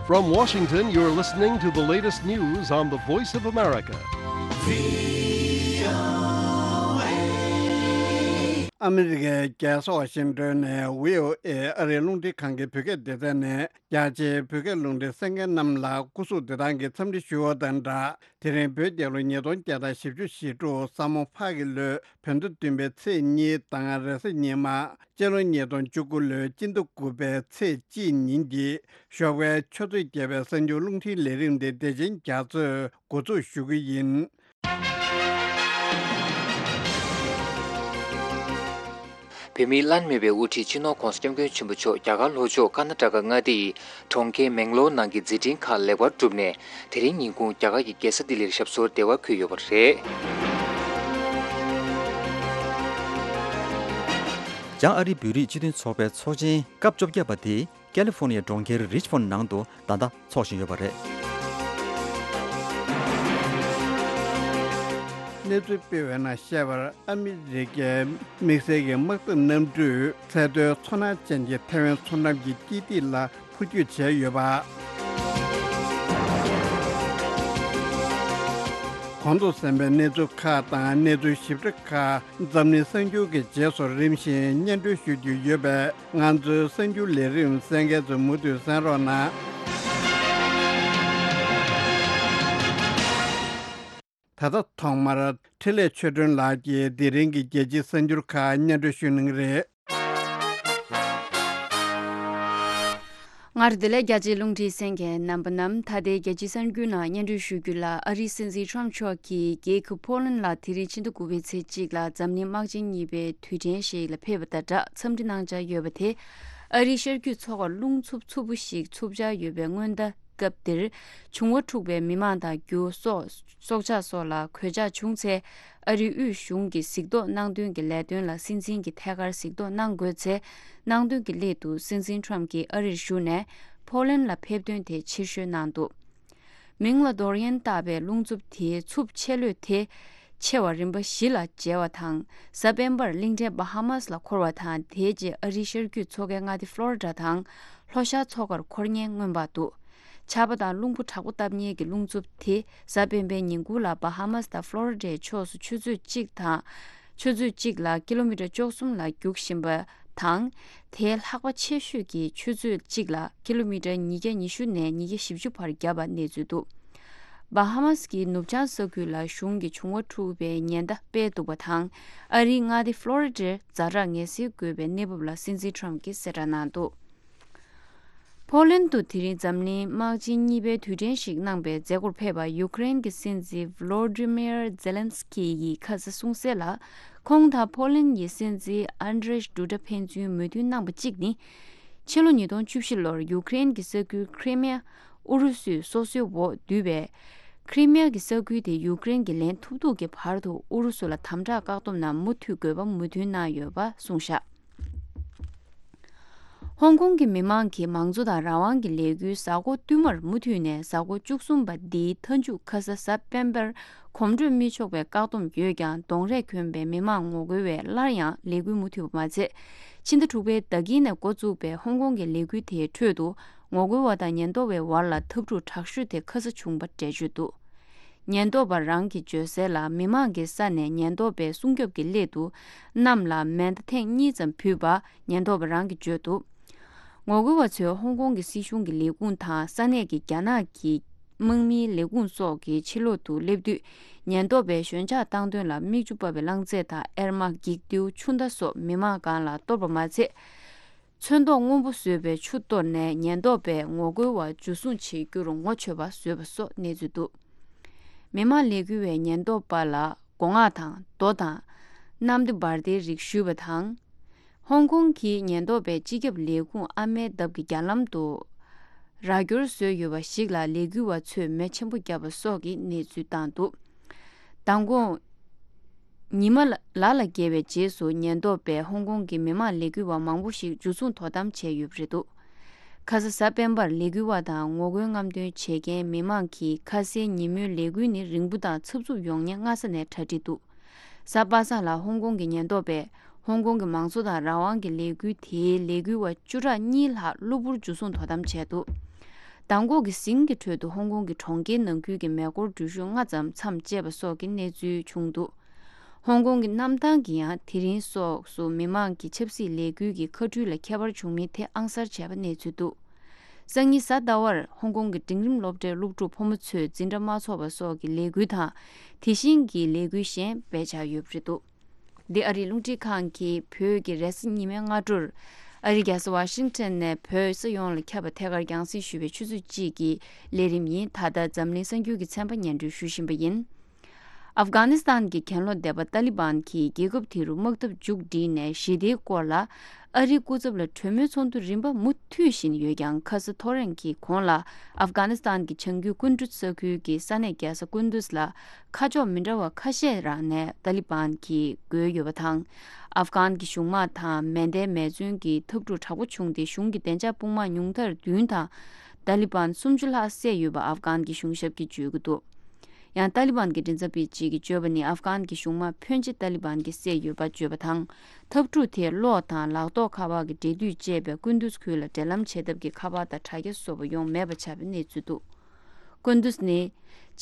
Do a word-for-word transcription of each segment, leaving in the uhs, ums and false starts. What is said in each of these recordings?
From Washington, you're listening to the latest news on the Voice of America. ཨ་མི་རི་ཀའི་རྒྱལ་ས་ཝ་ཤིང་ཏོན་ནས་བྷི་ཨོ་ཨེ་ཨ་རིའི་རླུང་འཕྲིན་ཁང་གི་བོད་སྐད་སྡེ་ཚན་ནས། རྒྱ་ཆེའི་བོད་སྐད་རླུང་འཕྲིན་གསན་མཁན་རྣམས་ལ་སྐུ་གཟུགས་བདེ་ཐང་གི་འཚམས་འདྲི་ཞུ་བ་དང་སྦྲགས། དེ་རིང་བོད་རྒྱལ་ལོ་ཉིས་སྟོང་བརྒྱ་དང་བཞི་བཅུ་ཞེ་དྲུག་ས་མོ་ཕག་གི་ལོའི་བོད་ཟླ་བདུན་པའི་ཚེས་གཉིས་དང་རེས་གཟའ་ཉི་མ། སྤྱི་ལོ་ཉིས་སྟོང་བཅུ་དགུ་ལོའི་སྤྱི་ཟླ་དགུ་པའི་ཚེས་གཅིག་ཉིན་གྱི་ཞོགས་པའི་ཆུ་ཚོད་བརྒྱད་པའི་གསར་འགྱུར་རླུང་འཕྲིན་ལས་རིམ་དེ་བདེ་ཆེན་རྒྱ་མཚོས་འགོ་འཛུགས་ཞུ་གི་ཡིན། བོད་མིའི་བླ་ན་མེད་པའི་དབུ་ཁྲིད་སྤྱི་ནོར་༧གོང་ས་༧སྐྱབས་མགོན་ཆེན་པོ་མཆོག་རྒྱ་གར་ལྷོ་ཕྱོགས་ཀར་ན་ཊ་ཀ་མངའ་སྡེ་ཡི་གྲོང་ཁྱེར་མེང་ལོར་ནང་གི་མཛད་འཕྲིན་ཁག་ལེགས་པར་གྲུབ་ནས། དེ་རིང་ཉིན་གུང་རྒྱ་གར་གྱི་རྒྱལ་ས་ལྡི་ལིར་ཞབས་སོར་བདེ་བར་འཁོད་ཡོད་པ་རེད། བྱང་ཨ་རིའི་བོད་རིགས་སྤྱི་མཐུན་ཚོགས་པའི་ཚོགས་ཆེན་སྐབས་བཅོ་བརྒྱད་པ་དེ་ཀ་ལི་ཧྥོར་ནི་ཡའི་གྲོང་ཁྱེར་རིཆ་མོན་ནང་དུ་ད་ལྟ་འཚོགས་བཞིན་ཡོད་པ་རེད། གནས་ཚུལ་སྤེལ་བའི་ནང་བཤད་པར། ཨ་མི་རི་ཀའི་དམིགས་བསལ་གྱི་དམག་འཐབ་གནམ་གྲུས་ཚད་མཐོའི་མཚོ་སྣ་ཅན་གྱི་ཐའེ་ཝན་མཚོ་འགྲམ་གྱི་སྐྱིད་ཐིག་ལ་འཕུར་སྐྱོད་བྱས་ཡོད་པ། གོང་དུ་གསན་པའི་གནས་ཚུལ་ཁག་དང་གནས་ཚུལ་ཞིབ་ཕྲ་ཁག་འཛམ་གླིང་གསར་འགྱུར་གྱི་རྗེས་སུ་རིམ་བཞིན་སྙན་སྒྲོན་ཞུ་རྒྱུ་ཡོད་པས། ང་ཚོའི་གསར་འགྱུར་ལས་རིམ་གསན་མཁན་ཚོས་མུ་མཐུད་གསན་རོགས་གནང་། ད་ལྟ་ཐོག་མར་འཕྲིན་ལས་ཆོས་སྒྲོན་ལགས་ཀྱིས་དེ་རིང་གི་རྒྱལ་སྤྱིའི་གསར་འགྱུར་ཁག་སྙན་སྒྲོན་ཞུ་གནང་གི་རེད། སྔར་བདེ་ལེགས། རྒྱལ་སྤྱིའི་རླུང་འཕྲིན་གསན་མཁན་རྣམ་པ་རྣམས། ད་ལྟའི་རྒྱལ་སྤྱིའི་གསར་འགྱུར་ནང་སྙན་སྒྲོན་ཞུ་རྒྱུ་ལ། ཨ་རིའི་སྲིད་འཛིན་ཁྲོམ་མཆོག་གིས་རྒྱལ་ཁབ་ཕོ་ལན་ལ་དེ་རིང་ཕྱི་ཟླ་དགུ་པའི་ཚེས་གཅིག་ལ་འཛམ་གླིང་དམག་ཆེན་གཉིས་པའི་དུས་དྲན་ཞིག་ལ་ཕེབས་པ་དང་སྦྲགས་འཚམས་འདྲི་གནང་འཆར་ཡོད་པ་དེ། ཨ་རིའི་ཤར་རྒྱུད་མཚོ་ཁར་རླུང་འཚུབ་འཚུབ་པོ་ཞིག་འཚུབ་འཆར་ཡོད་པའི་སྔོན་བརྡ་སྐབས་འདིར། བྱུང་བ་འཁྲུགས་པའི་མི་མང་དང་རྒྱུ་སོགས་སྲོག་ཆགས་སོགས་ལ་གོད་ཆག་བྱུང་ཚེ། ཨ་རིའི་དབུས་གཞུང་གི་གཟིགས་རྟོག་གནང་དོན་གྱི་ལས་དོན་ལ་སྲིད་འཛིན་གྱིས་ཐད་ཀར་གཟིགས་རྟོག་གནང་དགོས་ཚེ། གནང་དོན་གྱི་སླད་དུ་སྲིད་འཛིན་ཁྲོམ་གྱིས་ཨ་རིར་བཞུགས་ནས་ཕོ་ལན་ལ་ཕེབས་དོན་དེ་ཕྱིར་བཤོལ་གནང་འདུག་མིང་ལ་ཌོ་རི་ཡན་བཏགས་པའི་རླུང་འཚུབ་དེའི་འཚུབ་ཆེ་ལོས་དེ་ཆེ་བ་རིམ་པ་བཞི་ལ་འཇལ་བ་དང་། གཟའ་སྤེན་པར་གླིང་ཕྲན་བྷ་ཧ་མཱས་ལ་འཁོར་བ་དང་། དེའི་རྗེས་ཨ་རིའི་ཤར་རྒྱུད་མཚོ་ཁའི་མངའ་སྡེ་ཕློ་རི་ཌ་དང་ལྷོ་ཤར་མཚོ་ཁར་འཁོར་ཉེན་མངོན་པར་འདུག་ཆར་པ་དང་རླུང་བུ་དྲག་པོ་བཏབ་ཉེན་གྱི་རླུང་འཚུབ་དེ་གཟའ་སྤེན་པའི་ཉིན་གུང་ལ་བྷ་ཧ་མཱས་དང་ཕློ་རི་ཌའི་ཕྱོགས་སུ་ཆུ་ཚོད་གཅིག་དང་། ཆུ་ཚོད་གཅིག་ལ་ཀི་ལོ་མི་ཊར་བཅུ་གསུམ་ལ་རྒྱུག་བཞིན་པ་དང་། དེའི་ལྷགས་པ་ཆེ་ཤོས་ཀྱི་ཆུ་ཚོད་གཅིག་ལ་ཀི་ལོ་མི་ཊར་ཉིས་བརྒྱ་ཉི་ཤུ་ནས་ཉིས་བརྒྱ་བཞི་བཅུ་བར་བརྒྱབ་པ་གནས་ཚུལ་འདུག་བྷ་ཧ་མཱས་ཀྱི་ནུབ་བྱང་ས་ཁུལ་ལ་གཞུང་གི་བྱུང་བ་འཁྲུགས་པའི་ཉེན་བརྡ་སྤེལ་འདུག་པ་དང་། ཨ་རིའི་མངའ་སྡེ་ཕློ་རི་ཌར་ཛ་དྲག་ངལ་སེལ་དགོས་པའི་གནས་བབ་ལ་སྲིད་འཛིན་ཁྲོམ་གྱིས་གསལ་བསྒྲགས་གནང་འདུག་ཕོ་ལན་དུ་དེ་རིང་འཛམ་གླིང་དམག་ཆེན་གཉིས་པའི་དུས་དྲན་ཞིག་གནང་པའི་མཛད་སྒོར་ཕེབས་པ་ཡུ་ཀེ་རེན་གྱི་སྲིད་འཛིན་ཝོ་ལོ་ཌི་མིར་ཛེ་ལན་སི་ཀི་ཡིས་ཁ་ས་གསུངས་གསལ་ལ། ཁོང་དང་ཕོ་ལན་གྱི་སྲིད་འཛིན་ཨན་ཌྲེ་ཌུ་ཌ་ཕན་ཚུན་མོས་མཐུན་གནང་པ་གཅིག་ནི། ཕྱི་ལོ་ཉིས་སྟོང་བཅུ་བཞི་ལོར་ཡུ་ཀེ་རེན་གྱི་ས་ཁུལ་ཁི་རི་མི་ཡ་ཨུ་རུ་སུས་སོ་སོའི་འོག་བསྡུས་པའི། ཁི་རི་མི་ཡ་གྱི་ས་ཁུལ་དེ་ཡུ་ཀེ་རེན་གྱིས་ལེན་ཐུབ་ཐུབ་ཀྱི་བར་དུ་ཨུ་རུ་སུ་ལ་དམ་དྲག་བཀག་སྡོམ་ནང་མུ་མཐུད་དགོས་པ་མོས་མཐུན་གནང་ཡོད་པ་གསུངས་བཞག་ཧོང་ཀོང་གི་མི་མང་གིས་མང་གཙོ་དང་རང་དབང་གི་ལས་འགུལ་གཟའ་འཁོར་བསྟུད་མར་མུ་མཐུད་ནས་གཟའ་འཁོར་བཅུ་གསུམ་པ་འདིའི་མཐའ་མཇུག་ཁ་ས་གཟའ་སྤེན་པར་གོམ་བགྲོད་མི་ཆོག་པའི་བཀག་སྡོམ་ཡོད་ཀྱང་གདོང་རས་གྱོན་པའི་མི་མང་ངོ་རྒོལ་བས་སླར་ཡང་ལས་འགུལ་མུ་མཐུད་པ་མ་ཚད། ཕྱི་ཟླ་དྲུག་པའི་ཟླ་དཀྱིལ་ནས་འགོ་བཙུགས་པའི་ཧོང་ཀོང་གི་ལས་འགུལ་དེའི་ཁྲོད་དུ་ངོ་རྒོལ་བ་དང་ཉེན་རྟོག་པའི་བར་ལ་འཐབ་འཁྲུག་དྲག་ཤོས་དེ་ཁ་ས་བྱུང་པ་འགྲེལ་བརྗོད་འདུག་ཉེན་རྟོག་པ་རང་གིས་བརྗོད་གསལ་ལ། མི་མང་གི་ས་ནས་ཉེན་རྟོག་པའི་སྲུང་སྐྱོབ་ཀྱི་སླད་དུ་གནམ་ལ་མེ་མདའ་ཐེངས་གཉིས་ཙམ་བུད་པ་ཉེན་རྟོག་པ་རང་གིས་བརྗོད་འདུག་ངོ་རྒོལ་བ་ཚོས་ཧོང་ཀོང་གི་སྲིད་གཞུང་གི་ལས་ཁུངས་དང་ས་གནས་ཀྱི་རྒྱ་ནག་གི་དམག་མིའི་ལས་ཁུངས་སོགས་ཀྱི་ཕྱི་ལོག་ཏུ་སླེབས་དུས། ཉེན་རྟོག་པས་ཞོད་འཇགས་བཏང་དོན་ལ་མིག་ཆུ་འབབ་པའི་རླངས་རྫས་དང་། གཡེར་མ། འགྱིག་རྡེའུ། ཆུ་མདའ་སོགས་མི་མང་སྒང་ལ་གཏོར་བ་མ་ཚད། ཚོན་མདོག་སྔོན་པོ་བཟོས་པའི་ཆུ་གཏོར་ནས་ཉེན་རྟོག་པས་ངོ་རྒོལ་བ་འཇུ་བཟུང་བྱེད་རྒྱུར་ངོ་ཆོད་པ་བཟོས་པ་སོགས་གནས་ཚུལ་འདུག་མི་མང་ལས་འགུལ་བས་ཉེན་རྟོག་པ་ལ་སྒོ་ང་དང་རྡོ་དང་། གནམ་བདེ་འབར་མདེལ་རིགས་གཞུས་པ་དང་། ཧོང་ཀོང་གི་ཉེན་རྟོག་པས་སྤྱི་ཁྱབ་ལས་ཁུངས་ཨ་མའི་འདབས་ཀྱི་རྒྱ་ལམ་དུ་ར་སྐྱོར་བཟོས་ཡོད་པ་ཞིག་ལ་ལས་འགུལ་བ་ཚོས་མེ་ཆེན་པོ་བརྒྱབ་པ་སོགས་ཀྱི་གནས་ཚུལ་བཏང་འདུག་མདང་དགོང་། ཉི་མ་ལ་ལ་བརྒལ་བའི་རྗེས་སུ་ཉེན་རྟོག་པས་ཧོང་ཀོང་གི་མི་མང་ལས་འགུལ་བ་མང་པོ་ཞིག་འཇུ་བཟུང་དོ་དམ་བྱས་ཡོད་པ་རེད་འདུག་ཁ་ས་གཟའ་སྤེན་པར་ལས་འགུལ་བ་དང་ངོ་རྒོལ་རྔམ་སྟོན་བྱེད་མཁན་མི་མང་གིས་ཁ་སའི་ཉིན་མོའི་ལས་འགུལ་ནི་རིང་པོ་དང་འཚབ་འཚུབ་ཡོང་ཉེན་སྔ་ས་ནས་གྲ་སྒྲིག་འདུག་གཟའ་པ་སངས་ལ་ཧོང་ཀོང་གི་ཉེན་རྟོག་པས་ཧོང་ཀོང་གི་མང་གཙོ་དང་རང་དབང་གི་ལས་འགུལ་དེའི་ལས་འགུལ་བ་བཅུ་ཕྲག་གཉིས་ལྷག་གློ་བུར་འཇུ་བཟུང་དོ་དམ་བྱས་འདུག་མདང་དགོང་གི་ཟིང་གི་ཁྲོད་དུ་ཧོང་ཀོང་གི་གྲོང་ཁྱེར་ནང་ཁུལ་གྱི་མེ་འཁོར་འགྲུལ་བཞུད་ལྔ་ཙམ་མཚམས་བཅད་པ་སོགས་ཀྱི་གནས་ཚུལ་བྱུང་འདུག་ཧོང་ཀོང་གི་གནམ་ཐང་གི་ཡང་དེ་རིང་སོགས་སུ་མི་མང་གི་ཆབ་སྲིད་ལས་འགུལ་གྱི་ཁ་སྤྲོད་ལ་ཁྱད་པར་བྱུང་མིན་ཐད་ཨང་གསར་བྱས་པ་གནས་ཚུལ་འདུག་སང་ཉིན་གཟའ་ཟླ་བར་ཧོང་ཀོང་གི་འབྲིང་རིམ་སློབ་གྲྭའི་སློབ་ཕྲུག་ཕོ་མོ་ཚོས་འཛིན་གྲྭ་མ་ཚོགས་པ་སོགས་ཀྱི་ལས་འགུལ་དང་། དེ་བཞིན་གྱི་ལས་འགུལ་གཞན་སྤེལ་འཆར་ཡོད་པ་རེད་འདུག་འདི་ཨ་རིའི་རླུང་འཕྲིན་ཁང་གིས་བོད་ཀྱི་རེས་གཟའ་ཉི་མའི་སྔ་དྲོར་ཨ་རིའི་རྒྱལ་ས་ཝ་ཤིང་ཊོན་ནས་བོད་ས་ཡོངས་ལ་ཁྱབ་པ་ཐད་ཀར་རྒྱང་སྲིང་ཞུ་བའི་ཆུ་ཚོད་གཅིག་གི་ལས་རིམ་ཡིན། ད་ལྟ་འཛམ་གླིང་གསར་འགྱུར་གྱི་ཚན་པ་སྙན་སྒྲོན་ཞུ་བཞིན་པ་ཡིན། ཨབ་གྷ་ནི་སི་ཐན་གྱི་གྱེན་ལོག་སྡེ་པ་ཏཱ་ལི་བན་གྱིས་རྒྱལ་ཁབ་དེ་རུ་དམག་འཐབ་མཇུག་བསྒྲིལ་ནས་ཞི་བདེའི་སྐོར་ལ་ཨ་རིའི་སྐུ་ཚབ་ལ་གྲོས་མོལ་ཚོགས་འདུ་རིམ་པ་མུ་མཐུད་བཞིན་ཡོད་ཀྱང་། ཁ་ས་ཐོ་རེངས་ཀྱི་གོང་ལ་ཨབ་གྷ་ནི་སི་ཐན་གྱི་བྱང་རྒྱུད་ཀུན་ཌུཛ་ས་ཁུལ་གྱི་ས་གནས་རྒྱལ་ས་ཀུན་ཌུཛ་ལ་ཁ་ཕྱོགས་མི་འདྲ་བ་ཁ་ཤས་རང་ནས་ཏཱ་ལི་བན་གྱིས་བགོས་ཡོད་པ་དང་། ཨབ་གྷན་གྱི་གཞུང་དམག་དང་མེ་མདའི་མེ་མཚོན་གྱི་འཐབ་འཁྲུག་དྲག་པོ་བྱུང་སྟེ། གཞུང་གི་བདེ་འཇགས་དཔུང་དམག་ཉུང་མཐར་བདུན་དང་ཏཱ་ལི་བན་སུམ་ཅུ་ལྷག་བསད་ཡོད་པ་ཨབ་གྷན་གྱི་གཞུང་ཞབས་ཀྱིས་བརྗོད་ཀྱི་འདུག་ཡང་ཏཱ་ལི་བན་གྱི་མགྲིན་ཚབ་པས་གཅིག་གིས་བརྗོད་པ་ནི། ཨབ་གྷན་གྱི་གཞུང་དམག་ཕོན་ཆེ་ཏཱ་ལི་བན་གྱིས་བསད་ཡོད་པ་བརྗོད་པ་དང་། འཐབ་འཁྲུག་དེས་གློག་དང་ལག་ཐོགས་ཁ་པར་གྱི་འབྲེལ་མཐུད་ཅེས་པའི་ཀུན་ཏུས་ཁུལ་ལ་འབྲེལ་ལམ་བྱེད་ཐབས་ཀྱི་ཁ་པར་དང་དྲ་རྒྱ་སོགས་པ་ཡོང་མེད་པ་ཆགས་པའི་གནས་ཚུལ་འདུག་ཀུན་ཏུས་ནི་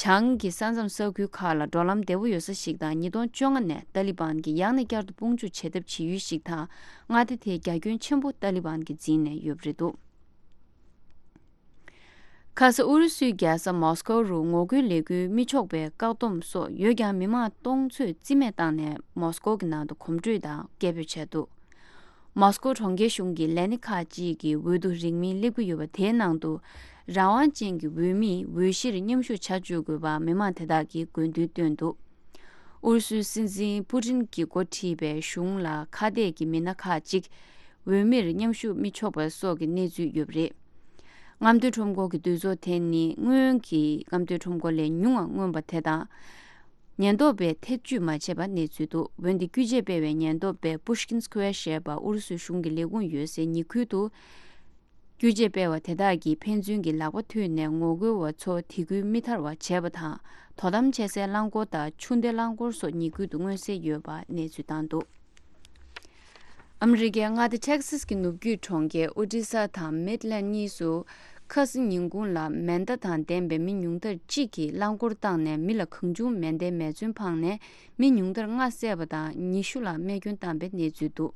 བྱང་གི་ས་མཚམས་ས་ཁུལ་ཁག་ལ་འགྲོ་ལམ་བདེ་པོ་ཡོད་ས་ཞིག་དང་། ཉིས་སྟོང་བཅོ་ལྔ་ནས་ཏཱ་ལི་བན་གྱིས་ཡང་ནས་བསྐྱར་དུ་དཔུང་འཇུག་བྱེད་ཐབས་བྱེད་ཡུལ་ཞིག་དང་། མངའ་སྡེ་དེའི་རྒྱ་ཁྱོན་ཆེན་པོ་ཏཱ་ལི་བན་གྱིས་འཛིན་ནས་ཡོད་པ་རེད་འདུག་ཁ་ས་ཨུ་རུ་སུའི་རྒྱལ་ས་མོ་སི་ཀོ་རུ་ངོ་རྒོལ་ལས་འགུལ་མི་ཆོག་པའི་བཀག་སྡོམ་སོགས་ཡོད་ཀྱང་། མི་མང་སྟོང་ཚོས་རྩིས་མེད་བཏང་ནས་མོ་སི་ཀོ་གི་ནང་དུ་གོམ་བགྲོད་དང་སྐད་འབོད་བྱས་འདུག་མོ་སི་ཀོ་གྲོང་ཁྱེར་གཞུང་གི་ལས་སྣེ་ཁག་ཅིག་གིས་འོས་བསྡུ་རིང་མིན་སླེབས་ཀྱི་ཡོད་པ་དེའི་ནང་དུ་རང་དབང་ཅན་གྱི་འོས་མིས་འོས་གཞིར་མཉམ་ཞུགས་བྱ་བཅུག་དགོས་པ་མི་མང་དེ་དག་གིས་དགོས་འདུན་བཏོན་འདུག་ཨུ་རུ་སུའི་སྲིད་འཛིན་པུ་ཏིན་གྱིས་འགོ་ཁྲིད་པའི་གཞུང་ལ་ཁ་གཏད་ཀྱི་མི་སྣ་ཁག་ཅིག་འོས་མིར་མཉམ་ཞུགས་མི་ཆོག་པ་སོགས་ཀྱི་གནས་ཚུལ་ཡོད་པ་རེད། རྔམ་སྟོན་ཁྲོམ་སྐོར་གྱི་འདུས་ཚོགས་དེ་ནི་སྔོན་གྱི་རྔམ་སྟོན་ཁྲོམ་སྐོར་ལས་ཉུང་བ་མངོན་པ་དེ་དང་། ཉེན་རྟོག་པས་ཐེ་བྱུས་མ་བྱས་པ་གནས་ཚུལ་འདུག་འོན་ཏེ་བཀོད་ཇུས་སྤེལ་བའི་ཉེན་རྟོག་པས་Pushkin Square ཞེས་པ་ཨུ་རུ་སུའི་གཞུང་གི་ལས་ཁུངས་ཡོད་སའི་ཉེ་ཁུལ་དུ། བཀོད་ཇུས་སྤེལ་བ་དེ་དག་གིས་ཕན་ཚུན་གྱི་ལག་པ་མཐུད་ནས་ངོ་རྒོལ་བ་ཚོ་དེ་ཁུལ་མི་ཐར་བ་བྱས་པ་དང་། དོ་དམ་བྱེད་སའི་རླངས་འཁོར་དང་ཆུ་མདའི་རླངས་འཁོར་སོགས་ཉེ་ཁུལ་དུ་མངོན་གསལ་ཡོད་པ་གནས་ཚུལ་བཏང་འདུག་ཨ་མི་རི་ཀའི་མངའ་སྡེ་ཊེག་སཱས་ཀྱི་ནུབ་རྒྱུད་གྲོང་ཁྱེར་ཨོ་ཌི་ས་དང་མིཌ་ལེན་གཉིས་སུ་ཁ་སང་ཉིན་གུང་ལ་མེ་མདའ་དང་ལྡན་པའི་མི་ཉུང་མཐར་གཅིག་གིས་རླངས་འཁོར་བཏང་ནས་མི་ལ་གང་བྱུང་མེ་མདའི་མེ་མཚོན་འཕངས་ནས་མི་ཉུང་མཐར་ལྔ་བསད་པ་དང་ཉི་ཤུ་ལ་རྨས་སྐྱོན་བཏང་པའི་གནས་ཚུལ་འདུག་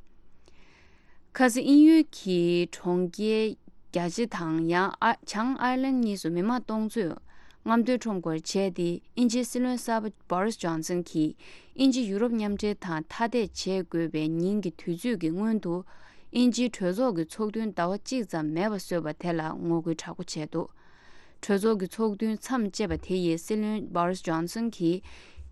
ཁ་སང་དབྱིན་ཡུལ་གྱི་གྲོང་ཁྱེར་རྒྱ་ཆེ་དང་ཡང་ཨ་བྱང་ཨའི་ལན་གཉིས་སུ་མི་མང་སྟོང་ཚོས་རྔམ་སྟོན་ཁྲོམ་སྐོར་བྱས་ཏེ། དབྱིན་ཇིའི་སྲིད་བློན་གསར་པ་བྷོ་རིས་ཇོན་སན་གྱིས་དབྱིན་ཇི་ཡུ་རོབ་མཉམ་འབྲེལ་དང་ཐ་དད་བྱེད་དགོས་པའི་ཉིན་གྱི་དུས་ཚོད་ཀྱི་སྔོན་དུ། དབྱིན་ཇིའི་གྲོས་ཚོགས་ཀྱི་ཚོགས་ཐུན་ཟླ་བ་གཅིག་ཙམ་མེད་པ་བཟོས་པ་དེ་ལ་ངོ་རྒོལ་དྲག་པོ་བྱས་འདུག་གྲོས་ཚོགས་ཀྱི་ཚོགས་ཐུན་མཚམས་བཅད་པ་དེ་ཡིས་སྲིད་བློན་བྷོ་རིས་ཇོན་སན་གྱིས་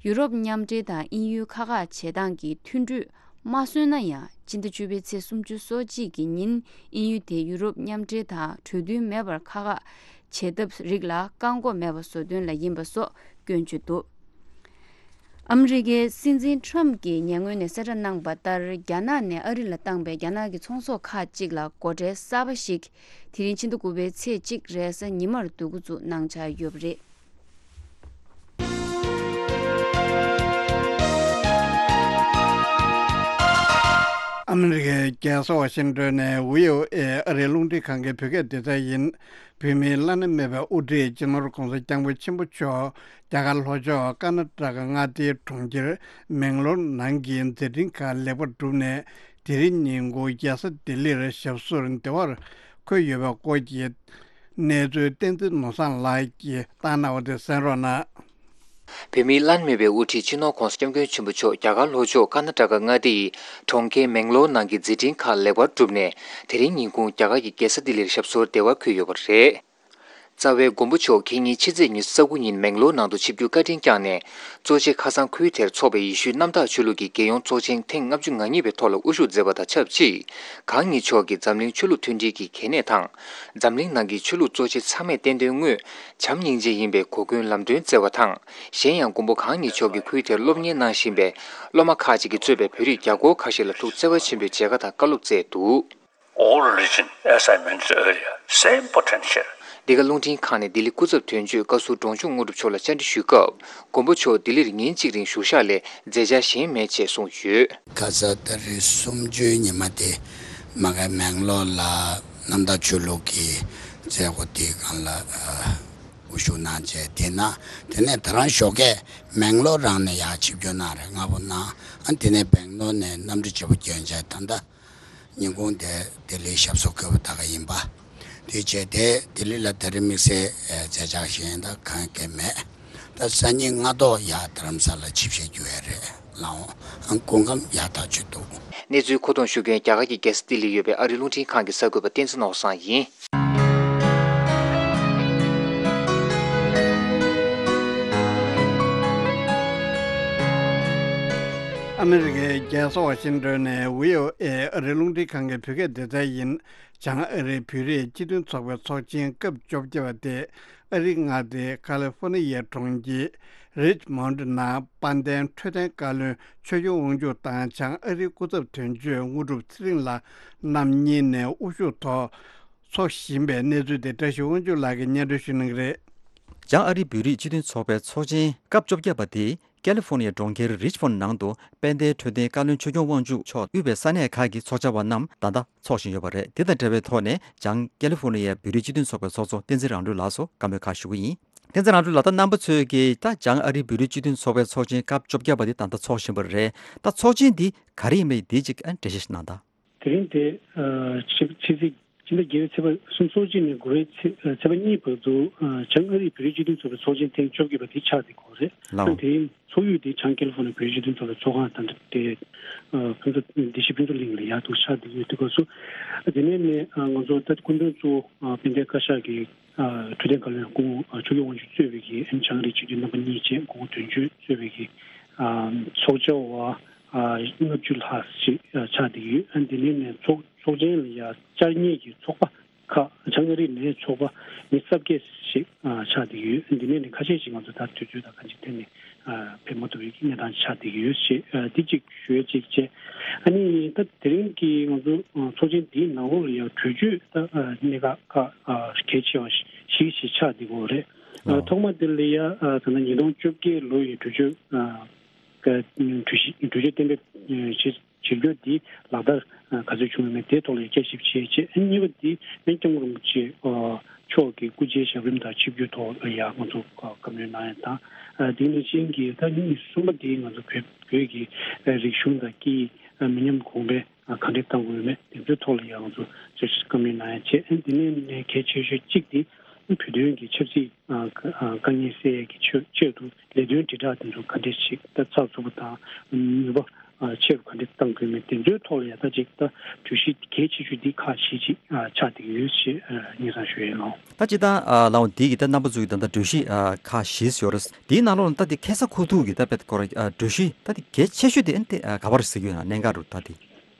ཡུ་རོབ་མཉམ་འབྲེལ་དང་དབྱིན་ཡུལ་ཁ་ཁ་བྱེད་སྟངས་ཀྱི་མཐུན་གྲོས་མ་སོན་ན་ཡང་། སྤྱི་ཟླ་བཅུ་པའི་ཚེས་སུམ་ཅུ་སོ་གཅིག་གི་ཉིན་དབྱིན་ཡུལ་དེ་ཡུ་རོབ་མཉམ་འབྲེལ་དང་གྲོས་མཐུན་མེད་པར་ཁ་ཁ་བྱེད་ཐབས་རིགས་ལ་བཀག་འགོག་མེད་པ་བཟོ་དོན་ལ་ཡིན་པ་སོགས་སྐྱོན་བརྗོད་འདུག་ཨ་མི་རི་ཀའི་སྲིད་འཛིན་ཁྲོམ་གྱིས་ཉེ་སྔོན་ནས་གསལ་བསྒྲགས་གནང་པ་ལྟར། རྒྱ་ནག་ནས་ཨ་རི་ལ་བཏང་པའི་རྒྱ་ནག་གི་ཚོང་ཟོག་ཁག་ཅིག་ལ་སྒོ་ཁྲལ་གསར་པ་ཞིག་དེ་རིང་ཕྱི་ཟླ་དགུ་པའི་ཚེས་གཅིག་རེས་གཟའ་ཉི་མར་བསྡུ་འགོ་བཙུགས་གནང་འཆར་ཡོད་པ་རེད། ཨ་མི་རི་ཀའི་རྒྱལ་ས་ཝ་ཤིང་ཏོན་ནས་བྷི་ཨོ་ཨེ་ཨ་རིའི་རླུང་འཕྲིན་ཁང་གི་བོད་སྐད་སྡེ་ཚན་ཡིན། བོད་མིའི་བླ་ན་མེད་པའི་དབུ་ཁྲིད་སྤྱི་ནོར་༧གོང་ས་༧སྐྱབས་མགོན་ཆེན་པོ་མཆོག་རྒྱ་གར་ལྷོ་ཕྱོགས་ཀར་ན་ཊ་ཀ་མངའ་སྡེའི་གྲོང་ཁྱེར་མེང་ལོར་ནང་གི་མཛད་འཕྲིན་ཁག་ལེགས་པར་གྲུབ་ནས། དེ་རིང་ཉིན་གུང་རྒྱལ་ས་ལྡི་ལིར་ཞབས་སོར་བདེ་བར་འཁོད་ཡོད་པའི་སྐོར་གྱི་གནས་ཚུལ་བསྟན་འཛིན་ནོར་བཟང་ལགས་ཀྱིས་བཏང་གནང་བ་དེ་གསན་རོགས་གནང་། བོད་མིའི་བླ་ན་མེད་པའི་དབུ་ཁྲིད་སྤྱི་ནོར་༧གོང་ས་༧སྐྱབས་མགོན་ཆེན་པོ་མཆོག་རྒྱ་གར་ལྷོ་ཕྱོགས་ཀར་ན་ཊ་ཀ་མངའ་སྡེ་ཡི་གྲོང་ཁྱེར་མེང་ལོར་ནང་གི་མཛད་འཕྲིན་ཁག་ལེགས་པར་གྲུབ་ནས། དེ་རིང་ཉིན་གུང་རྒྱ་གར་གྱི་རྒྱལ་ས་ལྡི་ལིར་ཞབས་སོར་བདེ་བར་འཁོད་ཡོད་པ་རེད། རྩ་བའི་མགོན་པོ་མཆོག་ཁེ་ཉིན་ཕྱི་ཚེས་ཉི་ཤུ་རྩ་དགུ་ཉིན་མེང་ལོར་ནང་དུ་ཆིབས་བསྒྱུར་བཀའ་དྲིན་བསྐྱངས་ནས། གཙོ་ཆེ་ཁ་སང་ཁུལ་དེར་འཚོགས་པའི་ཡེ་ཤུའི་གནམ་བདག་ཆོས་ལུགས་ཀྱི་རྒྱལ་ཡོངས་ཚོགས་ཆེན་ཐེངས་ལྔ་བཅུ་ང་གཉིས་པའི་ཐོག་ལ་དབུ་བཞུགས་མཛད་པ་དང་ཆབས་ཅིག་གང་ཉིད་མཆོག་གིས་འཛམ་གླིང་ཆོས་ལུགས་མཐུན་སྒྲིལ་གྱི་གལ་གནད་དང་། འཛམ་གླིང་ནང་གི་ཆོས་ལུགས་གཙོ་ཆེ་ཚང་མས་བསྟན་དོན་དངོས་བྱམས་སྙིང་རྗེ་ཡིན་པའི་གོ་སྐོན་ལམ་སྟོན་བསྩལ་བ་དང་། གཞན་ཡང་མགོན་པོ་གང་ཉིད་མཆོག་གིས་ཁུལ་དེར་སློབ་གཉེར་གནང་བཞིན་པའི་སློབ་མ་ཁག་ཅིག་གིས་གཙོས་པའི་བོད་རིགས་རྒྱ་སྒོར་ཁ་ཤས་ལ་ཐུགས་བརྩེ་བ་ཆེན་པོས་མཇལ་ཁ་དང་བཀའ་སློབ་བསྩལ་འདུག All religion, as I mentioned earlier, same potential. འདི་ག་རླུང་འཕྲིན་ཁང་ནས་ལྡི་ལི་སྐུ་ཚབ་དོན་གཅོད་བཀའ་ཟུར་འབྲོང་ཆུང་དངོས་གྲུབ་མཆོག་ལ་བཅར་འདྲི་ཞུས་སྐབས། མགོན་པོ་མཆོག་ལྡི་ལིར་ཉིན་གཅིག་རིང་བཞུགས་ཤག་ལས་མཛད་འཆར་གཞན་མེད་ཅེས་གསུངས་ཡོད། ཁ་ས་ཏ་རིག་གསུམ་བཅུའི་ཉི་མ་དེ་མ་གི་མེང་ལོར་ལ་གནམ་བདག་ཆོས་ལུགས་ཀྱི་ མཛད་སྒོ་དེའི་སྒང་ལ་ཨ་དབུ་བཞུགས་གནང་བྱས། དེ་ན་དེ་ནས་ད་རང་ཞོགས་ཀས་མེང་ལོར་རང་ནས་ཡར་ཆིབས་བསྒྱུར་གནང་རེད། སྔ་པོ་གནང་། ཨ་དེ་ནས་སྦེང་ལོར་ནས་གནམ་གྲུ་བརྗེ་པོ་བསྐྱོན་བྱས། ད་ལྟ་ཉིན་གུང་དེ་ལྡི་ལིའི་ཞབས་སོར་འཁོད་པ་ད་ག་ཡིན་པ། དེ་བྱས་ཏེ་ལྡི་ལི་ལ་ད་རེས་དམིགས་བསལ་ཨ་མཛད་འཆར་གཞན་ད་གང་ག་མེད། ད་སང་ཉིན་སྔ་ཐོག་ཡར་རྡ་རམ་ས་ལ་ཆིབས་ཞལ་བསྒྱུར་ཡ་རེད། ལའོ། ཨང་། སྐུ་ཁམས་ཡག་ཐག་ཆོད་འདུག། གནས་ཚུལ་མཁོ་གཏོང་ཞུ་མཁན་རྒྱ་གར་གྱི་རྒྱལ་ས་ལྡི་ལིར་ཡོད་པའི་ཨ་རིའི་རླུང་འཕྲིན་ཁང་གི་གསར་འགོད་པ་བསྟན་འཛིན་ནོར་བཟང་ཡིན། ཨ་མི་རི་ཀའི་རྒྱལ་ས་ཝ་ཤིང་ཏོན་ནས་བྷི་ཨོ་ཨེ་ཨ་རིའི་རླུང་འཕྲིན་ཁང་གི་བོད་སྐད་སྡེ་ཚན་ཡིན། བྱང་ཨ་རིའི་བོད་རིགས་སྤྱི་མཐུན་ཚོགས་པའི་ཚོགས་ཆེན་སྐབས་བཅོ་བརྒྱད་པ་དེ་ཨ་རིའི་མངའ་སྡེ་ཁ་ལི་ཧྥོ་ནི་ཡའི་གྲོང་ཁྱེར་རིཆ་མོན་ཌི་ནང་དཔལ་ལྡན་འཕྲོད་བསྟེན་བཀའ་བློན་ཆོས་སྐྱོང་དབང་ཕྱུག་དང་བྱང་ཨ་རིའི་སྐུ་ཚབ་དོན་གཅོད་དངོས་གྲུབ་ཚེ་རིང་ལགས་རྣམ་གཉིས་ནས་དབུ་བཞུགས་ཐོག་འཚོགས་བཞིན་པའི་གནས་ཚུལ་དེ་བཀྲ་ཤིས་དབང་ཕྱུག་ལགས་ཀྱིས་སྙན་སྒྲོན་ཞུ་གནང་གི་རེད། བྱང་ཨ་རིའི་བོད་རིགས་སྤྱི་མཐུན་ཚོགས་པའི་ཚོགས་ཆེན་སྐབས་བཅོ་བརྒྱད་པ་དེ་ཀ་ལི་ཧྥོ་ནི་ཡའི་གྲོང་ཁྱེར་རིཆ་མོན་ཌི་ནང་དུ་དཔལ་ལྡན་འཕྲོད་བསྟེན་བཀའ་བློན་ཆོས་སྐྱོང་དབང་ཕྱུག་མཆོག་དབུས་པའི་ས་གནས་ཁག་གི་ཚོགས་བཅར་བ་རྣམས་ད་ལྟ་འཚོགས་བཞིན་ཡོད་པ་རེད། དེ་དང་འབྲེལ་བའི་ཐོག་ནས་བྱང་ཀ་ལི་ཧྥོ་ནི་ཡའི་བོད་རིགས་སྤྱི་མཐུན་ཚོགས་པའི་ཚོགས་གཙོ་བསྟན་འཛིན་རང་གྲོལ་ལགས་སུ་བཀའ་མོལ་ཁག་ཞུ་གི་ཡིན། བསྟན་འཛིན་རང་གྲོལ་ལགས། ད་རྣམ་པ་ཚོས་ཀྱིས་ད་བྱང་ཨ་རིའི་བོད་རིགས་སྤྱི་མཐུན་ཚོགས་པའི་ཚོགས་ཆེན་སྐབས་བཅོ་བརྒྱད་པ་དེ་ད་ལྟ་འཚོགས་བཞིན་པ་རེད། ད་ཚོགས་ཆེན་འདི་ག་རེ་ཡིན་པ་འདི་གཅིག་ཨ་འགྲེལ་བཤད་ཞིག་གནང་དང་། དེ་རིང་དེ་ཨ་ཕྱི་ཕྱི་ཚེས་ཕྱི་ཟླ་བརྒྱད་པའི་ཚེས་པ་སུམ་ཅུ་སོ་གཅིག་ནས་དགུ་པའི་ཚེས་ཨ་ཚེས་པ་གཉིས་བར་དུ་ཨ་བྱང་ཨ་རིའི་བོད་རིགས་སྤྱི་མཐུན་ཚོགས་པའི་ཚོགས་ཆེན་ཐེངས་བཅོ་བརྒྱད་པ་དེ་ཆགས་བསྡད་ཡོད་རེད། ལའོ། ཨ་དེ་རིང་ཚོགས་ཡུལ་དེ་བྱང་ཀ་ལི་ཧྥོ་ནི་ཡའི་བོད་རིགས་སྤྱི་མཐུན་ཚོགས་པའི་ཚོགས་ཁང་དང་དེ་ཨ་ཕན་ཚུན་བདེ་སྐྱིད་ཕུན་ཚོགས་གླིང་ལ་ཡར་འདུག་ཆགས་བསྡད་ཡོད་དུས་སྐབས་སུ། ཨ་དེ་ནས་ནས་ཨ་ང་ཚོ་ད་སྐུ་མགྲོན་གཙོ་བོ་ཨ་དཔལ་ལྡན་བཀའ་ཤག་གི་ཨ་འཕྲོད་བསྟེན་བཀའ་བློན་སྐུ་ངོ་ཨ་ཆོས་སྐྱོང་དབང་ཕྱུག་གཙོས་པའི་གི་ཨ་བྱང་ཨ་རིའི་སྤྱི་འཐུས་རྣམ་པ་གཉིས་བཅས་སྐུ་ངོ་དོན་གཅོད་གཙོས་པའི་གི་ཨ་ཚོགས་བཅར་བ་ཨ་ལྔ་བཅུ་ལྷག་ཅིག་ཨ་ཆགས་བསྡད་ཡོད། ཨ་དེ་ནས་ནས་ཚོགས་ཚོགས་ཆེན་ལ་ཡ་བཅར་མཁན་གྱི་ཚོགས་པ་ཁག་བྱང་ཨ་རི་ནས་ཚོགས་པ་མི་སུམ་བརྒྱ་ཞིག་ཨ་ཆགས་བསྡད་ཡོད། ཨ་དེ་ནས་ནས་ཁ་ཤས་ཤིག་ང་ཚོ་ད་དུས་ཚོད་དང་གང་ཅིའི་ཐད་ནས་ཨ་ཕེབས་མ་ཐུབ་པའི་གནས་སྟངས་ཆགས་བསྡད་ཡོད་ཞེས་ཨ་དེ་གཅིག་ཞུ་ཡ་གཅིག་བྱས། ཨ་ནི་ད་དེ་རིང་གི་ང་ཚོ་ཨ་ཚོགས་ཆེན་འདིའི་ནང་ལོགས་ལ་ཡང་གྲོས་ཆོད་ད་ཨ་གནད་འགག་ཁག་ཨ་གལ་ཆེ་བ་ཞིག་ཞིག་ཆགས་བསྡད་ཡོད་རེད། ཨ་ཨོ། ཐོག་མ་དེ་ལ་ཡ་ཨ་ད་ལྟ་ཉིས་སྟོང་བཅོ་བརྒྱད་ལོ་ཡི་གྲོས་ཆོད་ཨ་ག་གྲོས་གཞི་གྲོས་ཆོད་གཏན་འབེབས་ཨ་བྱེད་བྱེད་རྒྱུ་འདི་ལག་བསྟར་ཨ་ག་ཚོད་བྱུང་ཡོད་མེད་དེའི་ཐོག་ལ་ཡ་དཔྱད་ཞིབ་བྱས་རྗེས། ཨ་གཉིས་པ་འདི་སྐྱབས་མགོན་རིན་པོ་ཆེ་ཨ་མཆོག་གི་སྐུ་ཕྱྭའི་ཞབས་རིམ་དང་ཆིབས་བསྒྱུར་ཐོག་ལ་ཡ་ང་ཚོ་བཀའ་མོལ་གནང་ཡ་དང་། ཨ་དེ་ནང་བཞིན་གྱི་ད་གཉིས་གསུམ་པ་འདི་ང་ཚོ་བོད་བོད་ཀྱི་ཨ་རིག་གཞུང་དང་སྐད་ཡིག་ཨ་མི་ཉམས་གོང་འཕེལ་ཨ་ག་འདྲས་གཏང་དགོས་ཡོད་མེད་དེ་ཚོའི་ཐོག་ལ་ཡང་ང་ཚོ་བཅར་ཞིབ་བཀའ་མོལ་གནང་ཡ་བྱས། ཨ་དེ་ནས་ནས་གལ་ཆེ་ཤོས་གཅིག་དེ་བོད་དོན་གྱི་ཆབ་སྲིད་ཨ་དཀའ་ངལ་སེལ་ཡས་ཀྱི་ཆེད་ཆེད་དུ་ལས་དོན་དྲིལ་བསྒྲགས་དེ་ཚོ་ག་འདྲས་ཞིག་ད་ཚགས་ཚུད་པོ་དང་ནུས་པ་ཨ་ཆེ་རུ་ག་འདྲས་གཏང་དགོས་མེད་དེ་ཚོའི་ཐོག་ལ་ཡ་ད་ཅིག་ད་གྲོས་གཞི་གལ་ཆེ་ཤོས་འདི་ཁག་བཞི་ཅིག་ཨ་ཆགས་བསྡད་ཀྱི་ཡོད་ཞེས་ཨ་སྙན་སེང་ཞུ་ཡས་ཡིན། ད་ཅི་ད་ཨ་ལའོ་འདི་གི་ད་རྣམ་པ་ཚོ་གི་ད་ད་གྲོས་གཞི་ཨ་ཁག་བཞི་ཡོད་རེད། འདིའི་ནང་ལོགས་ལ་ད་འདི་ཁ་ས་ཁོ་ཐུག་གི་ད་དཔེ་སྐོར་ཨ་གྲོས་གཞི་ད་འདི་གལ་ཆེ་ཤོས་དེ་ཨ་འདི་ཨ་ག་པར་ཟེར་གྱི་ཡོད་ན་གནད་འགག་རུ་ད་འདི།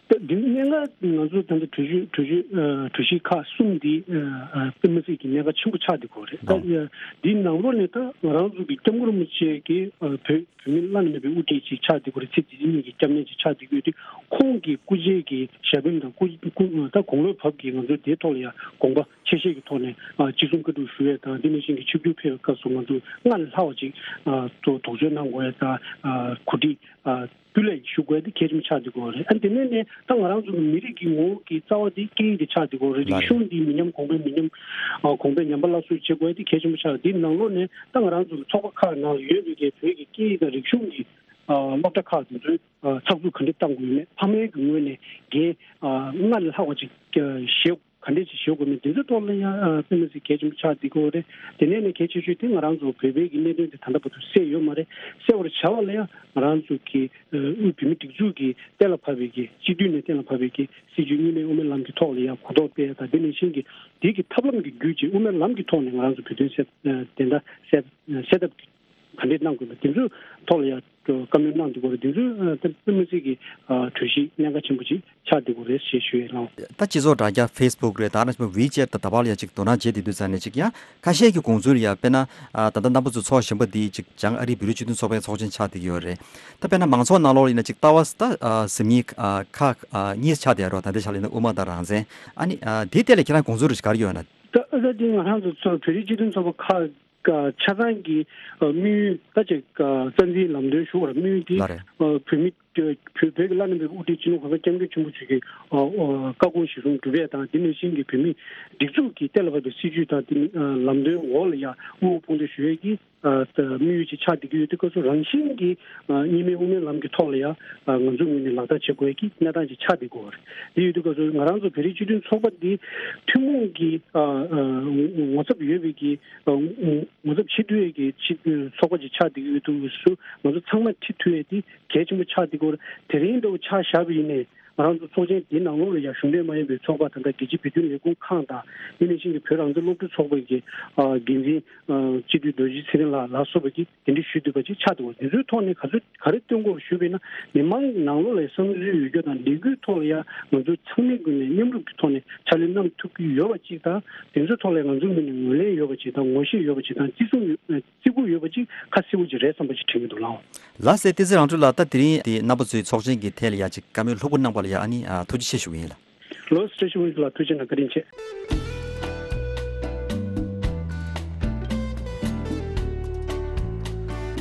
ད་འདི་གནད་འགག་ང་ཚོ་ད་ལྟ་གྲོས་གཞི་གྲོས་གཞི་ཨ་གྲོས་གཞི་ཁག་གསུམ་འདི་ཨ་ཨ་དཔེ་མི་སྲིད་ཀྱི་གནད་འགག་ཆེན་པོ་ཆགས་བསྡད་ཡོད་རེད། ད་ཨ་འདིའི་ནང་ལོགས་ནས་ད་ང་རང་ཚོ་གི་སྐྱབས་མགོན་རིན་པོ་ཆེ་གི་ཨ་བོད་བོད་མི་བླ་ན་མེད་པའི་དབུ་ཁྲིད་ཅིག་ཆགས་བསྡད་ཡོད་རེད། ཚེ་འདི་ཕྱི་གཉིས་ཀྱི་སྐྱབས་གནས་ཅིག་ཆགས་བསྡད་ཡོད་དུས་ཁོང་གི་སྐུ་ཕྱྭའི་གི་ཞབས་རིམ་དང་སྐུ་སྐུ་ད་དགུང་ལོ་བབས་ཀྱི་ང་ཚོ་དེའི་ཐོག་ལ་ཡང་དགོངས་པ་ཆེ་བཞེས་ཀྱི་ཐོག་ནས་ཨ་ཅི་གསུང་བཀའ་སྒྲུབ་ཞུ་ཡས་དང་། འདི་ནང་བཞིན་གྱི་ཆིབས་བསྒྱུར་ཕེབས་པའི་སྐབས་སུ་ང་ཚོ་སྔར་ལས་ལྷག་པ་ཅིག་ཨ་དོ་དོགས་གཅོད་གནང་དགོས་ཡས་དང་། ཨ་གོ་སྒྲིག་ཨ་སྤུས་ལེགས་ཞུ་དགོས་ཡས་དེ་གལ་ཆེན་པོ་ཆགས་བསྡད་ཡོད་རེད། ཨ་དེ་ནས་ནས་ད་ང་རང་ཚོ་གི་མི་རིགས་ཀྱི་ངོ་བོ་གི་རྩ་བ་དེ་སྐད་ཡིག་དེ་ཆགས་བསྡད་ཡོད་རེད། ལགས་རེད། རིག་གཞུང་འདི་མི་ཉམས་གོང་འཕེལ་མི་ཉམས་ཨ་གོང་འཕེལ་ཉམས་པ་སླར་གསོ་བྱེད་དགོས་ཡས་དེ་གལ་ཆེན་པོ་ཆགས། འདིའི་ནང་ལོགས་ནས་ད་ང་རང་ཚོ་གི་ཚོགས་པ་ཁག་ནང་ལ་ཡོད་པའི་གི་བོད་ཀྱི་སྐད་ཡིག་དང་རིག་གཞུང་གི་ཨ་སློབ་གྲྭ་ཁག་དེ་ཚོའི་ཨ་ཚགས་ཚུད་ག་འདྲས་གཏང་དགོས་ཡོད་མེད། ཕ་མའི་གི་ངོས་ནས་འགན་ཨ་སྔར་ལས་ལྷག་པ་ཅིག་ཨ་བཞེས་ག་འདྲས་ཅིག་བཞེས་དགོས་མེད། དེ་ཚོའི་ཐོག་ལ་ཡང་ཨ་དཔེ་མི་སྲིད་གལ་ཆེན་པོ་ཆགས་བསྡད་ཡོད་རེད། དེ་ནས་ནས་གལ་ཆེ་ཤོས་དེ་ང་རང་ཚོ་བོད་པའི་གི་གནད་དོན་དེ་ད་ལྟ་བར་དུ་སེལ་ཡོད་མ་རེད། སེལ་བར་བྱ་བ་ལ་ཡང་ང་རང་ཚོ་གི་ཨ་དབུས་བོད་མིའི་སྒྲིག་འཛུགས་ཀྱི་གཏན་ལ་ཕབ་པའི་གི་སྤྱི་འཐུས་ནས་གཏན་ལ་ཕབ་པའི་གི་སྲིད་བྱུས་གཉིས་སྨན་དབུ་མའི་ལམ་གྱི་ཐོག་ལ་ཡང་གོ་རྟོགས་སྤེལ་ཡ་དང་། དེ་ནང་བཞིན་གྱི་དེ་གི་ཐབས་ལམ་གྱི་བརྒྱུད་ཅིག་དབུ་མའི་ལམ་གྱི་ཐོག་ནས་ང་རང་ཚོ་བོད་དོན་སེལ་ཨ་བདེན་མཐའ་གསལ་གསལ་ཐབས་ག་འདྲས་གནང་དགོས་པ་དེ་ཚོའི་ཐོག་ལ་ཡང་བཀའ་མོལ་གནང་བསྡད་ཡོད་རེད། དེ་ཚོའི་ཨ་ད་དཔེ་མི་སྲིད་ཀྱི་ཨ་གྲོས་གཞི་གནད་འགག་ཆེན་པོ་ཅིག་ཆགས་བསྡད་ཡོད་རེད་ཞེས་ཞུ་ཡས་ལགས། ད་སྤྱི་ཚོགས་དྲ་རྒྱ་ཕེ་སི་བུག་རེད། ད་ནང་བཞིན་ཝི་ཅེ་ཊི་དང་ད་བར་ལ་ཡང་ཅིག་དོ་སྣང་བྱེད་བསྡད་དུས་ཙང་ནས་ཅིག་ཡང་ཁ་ཤས་ཀྱི་དགོངས་ཚུལ་ལ་ཡང་དཔེར་ན་ཨ་ད་ལྟ་རྣམ་པ་ཚོ་ཚོགས་བཞིན་པ་འདི་ཅིག་བྱང་ཨ་རིའི་བོད་རིགས་སྤྱི་མཐུན་ཚོགས་པའི་ཚོགས་ཆེན་ཆགས་བསྡད་ཡོད་རེད། ད་དཔེར་ན་མང་ཚོགས་ནང་ལོགས་ལ་ཡིན་ན་ཅིག་ལྟ་བ་ད་ཨ་ཟིན་མིན་ཨ་ཁག་ཨ་གཉིས་ཆགས་བསྡད་ཡོད་རེད། ད་ལྟའི་ཆ་ལ་ཡིན་ན་དབུ་མ་དང་རང་བཙན། ཨ་ནི་ཨ་དེའི་ཐད་ལ་ཁྱེད་རང་དགོངས་ཚུལ་རེ་ཞིག་ག་རེ་ཡོད་ན། ད་ཨ་ད་དེ་ང་རང་ཚོ་ཚོ་བོད་རིགས་སྤྱི་མཐུན་ཚོགས་པ་ཁག་ཀ་ཆ་ཚང་གི་ཨ་དམིགས་ཡུལ་ད་ཅིག་ཀ་རྩ་འཛིན་ལམ་སྟོན་ཞུ་བར་དམིགས་ཡུལ་དེ་ལགས་རེད། ཨ་བོད་མི་བོད་བོད་ཀྱི་བླ་ན་མེད་པའི་དབུ་ཁྲིད་སྤྱི་ནོར་༸གོང་ས་༸སྐྱབས་མགོན་ཆེན་པོ་མཆོག་གི་ཨ་ཨ་བཀའ་དགོངས་གཞིར་བཟུང་སྒྲུབ་ཡས་དང་། དེ་ནང་བཞིན་གྱི་བོད་མིའི་སྒྲིག་འཛུགས་ཀྱི་གཏན་ལ་ཕབ་པའི་སྲིད་བྱུས་དང་། དེ་ནི་ཨ་ལམ་སྟོན་འོག་ལ་ཡང་དབུ་འོག་དཔུང་འདེགས་ཞུ་ཡས་ཀྱི་ཨ་དམིགས་ཡུལ་ཅིག་ཆགས་བསྡད་ཀྱི་ཡོད་དུས་སྐབས་སུ། རང་བཞིན་གྱིས་ཨ་གཉིས་སྨན་དབུ་མའི་ལམ་གྱི་ཐོག་ལ་ཡང་ཨ་ང་ཚོའི་ངོས་ནས་ལག་བསྟར་བྱེད་དགོས་ཀྱི་གནས་སྟངས་ཅིག་ཆགས་བསྡད་ཀྱི་ཡོད་རེད། དེ་ཡོད་དུས་སྐབས་སུ་ང་རང་ཚོ་བོད་རིགས་སྤྱི་མཐུན་ཚོགས་པ་འདི་ཐུན་མོང་གི་ཨ་ཨ་ངོ་ཚབ་ཡོད་པའི་གི་ཨ་ངོ་ཚབ་བྱེད་ཐུབ་ཡས་ཀྱི་ཕྱི་ཚོགས་པ་ཅིག་ཆགས་བསྡད་ཀྱི་ཡོད་དུས་སུ། ང་ཚོ་ཚང་མ་ཁྲིད་ཐུབ་ཡས་དེ་གལ་ཆེན་པོ་ཆགས་བསྡད་ཀྱི་ཡོད་རེད། དེ་རིང་འདྲ་བོ་ཆ་བཞག་པ་ཡིན་ནའི། ང་རང་ཚོ་ཚོགས་ཆེན་འདི་ནང་ལོགས་ལ་ཡང་གཞུང་འབྲེལ་མ་ཡིན་པའི་ཚོགས་པ་ད་ལྟ་རྒྱལ་སྤྱིའི་བོད་དོན་ལས་ཁུངས་ཁང་དང་། དེ་ནང་བཞིན་གྱི་བོད་རང་བཙན་སློབ་ཕྲུག་ཚོགས་པའི་གི་ཨ་འགན་འཛིན་ཨ་སྤྱི་འཐུས་རྡོ་རྗེ་ཚེ་རིང་ལགས་ལ་སོགས་པ་གིས་གདན་འདྲེན་ཞུས་འདུག་པ་ཅིག་ཆགས་འདུག་དེ་ཚོའི་ཐོག་ནས་ག་ཚོད་ག་རེ་སྟོན་དགོས་ཞུས་པ་ཡིན་ན། མི་མང་ནང་ལོགས་ལ་བསམ་ཚུལ་ཡོད་རྒྱུ་དང་། ལས་འགུལ་ཐོག་ལ་ཡང་ང་ཚོ་ཚང་མའི་ངོས་ནས་མཉམ་རུབ་ཀྱི་ཐོག་ནས་ཕྱག་ལས་གནང་ཐུབ་ཀྱི་ཡོད་པ་ཅིག་དང་། དེ་ཚོའི་ཐོག་ལ་ང་ཚོའི་ངོས་ནས་ངོས་ལེན་ཡོད་པ་ཅིག་དང་། ངོ་ཤེས་ཡོད་པ་ཅིག་དང་། བརྩི་སྲུང་ཡོད། བརྩི་བཀུར་ཡོད་པ་ཅིག་ཁ་གསལ་པོ་ཅིག་རེད་བསམ་པ་ཅིག་དྲན་གྱི་འདུག་ལགས། ལགས་སེ། བསྟན་འཛིན་རང་གྲོལ་ལགས། ད་དེ་རིང་དེ་རྣམ་པ་ཚོའི་ཚོགས་ཆེན་གྱི་ཐད་ལ་ཡ་ཅིག་བཀའ་མོལ་ལྷུག་པོ་གནང་པ་ལ་ཡ་ཨ་ནི་ཨ་ཐུགས་རྗེ་ཆེ་ཞུ་གི་ཡིན་ལགས། ལགས་སོ། བཀྲ་ཤིས་དབང་ཕྱུག་ལགས་ཐུགས་རྗེ་གནང་། བཀའ་དྲིན་ཆེ།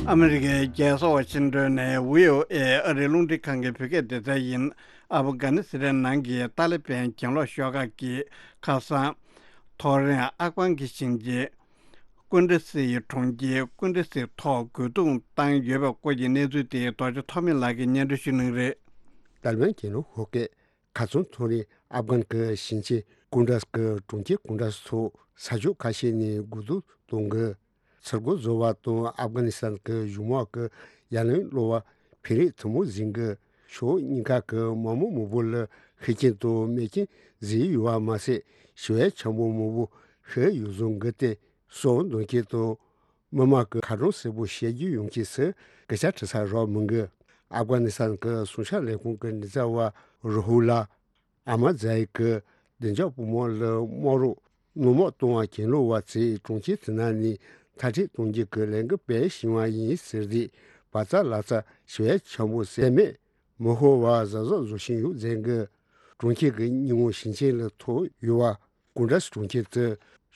ཨ་མི་རི་ཀའི་རྒྱལ་ས་ཝ་ཤིང་ཏོན་ནས་བྷི་ཨོ་ཨེ་ཨ་རིའི་རླུང་འཕྲིན་ཁང་གི་བོད་སྐད་སྡེ་ཚན་ཡིན། ཨབ་གྷ་ནི་སི་ཐན་ནང་གི་ཏཱ་ལི་བན་གྱེན་ལོག་ཤོག་ཁག་གི་ཁ་སང་ཐོ་རེངས་ཨབ་གྷན་གྱི་ཞིང་ཆེན་ཀུན་ཏྲ་སི་ཡི་གྲོང་ཁྱེར་ཀུན་ཏྲ་སིའི་ཐོག་རྒོལ་རྡུང་བཏང་ཡོད་པའི་སྐོར་གྱི་གནས་ཚུལ་དེ་རྡོ་རྗེ་ཐོགས་མེད་ལགས་ཀྱིས་སྙན་སྒྲོན་ཞུ་གནང་གི་རེད། ཏཱ་ལི་བན་གྱེན་ལོག་ཤོག་ཁག་ཁ་སང་ཐོ་རེངས་ཨབ་གྷན་གྱི་ཞིང་ཆེན་ཀུན་ཏྲ་གི་གྲོང་ཁྱེར་ཀུན་ཏྲ་སོགས་ས་ཕྱོགས་ཁ་ཤས་ནས་རྒོལ་རྡུང་གཏོང་གི། ཚུར་རྒོལ་བཟོ་བ་དང་ཨབ་གྷ་ནི་སི་ཐན་གྱི་གཞུང་དམག་གི་ཡ་ལན་སློག་པར་བོད་རིགས་ཐུན་མོང་གཟིགས་གི། ཕྱོགས་གཉིས་ཀ་གི་དམག་མི་མང་པོ་ལ་ཤི་རྐྱེན་དང་རྨས་སྐྱོན་གཟིགས་ཡོད་པ་མ་ཟད། ཞི་བའི་འཆར་འབུལ་མང་པོ་ཕུལ་ཡོད་བཟོ་གི་སྟེ། སྲོག་འདོན་མཁན་དང་མི་དམངས་ཀྱི་ཁ་གྲངས་གསལ་པོ་ཤེས་རྒྱུ་ཡོང་ཆེད་སུ་སྐད་ཆ་དྲི་ས་རག་མི་འདུག་ཨབ་གྷ་ནི་སི་ཐན་གྱི་སྲུང་སྐྱོབ་ལས་ཁུངས་ཀྱི་མགྲིན་ཚབ་པ་རུ་ཧུ་ལ་ཨ་མ་ཛ་ཡི་གིས་བདེ་འཇགས་པུས་མོ་ལ་དམག་རོགས་སྣུན་མ་གཏོང་བར་གྱེན་ལོག་པ་ཚོས་གྲོང་ཁྱེར་དེ་ནང་ནས་མཐར་སྐྲོད་གཏོང་རྒྱུ་གི་ལས་འགུལ་སྤེལ་བཞིན་པ་ཡིན་ཟེར་ཏེ། བར་ཚ་ལ་ཚ་ཞི་བའི་འཆར་འབུལ་གསལ་མེད་མི་ཤོར་བར་གཟབ་གཟབ་བཟོ་བཞིན་ཡོད་ཟེར་གི། གྲོང་ཁྱེར་གྱི་སྙི་ངོ་ཞིང་ཆེན་ལ་ཐུག་ཡོད་པ། ཀུན་ཏྲ་གྲོང་ཁྱེར་དུ་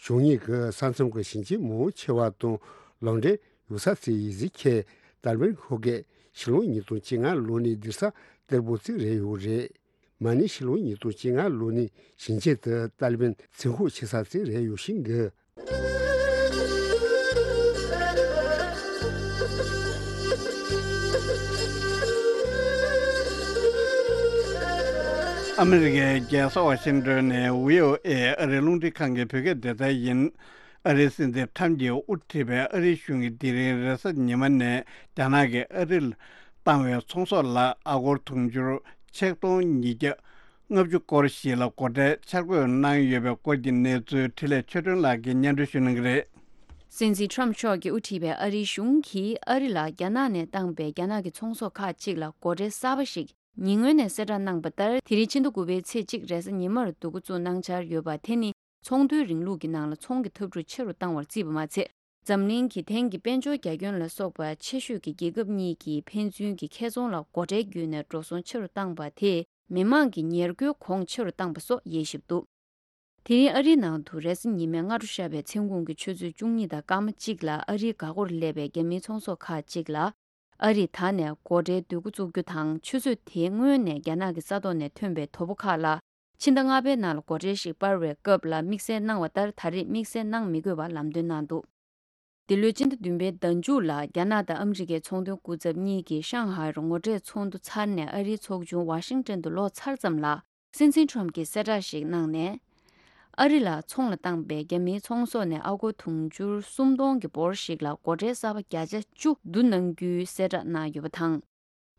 ཕྱོགས་གཉིས་ཀྱི་ས་མཚམས་ཀྱི་ཞིང་ཆེན་མང་ཆེ་བ་དང་ལག་འབྲེལ་ཡོད་ས་ཚོས་ཡིག་གཟུགས་ཁྱེར། ཏཱ་ལི་བན་ཤོག་ཁག་ཕྱི་ལོ་ཉིས་སྟོང་བཅོ་ལྔ་ལོ་ནས་སྡོད་ས་གཏེར་སྦོམ་ཅིག་རེད་ཡོད་རེད། མ་ཎི་ཕྱི་ལོ་ཉིས་སྟོང་བཅོ་ལྔ་ལོ་ནས་ཞིང་ཆེན་དུ་ཏཱ་ལི་བན་བཙན་ཤུགས་ཆེ་ས་ཅིག་རེད་ཡོད་ཤིང་གི། ཨ་མི་རི་ཀའི་རྒྱལ་ས་ཝ་ཤིང་ཏོན་ནས་བྷི་ཨོ་ཨེ་ཨ་རིའི་རླུང་འཕྲིན་ཁང་གི་བོད་སྐད་སྡེ་ཚན་ཡིན། ཨ་རིའི་སྲིད་འཛིན་ཁྲམ་གྱིས་དབུ་ཁྲིད་པའི་ཨ་རིའི་གཞུང་གིས་དེ་རིང་རེས་གཟའ་ཉི་མ་ནས་རྒྱ་ནག་གིས་ཨ་རི་ལ་བཏང་བའི་ཚོང་ཟོག་ལ་ཨ་སྒོར་དུང་ཕྱུར་ཆིག་སྟོང་ཉིས་བརྒྱ་ལྔ་བཅུ་སྐོར་ཞིག་ལ་སྒོ་ཁྲལ་འཆར་འགོད་གནང་ཡོད་པའི་སྐོར་གྱི་གནས་ཚུལ་འཕྲིན་ལས་ཆོས་སྒྲོན་ལགས་ཀྱིས་སྙན་སྒྲོན་ཞུ་གནང་གི་རེད། སྲིད་འཛིན་ཁྲམ་མཆོག་གིས་དབུ་ཁྲིད་པའི་ཨ་རིའི་གཞུང་གིས་ཨ་རི་ལ་རྒྱ་ནག་ནས་བཏང་པའི་རྒྱ་ནག་གི་ཚོང་ཟོག་ཁག་ཅིག་ལ་སྒོ་ཁྲལ་གསར་པ་ཞིག་ཉེ་སྔོན་ནས་གསལ་བསྒྲགས་གནང་པ་ལྟར། དེ་རིང་ཕྱི་ཟླ་དགུ་པའི་ཚེས་གཅིག་རེས་གཟའ་ཉི་མར་འདུ་འགོད་བཙུགས་གནང་འཆར་ཡོད་པ། དེ་ནི་ཚོང་དོན་རིང་ལུགས་ཀྱི་ནང་ལ་ཚོང་གི་འཐབ་འཁྲུག་ཆེ་རུ་བཏང་བར་བརྩིས་པ་མ་ཚད། འཛམ་གླིང་གི་ཐེངས་ཀྱི་དཔལ་འབྱོར་རྒྱ་ཁྱོན་ལ་སོགས་པ་ཆེ་ཤོས་ཀྱི་རྒྱལ་ཁབ་གཉིས་ཀྱིས་ཕན་ཚུན་གྱི་ཁེ་ཚོང་ལ་སྒོ་ཁྲལ་བརྒྱུད་ནས་འགྲོ་སོང་ཆེ་རུ་བཏང་པ་དེས། མི་དམངས་ཀྱི་ཉེར་མཁོའི་གོང་ཆེ་རུ་བཏང་པ་སོགས་དབྱེ་ཞིབ་འདུག་དེ་རིང་ཨ་རིའི་ནང་དུ་རེས་གཟའ་ཉི་མའི་སྔ་དྲོ་ཤར་བའི་མཚན་གུང་གི་ཆུ་ཚོད་བཅུ་གཉིས་དང་སྐར་མ་གཅིག་ལ་ཨ་རིའི་འགག་སྒོར་སླེབས་པའི་རྒྱ་མིའི་ཚོང་ཟོག་ཁག་ཅིག་ལ། ཨ་རིས་ད་ནས་སྒོ་ཁྲལ་བསྡུ་འགོ་བཙུགས་རྒྱུ་དང་། ཆུ་ཚོད་དེའི་སྔོན་ནས་རྒྱ་ནག་གི་ས་ཐོག་ནས་ཐོན་པའི་དོ་པོ་ཁག་ལ་ཕྱི་ཟླ་ལྔ་པའི་ནང་ལ་སྒོ་ཁྲལ་ཞིག་སྤར་བའི་སྐབས་ལ་དམིགས་བསལ་གནང་བ་ལྟར། ད་རེས་དམིགས་བསལ་གནང་མི་དགོས་པར་ལམ་སྟོན་གནང་འདུག་འདི་ལོའི་སྤྱི་ཟླ་བདུན་པའི་ཟླ་མཇུག་ལ་རྒྱ་ནག་དང་ཨ་མི་རི་ཀའི་ཚོང་དོན་སྐུ་ཚབ་གཉིས་ཀྱིས་ཤང་ཧའེ་རུ་ངོ་འཕྲད་ཚོགས་འདུ་ཚར་ནས། ཨ་རིའི་ཚོགས་ཆུང་ཝ་ཤིང་ཏོན་དུ་ལོག་ཚར་ཙམ་ལ། སྲིད་འཛིན་ཁྲོམ་གྱིས་གསལ་བསྒྲགས་ཤིག་གནང་ནས། ཨ་རི་ལ་ཚོང་ལ་བཏང་པའི་རྒྱ་མིའི་ཚོང་ཟོག་ནས་ཨ་སྒོར་དུང་ཕྱུར་སུམ་སྟོང་གི་འབོར་ཞིག་ལ་སྒོ་ཁྲལ་གསར་པ་བརྒྱ་ཆ་བཅུ་བསྡུ་གནང་རྒྱུའི་གསལ་བསྒྲགས་གནང་ཡོད་པ་དང་།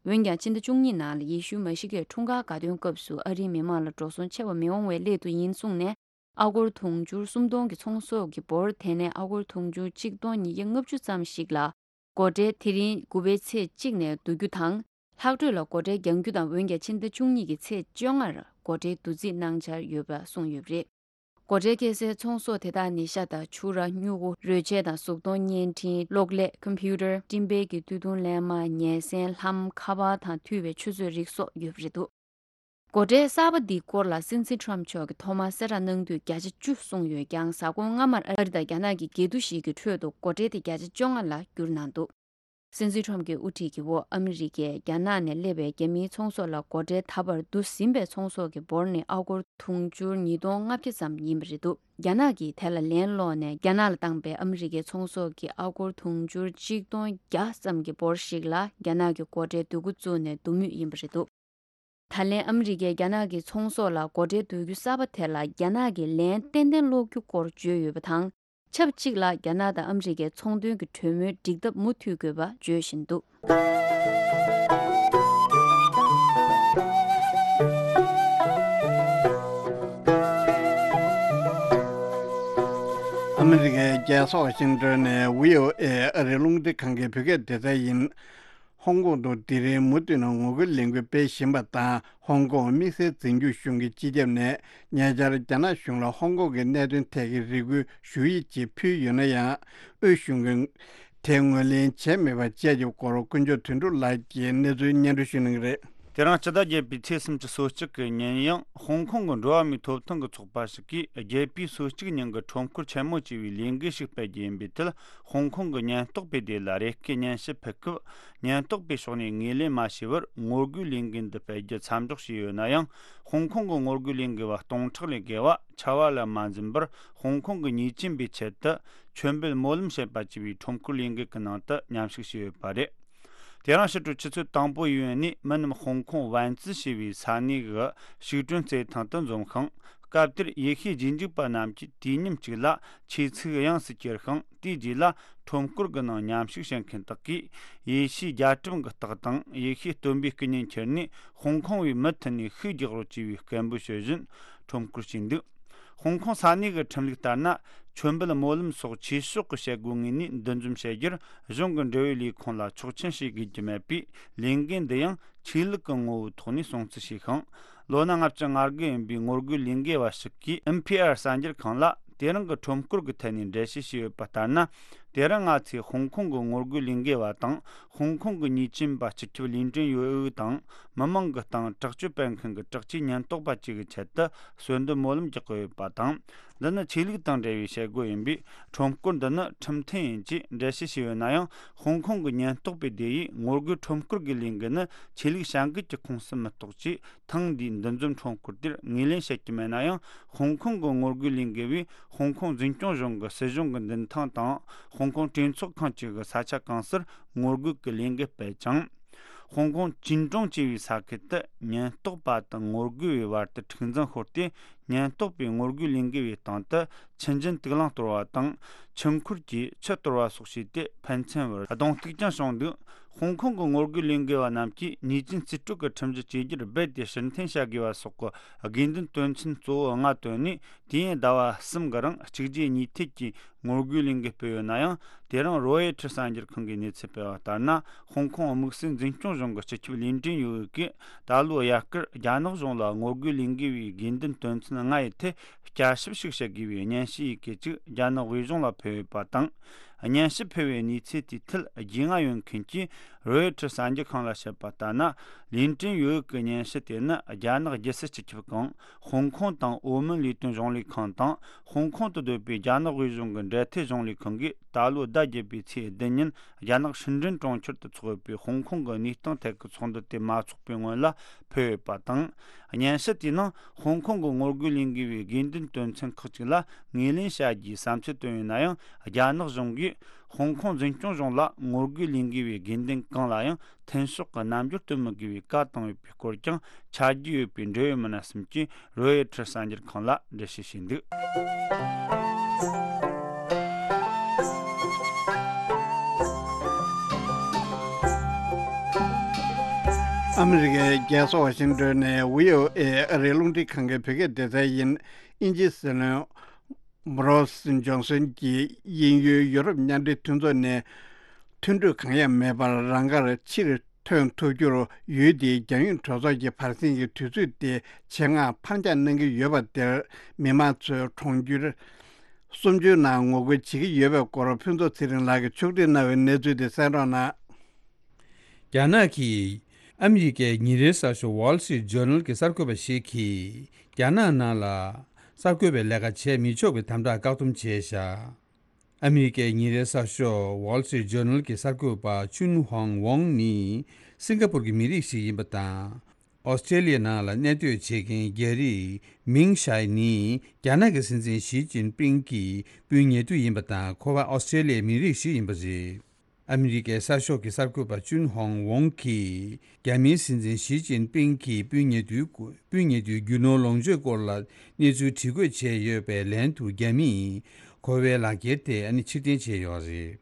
འོན་ཀྱང་། ཕྱི་ཟླ་བཅུ་གཉིས་ནང་ལ་ཡེ་ཤུའི་མ་ཤི་ཀའི་འཁྲུངས་སྐར་དགའ་སྟོན་སྐབས་སུ་ཨ་རིའི་མི་མང་ལ་འགྲོ་སོང་ཆེ་བ་མི་འོང་བའི་སླད་དུ་ཡིན་གསུངས་ནས། ཨ་སྒོར་དུང་ཕྱུར་སུམ་སྟོང་གི་ཚོང་ཟོག་གི་འབོར་དེ་ནས་ཨ་སྒོར་དུང་ཕྱུར་ཆིག་སྟོང་ཉིས་བརྒྱ་ལྔ་བཅུ་ཙམ་ཞིག་ལ། སྒོ་ཁྲལ་དེ་རིང་དགུ་པའི་ཚེས་གཅིག་ནས་བསྡུ་རྒྱུ་དང་། ལྷག་འཕྲོས་ལ་སྒོ་ཁྲལ་རྒྱག་རྒྱུ་དང་། འོན་ཀྱང་། ཕྱི་ཟླ་བཅུ་གཉིས་ཀྱི་ཚེས་བཅོ་ལྔར་སྒོ་ཁྲལ་བསྡུ་རྩིས་གནང་འཆར་ཡོད་པ་གསུངས་ཡོད་པ་རེད། སྒོ་ཁྲལ་འཁྱེར་སའི་ཚོང་ཟོག་དེ་དག་ནི་ཤ་དང་ཕྱུར་ར། སྨྱུ་གུ། རོལ་ཆས་དང་གཟུགས་མཐོང་བརྙན་འཕྲིན། གློག་ཀླད། ཀམ་པུ་ཊར། སྤྲིན་པའི་གི་དུས་ཐུང་ལེབ་མ། ཉལ་སྲན། ལྷམ། ཁ་པར་དང་འཐུས་པའི་ཆུ་ཚོད་རིགས་སོགས་ཡོད་པ་རེད་འདུག་སྒོ་ཁྲལ་གསར་པ་འདིའི་སྐོར་ལ་སྲིད་འཛིན་ཊམ་མཆོག་གིས་ཐོག་མར་གསལ་བསྒྲགས་གནང་དུས་བརྒྱ་ཆ་བཅུ་གསུངས་ཡོད་ཀྱང་། གཟའ་འཁོར་སྔ་མར་ཨ་རི་དང་རྒྱ་ནག་གི་འགལ་འདུ་ཞིག་གི་ཁྲོད་དུ་སྒོ་ཁྲལ་དེ་བརྒྱ་ཆ་བཅོ་ལྔ་ལ་བསྒྱུར་གནང་འདུག་སྲིད་འཛིན་ཊམ་གྱི་དབུ་ཁྲིད་ཀྱི་འོག་ཨ་མི་རི་ཀས་རྒྱ་ནག་ནས་སླེབས་པའི་རྒྱ་མིའི་ཚོང་ཟོག་ལ་སྒོ་ཁྲལ་ད་བར་བསྡུ་ཟིན་པའི་ཚོང་ཟོག་གི་འབོར་ནི་ཨ་སྒོར་དུང་ཕྱུར་ཉིས་སྟོང་ལྔ་བརྒྱ་ཙམ་ཡིན་པ་རེད་འདུག་རྒྱ་ནག་གིས་དེ་ལ་ལན་སློག་ནས་རྒྱ་ནག་ལ་བཏང་པའི་ཨ་མི་རི་ཀའི་ཚོང་ཟོག་གི་ཨ་སྒོར་དུང་ཕྱུར་གཅིག་སྟོང་བརྒྱ་ཙམ་གྱི་འབོར་ཞིག་ལ་རྒྱ་ནག་གིས་སྒོ་ཁྲལ་བསྡུ་འགོ་བཙུགས་ནས་བསྡུ་མུས་ཡིན་པ་རེད་འདུག་ད་ལན་ཨ་མི་རི་ཀས་རྒྱ་ནག་གི་ཚོང་ཟོག་ལ་སྒོ་ཁྲལ་བསྡུ་རྒྱུ་གསར་པ་དེ་ལ་རྒྱ་ནག་གིས་ལན་ཏན་ཏན་སློག་རྒྱུ་སྐོར་བརྗོད་ཡོད་པ་དང་། ཆབས་ཅིག་ལ་རྒྱ་ནག་དང་ཨ་མི་རི་ཀའི་ཚོང་དོན་གྱི་གྲོས་མོལ་འགྲིག་ཐབས་མུ་མཐུད་དགོས་པ་བརྗོད་བཞིན་འདུག་ཨ་མི་རི་ཀའི་རྒྱལ་ས་ཝ་ཤིང་ཏོན་ནས་བྷི་ཨོ་ཨེ་ཨ་རིའི་རླུང་འཕྲིན་ཁང་གི་བོད་སྐད་སྡེ་ཚན་ཡིན། ཧོང་ཀོང་དུ་དེ་རིང་མུ་མཐུད་ནས་ངོ་རྒོལ་ལས་འགུལ་སྤེལ་བཞིན་པ་དང་། ཧོང་ཀོང་དམིགས་བསལ་འཛིན་སྐྱོང་གཞུང་གི་སྤྱི་ཁྱབ་ནས་ཉེ་ཆར་རྒྱ་ནག་གཞུང་ལ་ཧོང་ཀོང་གི་གནད་དོན་ཐད་ཀྱི་རེ་སྐུལ་ཞུ་ཡིག་ཅིག་ཕུལ་ཡོད་ན་ཡང་། དབུས་གཞུང་གིས་དེ་ངོས་ལེན་བྱས་མེད་པ་བཅས་ཀྱི་སྐོར་དཀོན་མཆོག་དོན་གྲུབ་ལགས་ཀྱིས་གནས་ཚུལ་སྙན་སྒྲོན་ཞུ་གནང་གི་རེད། དེ་རིང་སྤྱི་ཟླ་བརྒྱད་པའི་ཚེས་སུམ་ཅུ་སོ་གཅིག་གི་ཉིན་ཡང་ཧོང་ཀོང་གི་འགྲོ་བ་མིའི་ཐོབ་ཐང་གི་ཚོགས་པ་ཞིག་གིས་རྒྱལ་པོའི་སོ་གཅིག་ཉིན་གྱི་ཁྲོམ་སྐོར་ཆེན་མོ་ཅེས་པའི་ལས་འགུལ་ཞིག་སྤེལ་རྒྱུ་ཡིན་པའི་ཐད། ཧོང་ཀོང་གི་ཉེན་རྟོག་པའི་སྡེ་ལ་རེ་སྐུལ་སྙན་ཞུ་ཕུལ་སྐབས། ཉེན་རྟོག་པའི་ཕྱོགས་ནས་ངོས་ལེན་མ་བྱས་པར་ངོ་རྒོལ་ལས་འགུལ་འདི་སྤེལ་རྒྱུ་མཚམས་འཇོག་བྱས་ཡོད་ན་ཡང་། ཧོང་ཀོང་གི་ངོ་རྒོལ་ལས་འགུལ་བ་སྟོང་ཕྲག་ལས་བརྒལ་བ་ཆར་པ་ལ་མ་འཛེམས་པར་ཧོང་ཀོང་གི་ཉེས་ཅན་པའི་ཆེད་དུ་ཆོས་འབེལ་སྨོན་ལམ་བྱེད་པ་ཅེས་པའི་ཁྲོམ་སྐོར་ལས་འགུལ་གྱི་ནང་དུ་མཉམ་ཞུགས་བྱས་ཡོད་པ་རེད། དེ་རིང་ཕྱི་དྲོ་ཆུ་ཚོད་དང་པོ་ཡོལ་ནས་མི་རྣམས་ཧོང་ཀོང་ཝན་ཙི་ཞེས་པའི་ས་གནས་ཀྱི་ཤིག་ཀྲོན་རྩེད་ཐང་དུ་འཛོམས་ཤིང་། སྐབས་དེར་ཡེ་ཤུའི་རྗེས་འཇུག་པ་རྣམས་ཀྱིས་དུས་མཉམ་གཅིག་ལ་ཆས་ཚིགས་དབྱངས་སུ་གྱེར་ཤིང་། དེའི་རྗེས་ལ་ཁྲོམ་སྐོར་གྱི་ནང་མཉམ་ཞུགས་བྱེད་མཁན་དག་གིས་ཡེ་ཤུའི་རྒྱལ་ཁྲིམས་ཀྱི་རྟགས་དང་ཡེ་ཤུའི་སྟོན་པའི་སྐུ་བརྙན་ཁྱེར་ནས། ཧོང་ཀོང་བའི་མུ་མཐུད་ནས་ཤུགས་རྒྱག་རོགས་ཅེས་པའི་སྐད་འབོད་ཞུ་བཞིན་ཁྲོམ་སྐོར་བྱས་འདུག་ཧོང་ཀོང་ས་གནས་ཀྱི་ཁྲིམས་ལུགས་ལྟར་ན། ཆོས་འབེལ་སྨོན་ལམ་སོགས་ཆོས་ཕྱོགས་ཀྱི་བྱེད་སྒོ་ངོས་ནས་འདུ་འཛོམས་བྱེད་རྒྱུར་གཞུང་གི་འབྲེལ་ཡོད་ལས་ཁུངས་ལ་ཆོག་མཆན་ཞུ་དགོས་ཀྱི་མེད་པས། ལས་འགུལ་འདི་ཡང་ཆོས་ལུགས་ཀྱི་ངོ་བོའི་ཐོག་ནས་སྲུང་བརྩི་བྱས་ཤིང་། ལོ་ན་ལྔ་བཅུ་ང་དགུ་ཡིན་པའི་ངོ་རྒོལ་ལས་འགུལ་བ་ཞིག་གིས་ཨེམ་ཕི་ཨར་གསར་འགྱུར་ཁང་ལ། དེ་རིང་གི་ཁྲོམ་སྐོར་གྱི་ཐད་ནས་འགྲེལ་བཤད་བྱས་ཡོད་པ་ལྟར་ན། དེ་རིང་ང་ཚོས་ཧོང་ཀོང་གི་ངོ་རྒོལ་ལས་འགུལ་བ་དང་། ཧོང་ཀོང་གི་ཉེས་ཅན་པ་སྤྱི་ཁྱབ་ལིན་ཀྲིན་ཡོ་ཨུ་དང་། མི་མང་གི་སྟེང་དྲག་སྤྱོད་སྤེལ་མཁན་གྱི་དྲག་ཆས་ཉེན་རྟོག་པ་བཅས་ཀྱི་ཆེད་དུ་གསོལ་འདེབས་སྨོན་ལམ་རྒྱག་གི་ཡོད་པ་དང་། འདི་ནི་ཆོས་ལུགས་དང་འབྲེལ་བའི་བྱེད་སྒོ་ཡིན་པས། ཁྲོམ་སྐོར་འདི་ནི་ཁྲིམས་མཐུན་ཡིན་ཅེས་འགྲེལ་བཤད་བྱས་ཡོད་ན་ཡང་། ཧོང་ཀོང་གི་ཉེན་རྟོག་པའི་སྡེ་ཡིས་ངོ་རྒོལ་ཁྲོམ་སྐོར་གྱི་ལས་འགུལ་ནི་ཆོས་ལུགས་བྱ་འགུལ་གྱི་ཁོངས་སུ་མི་གཏོགས་ཅེས། ཐེངས་འདིའི་འདུ་འཛོམས་ཁྲོམ་སྐོར་དེར་ངོས་ལེན་བྱེད་ཀྱི་མེད་ན་ཡང་། ཧོང་ཀོང་གི་ངོ་རྒོལ་ལས་འགུལ་བས་ཧོང་ཀོང་འཛིན་སྐྱོང་གཞུང་གི་སྲིད་གཞུང་གི་མདུན་ཐང་དང་། ཧོང་ཀོང་གྲོས་ཚོགས་ཁང་བཅས་ཀྱི་ས་ཆ་གང་སར་ངོ་རྒོལ་གྱི་ལས་འགུལ་སྤེལ་ཅིང་། ཧོང་ཀོང་ཅིན་ཀྲོང་ཅེས་པའི་ས་ཁུལ་དུ་ཉེན་རྟོག་པ་དང་ངོ་རྒོལ་བའི་བར་དུ་འཁྲུག་འཛིང་ཤོར་ཏེ། ཉེན་རྟོག་པས་ངོ་རྒོལ་ལས་འགུལ་བའི་སྟེང་དུ་མཆུ་རྒྱུན་དུག་རླངས་གཏོར་བ་དང་། མཆུ་འཁོར་གྱིས་ཆུ་གཏོར་བ་སོགས་བྱས་ཏེ། ཕན་ཚུན་བར་གདོང་གཏུག་ཀྱང་བྱུང་འདུག་ཧོང་ཀོང་གི་ངོ་རྒོལ་ལས་འགུལ་བ་རྣམས་ཀྱིས་ཉེས་ཅན་རྩིས་སྤྲོད་ཀྱི་ཁྲིམས་གཞི་བཅོས་བསྒྱུར་རྦད་དེ་ཕྱིར་འཐེན་བྱ་དགོས་པ་སོགས་ཀྱི་དགོས་འདུན་དོན་ཚན་གཙོ་བོ་ལྔ་བཏོན་ནས། དུས་ཡུན་ཟླ་བ་གསུམ་གྱི་རིང་གཅིག་རྗེས་གཉིས་མཐུད་ཀྱིས་ངོ་རྒོལ་ལས་འགུལ་སྤེལ་ཡོད་ན་ཡང་། དེ་རིང་རོའི་ཊར་གསར་འགྱུར་ཁང་གིས་གནས་ཚུལ་སྤེལ་བ་ལྟར་ན། ཧོང་ཀོང་དམིགས་བསལ་འཛིན་སྐྱོང་གཞུང་གི་སྤྱི་ཁྱབ་ལིན་ཀྲིན་ཡོ་ཨུ་གིས། ད་ལོའི་དབྱར་ཁར་རྒྱ་ནག་གཞུང་ལ་ངོ་རྒོལ་ལས་འགུལ་བའི་དགོས་འདུན་དོན་ཚན་ལྔ་ཡི་ཐད་བསྐྱར་ཞིབ་ཞིག་བྱེད་དགོས་པའི་སྙན་ཞུ་ཡི་གེ་ཅིག་རྒྱ་ནག་དབུས་གཞུང་ལ་ཕུལ་ཡོད་པ་དང་། སྙན་ཞུ་ཕུལ་བའི་གནས་ཚུལ་དེའི་ཐད་རྒྱུས་མངའ་ཡོད་མཁན་གྱིས་རོའི་ཊར་གསར་འགྱུར་ཁང་ལ་བཤད་པ་ལྟར་ན། ལིན་ཀྲིན་ཡོ་ཨུ་གི་སྙན་ཞུ་དེ་ནི་རྒྱ་ནག་རྒྱལ་སྲིད་སྤྱི་ཁྱབ་ཁང་། ཧོང་ཀོང་དང་ཨོ་མོན་ལས་དོན་གཞུང་ལས་ཁང་དང་། ཧོང་ཀོང་དུ་སྡོད་པའི་རྒྱ་ནག་དབུས་གཞུང་གི་འབྲེལ་མཐུད་གཞུང་ལས་ཁང་གིས། ད་ལོའི་ཟླ་བརྒྱད་པའི་ཚེས་བདུན་ཉིན་རྒྱ་ནག་ཧྲིན་ཀྲིན་གྲོང་ཁྱེར་དུ་འཚོགས་ཡོད་པའི་ཧོང་ཀོང་གི་གནས་སྟངས་ཐད་ཀྱི་ཚོགས་འདུ་དེ་མ་འཚོགས་པའི་སྔོན་ལ་ཕུལ་ཡོད་པ་དང་། སྙན་ཞུ་དེའི་ནང་ཧོང་ཀོང་གི་ངོ་རྒོལ་ལས་འགུལ་བའི་དགོས་འདུན་དོན་ཚན་ཁག་ཅིག་ལ་ངོས་ལེན་བྱ་རྒྱུའི་བསམ་ཚུལ་བཏོན་ཡོད་ན་ཡང་། རྒྱ་ནག་གཞུང་གིས་ཧོང་ཀོང་འཛིན་སྐྱོང་གཞུང་ལ་ངོ་རྒོལ་ལས་འགུལ་བའི་དགོས་འདུན་གང་ལ་ཡང་མཐུན་ཕྱོགས་ཀྱི་རྣམ་འགྱུར་སྟོན་མི་དགོས་པའི་བཀའ་བཏང་ཡོད་པའི་སྐོར་ཀྱང་། ཆ་རྒྱུས་ཡོད་པའི་འབྲེལ་ཡོད་མི་སྣ་གསུམ་གྱིས་རོའི་ཊར་གསར་འགྱུར་ཁང་ལ་འགྲེལ་བཤད་བྱས་འདུག་ཨ་མི་རི་ཀའི་རྒྱལ་ས་ཝ་ཤིང་ཏོན་ནས་བྷི་ཨོ་ཨེ་ཨ་རིའི་རླུང་འཕྲིན་ཁང་གི་བོད་སྐད་སྡེ་ཚན་ཡིན། དབྱིན་ཇིའི་སྲིད་བློན་བྷོ་རི་སི་ཇོན་སན་གྱིས་དབྱིན་ཡུལ་ཡུ་རོབ་མཉམ་འབྲེལ་མཐུན་ཚོགས་ནས་མཐུན་གྲོས་གང་ཡང་མེད་པར་རང་དགར་ཕྱིར་ཐོན་ཐུབ་རྒྱུར། ཡུལ་དེའི་རྒྱལ་ཡོངས་གྲོས་ཚོགས་ཀྱི་བར་གསེང་གི་དུས་ཚོད་དེ་ཆེད་མངགས་ཕར་འགྱངས་གནང་གི་ཡོད་པ་དེར། མི་མང་ཚོས་གྲོང་ཁྱེར་གསུམ་བཅུའི་ནང་ངོ་རྒོལ་བྱེད་ཀྱི་ཡོད་པའི་སྐོར། ཕུན་ཚོགས་ཚེ་རིང་ལགས་ཀྱིས་ཕྱོགས་སྒྲིག་གནང་བའི་གནས་ཚུལ་དེ་གསན་རོགས་གནང་། རྒྱ་ནག་གིས་ ཨ་མི་རི་ཀའི་ཉིན་རེའི་གསར་ཤོག་Wall Street Journal གྱི་གསར་འགོད་པ་ཞིག་གིས་རྒྱ་ནག་ནང་ལ་གསར་འགོད་པའི་ལས་ཀ་བྱས་མི་ཆོག་པའི་དམ་དྲག་བཀག་སྡོམ་བྱས་བཞག་ཨ་མི་རི་ཀའི་ཉིན་རེའི་གསར་ཤོག་Wall Street Journal གྱི་གསར་འགོད་པ་ཅུན་ཧོང་ཝོང་ནི་སིང་ག་པུར་གྱི་མི་རིགས་ཤིག་ཡིན་པ་དང་། ཨོ་སི་ཀྲེ་ལི་ཡའི་ནང་ལ་གནས་སྡོད་བྱེད་མཁན་རྒྱ་རིགས་མིང་ཤའེ་ནི་རྒྱ་ནག་གི་སྲིད་འཛིན་ཞི་ཅིན་ཕིང་གི་སྤུན་ཉེ་དུ་ཡིན་པ་དང་། ཁོ་པ་ཨོ་སི་ཀྲེ་ལི་ཡའི་མི་རིགས་ཤིག་ཡིན་པ་རེད། ཨ་མི་རི་ཀའི་གསར་ཤོག་གི་གསར་འགོད་པ་ཅུན་ཧོང་ཝོང་གིས་རྒྱ་མིའི་སྲིད་འཛིན་ཞི་ཅིན་ཕིང་གི་སྤུན་ཉེ་དུའི་སྐོར། སྤུན་ཉེ་དུའི་རྒྱུ་ནོར་ལོངས་སྤྱོད་སྐོར་ལ་གནས་ཚུལ་དྲི་བཀོད་བྱས་ཡོད་པའི་ལན་དུ། རྒྱ་མིས་ཁོ་པའི་ལག་འཁྱེར་དེ་ཨ་ནི་ཕྱིར་འཐེན་བྱས་ཡོད་རེད།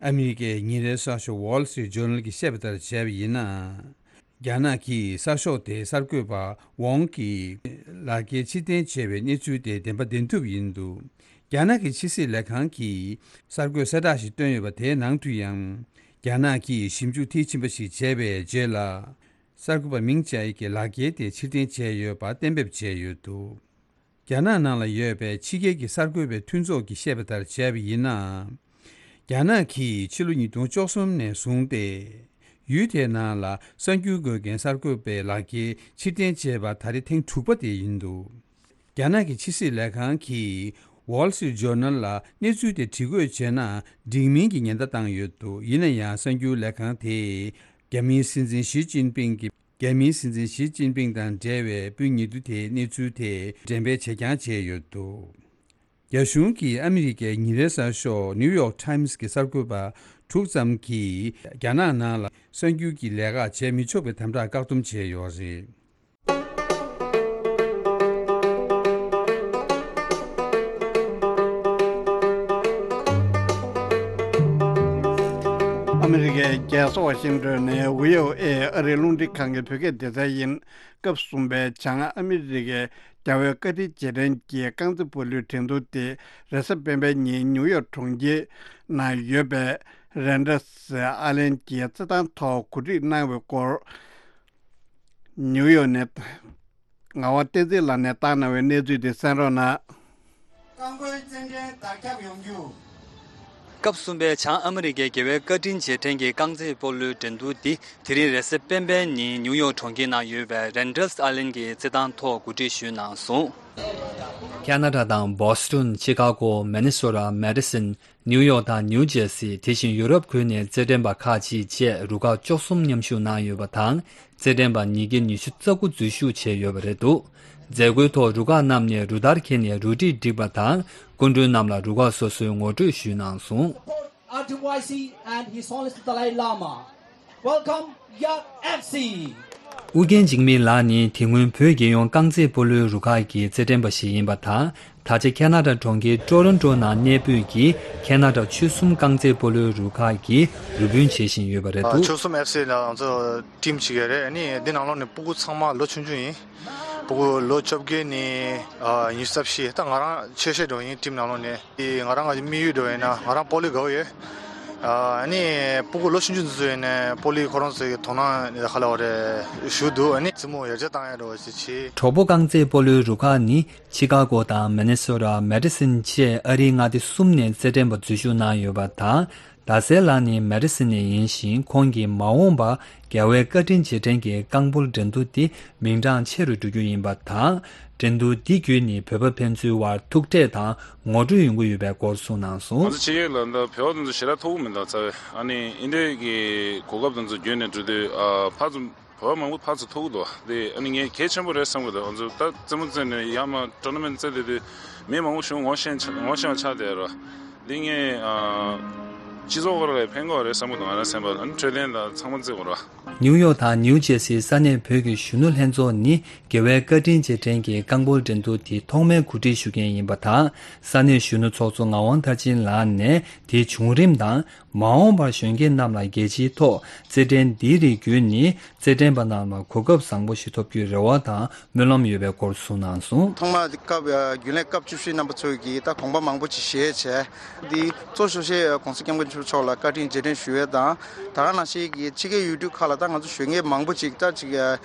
ཨ་མི་རི་ཀའི་ཉིན་རེའི་གསར་ཤོག་Wall Street Journal གྱིས་བཤད་པ་ལྟར་བྱས་པ་ཡིན་ན། རྒྱ་ནག་གིས་གསར་ཤོག་དེའི་གསར་འགོད་པ་ཝོང་གི་ལག་འཁྱེར་ཕྱིར་འཐེན་བྱས་པའི་གནས་ཚུལ་དེ་བདེན་པ་བདེན་ཐུབ་ཡིན་འདུག་རྒྱ་ནག་གི་ཕྱི་སྲིད་ལས་ཁང་གིས་གསར་འགོད་གསལ་བསྒྲགས་ཤིག་བཏོན་ཡོད་པ་དེའི་ནང་དུ་ཡང་། རྒྱ་ནག་གིས་ཞིབ་འཇུག་མཐིལ་ཕྱིན་པ་ཞིག་བྱས་པའི་རྗེས་ལ། གསར་འགོད་པ་མིང་ཅའེ་གྱི་ལག་འཁྱེར་དེ་ཕྱིར་འཐེན་བྱས་ཡོད་པ་གཏན་འབེབས་བྱས་ཡོད་འདུག་རྒྱ་ནག་ནང་ལ་ཡོད་པའི་ཕྱི་རྒྱལ་གྱི་གསར་འགོད་པའི་མཐུན་ཚོགས་ཀྱིས་བཤད་པ་ལྟར་བྱས་པ་ཡིན་ན། རྒྱ་ནག་གིས་ཕྱི་ལོ་ཉིས་སྟོང་བཅུ་གསུམ་ནས་བཟུང་སྟེ། ཡུལ་དེའི་ནང་ལ་གསར་འགྱུར་འགོད་མཁན་གསར་འགོད་པའི་ལག་འཁྱེར་ཕྱིར་འཐེན་བྱས་པ་ད་རེས་ཐེངས་དྲུག་པ་དེ་ཡིན་འདུག་རྒྱ་ནག་གི་ཕྱི་སྲིད་ལས་ཁང་གིས་Wall Street Journal ལ་གནས་ཚུལ་དེ་དྲི་བཀོད་བྱས་ན་འགྲིག་མིན་གྱི་ཉེན་བརྡ་བཏང་ཡོད་འདུག་ཡིན་ན་ཡང་གསར་འགྱུར་ལས་ཁང་དེས་རྒྱ་མིའི་སྲིད་འཛིན་ཞི་ཅིན་ཕིང་གི་རྒྱ་མིའི་སྲིད་འཛིན་ཞི་ཅིན་ཕིང་དང་འབྲེལ་བའི་སྤུན་ཉེ་དུ་དེའི་གནས་ཚུལ་དེ་འགྲེམས་སྤེལ་བྱེད་རྐྱང་བྱས་ཡོད་འདུག་རྒྱ་གཞུང་གིས་ཨ་མི་རི་ཀའི་ཉིན་རེའི་གསར་ཤོག་New York Times གི་གསར་འགོད་པ་དྲུག་ཙམ་གྱིས་རྒྱ་ནག་ནང་ལ་གསར་འགྱུར་གྱི་ལས་ཀ་བྱས་མི་ཆོག་པའི་དམ་དྲག་བཀག་སྡོམ་བྱས་ཡོད་རེད། ཨ་མི་རི་ཀའི་རྒྱལ་ས་ཝ་ཤིང་ཏོན་ནས་བྷི་ཨོ་ཨེ་ཨ་རིའི་རླུང་འཕྲིན་ཁང་གི་བོད་སྐད་སྡེ་ཚན་ཡིན། སྐབས་གསུམ་པའི་བྱང་ཨ་མི་རི་ཀའི་རྒྱལ་བའི་བཀའ་དྲིན་རྗེས་དྲན་གྱི་རྐང་རྩེད་སྤོ་ལོའི་འགྲན་བསྡུར་དེ་རེས་གཟའ་སྤེན་པའི་ཉིན་ནིའུ་ཡོག་གྲོང་ཁྱེར་ནང་ཡོད་པའི་རེན་ཌར་སི་ཨའི་ལན་གྱི་རྩེད་ཐང་ཐོག་གོ་སྒྲིག་གནང་བའི་སྐོར། ནིའུ་ཡོག་ནས་ངག་དབང་བསྟན་འཛིན་ལགས་ནས་བཏང་གནང་བའི་གནས་ཚུལ་དེ་གསན་རོགས་གནང་། རྐང་སྤོལ་རྩེད་འགྲན་དར་ཁྱབ་ཡོང་རྒྱུ། སྐབས་གསུམ་པའི་བྱང་ཨ་མི་རི་ཀའི་རྒྱལ་བའི་བཀའ་དྲིན་རྗེས་དྲན་གྱི་རྐང་རྩེད་སྤོ་ལོའི་འགྲན་བསྡུར་འདི་དེ་རིང་རེས་གཟའ་སྤེན་པའི་ཉིན་ནིའུ་ཡོག་གྲོང་ཁྱེར་ནང་ཡོད་པའི་རེན་ཌར་སི་ཨའི་ལན་གྱི་རྩེད་ཐང་ཐོག་གོ་སྒྲིག་ཞུས་གནང་སོང་། ཁེ་ན་ཌ་དང་བོ་སི་ཊོན། ཆི་ཀ་གོ། མི་ནི་སོ་ཊ། མེ་ཌི་སོན། ནིའུ་ཡོག་དང་ནིའུ་ཇེར་སི། དེ་བཞིན་ཡུ་རོབ་ཁུལ་ནས་རྩེད་འགྲན་པ་ཁག་ཅིག་བཅས་རུ་ཁག་བཅུ་གསུམ་མཉམ་ཞུགས་གནང་ཡོད་པ་དང་། རྩེད་འགྲན་པ་ཉིས་བརྒྱ་ཉི་ཤུ་རྩ་དགུ་འཛུལ་ཞུགས་བྱས་ཡོད་པ་རེད་འདུག་མཛད་སྒོའི་ཐོག་རུ་ཁག་རྣམས་ནས་རུ་སྟར་འཁྱེར་ནས་རུ་སྒྲིག་བསྒྲིགས་པ་དང་། སྐུ་མགྲོན་རྣམས་ལ་རུ་ཁག་སོ་སོའི་ངོ་སྤྲོད་ཞུས་གནང་སོང་། Support R two Y C and His Holiness the Dalai Lama. Welcome, Yak F C. ཨུ་རྒྱན་འཇིགས་མེད་ལགས་ནི་དེ་སྔོན་བོད་རྒྱལ་ཡོངས་རྐང་རྩེད་སྤོ་ལོའི་རུ་ཁག་གི་རྩེད་འགྲན་པ་ཞིག་ཡིན་པ་དང་། ད་ཆ་ཁེ་ན་ཌ་གྲོང་ཁྱེར་ཀྲོ་རོན་ཀྲོ་ནང་གནས་སྤོས་ཀྱིས་ཁེ་ན་ཌ་ཆོལ་གསུམ་རྐང་རྩེད་སྤོ་ལོའི་རུ་ཁག་གི་རུ་དཔོན་བྱས་བཞིན་ཡོད་པ་རེད་འདུག་ཆོལ་གསུམ་ཨེཕ་སི་ལ་ང་ཚོ་ཊིམ་གཅིག་ཡོད་རེད། ཨ་ནི་འདི་ནང་ལོགས་ནས་སྤུ་གུ་ཚང་མ་ལོ་ཆུང་ཆུང་ཡིན། སྤུ་གུ་ལོ་བཅོ་བརྒྱད་ནས་ཉི་ཤུ་རྩ་བཞི། ད་ང་རང་ཆེ་ཤོས་འགྲོ་ཡིན་ཊིམ་ནང་ལོགས་ནས། ང་རང་གི་དམིགས་ཡུལ་འགྲོ་ཡིན་ན་ང་རང་སྤོ་ལོ་དགའ་བོ་ཡོད། ཨ་ནི་སྤུ་གུ་ལོ་ཆུང་ཆུང་འདི་ཚོ་ཡིན་ནས་སྤོ་ལོའི་ཁོ་རང་ཚོའི་དོ་སྣང་ཧ་ལས་པ་རེད་ཞུ་འདུག་ཨ་ནི་རྩེད་མོ་ཡར་རྒྱས་བཏང་ཡ་འགྲོ་བ་ཞིག་བྱེད། གྲོགས་པོ་རྐང་རྩེད་སྤོ་ལོའི་རུ་ཁག་ནི་ཆི་ཀ་གོ་དང་མི་ནི་སོ་ཊ། མེ་ཌི་སོན་བཅས་ཨ་རིའི་མངའ་སྡེ་གསུམ་ནས་རྩེད་འགྲན་པ་འཛུལ་ཞུགས་གནང་ཡོད་པ་དང་། ཟླ་གསལ་ལགས་ནི་མེ་ཌི་སོན་ནས་ཡིན་ཞིང་། ཁོང་གིས་མ་འོངས་པར་རྒྱལ་བའི་བཀའ་དྲིན་རྗེས་དྲན་གྱི་རྐང་སྤོལ་འགྲན་བསྡུར་འདི་མིང་གྲགས་ཆེ་རུ་འགྲོ་རྒྱུ་ཡིན་པ་དང་། འགྲན་བསྡུར་འདི་བརྒྱུད་ནས་བོད་པ་ཕན་ཚུན་དབར་ཐུག་འཕྲད་དང་ངོ་སྤྲོད་ཡོང་གི་ཡོད་པའི་སྐོར་གསུངས་གནང་སོང་། ང་ཚོ་ཕྱི་རྒྱལ་ལ་ད་བོད་པ་དེ་ཚོ་ཞེ་དྲག་ཐུག་གི་མི་འདུག་རྩ་བའི། ཨ་ནི་འདི་འདྲའི་གི་གོ་སྐབས་དེ་ཚོ་བརྒྱུད་ནས་འགྲོ་དུས་ཨ་ཕར་ཚུར་བོད་པ་མང་པོ་ཕར་ཚུར་ཐུག་གི་འདུག་དེ་ཨ་ནི་ངས་གལ་ཆེན་པོ་རེད་བསམ་གི་འདུག་ང་ཚོ་ད་རྩེད་མོ་རྩེ་ནས་ཡར་མར་ཊོར་ན་མེན་ཊི་རྩེ་བསྡད་དུས་མི་མང་པོ་ཞིག་ངོ་ཤེས་ཆ་ངོ་ཤེས་པ་ཆགས་བསྡད་རོ། འདི་ངས་ཨ་སྤྱི་ཚོགས་སྐོར་ལ་ཕན་གི་རེད་བསམ་གི་འདུག་ང་རང་སེམས་པ་ལ། ཨ་ནི་འཕྲོད་བསྟེན་དང་ཚང་མ་རྩེ་དགོས་རོ། ནིའུ་ཡོག་དང་ནིའུ་ཇེར་སིའི་ས་གནས་བོད་ཀྱི་གཞོན་ནུ་ལྷན་ཚོགས་ནི་རྒྱལ་བའི་བཀའ་དྲིན་རྗེས་དྲན་གྱི་རྐང་སྤོལ་འགྲན་བསྡུར་དེ་ཐོག་མའི་གོ་སྒྲིག་ཞུ་མཁན་ཡིན་པ་དང་། ས་གནས་གཞོན་ནུ་ཚོགས་གཙོ་ངག་དབང་མཐར་ཕྱིན་ལགས་ནས་དེའི་བྱུང་རིམ་དང་། མ་འོངས་པར་གཞོན་སྐྱེས་རྣམས་ལ་རྒྱལ་སྤྱིའི་ཐོག་རྩེད་འགྲན་འདིའི་རིགས་བརྒྱུད་ནས་རྩེད་འགྲན་པ་རྣམས་ལ་གོ་སྐབས་བཟང་པོ་ཞིག་ཐོབ་རྒྱུའི་རེ་བ་དང་སྨོན་ལམ་ཡོད་པའི་སྐོར་གསུངས་གནང་སོང་། ཐོག་མར་སྐབས་རྒྱུན་ལས་སྐབས་བཅུ་བཞི་རྣམ་པ་ཚོས་ཀྱིས་ད་དགོངས་པ་མང་པོ་ཅིག་བཞེས་བྱས། འདི་གཙོ་ཤོག་ཤེས་༸གོང་ས་༸སྐྱབས་མགོན་ཆེན་པོ་མཆོག་ལ་བཀའ་དྲིན་རྗེས་དྲན་ཞུ་ཡས་དང་། ད་ག་ནང་བཞིན་གྱི་ཕྱི་རྒྱལ་ཡུལ་གྲུ་ཁག་ལ་ད་ང་ཚོ་གཞོན་སྐྱེས་མང་པོ་ཅིག་ད་ཅིག་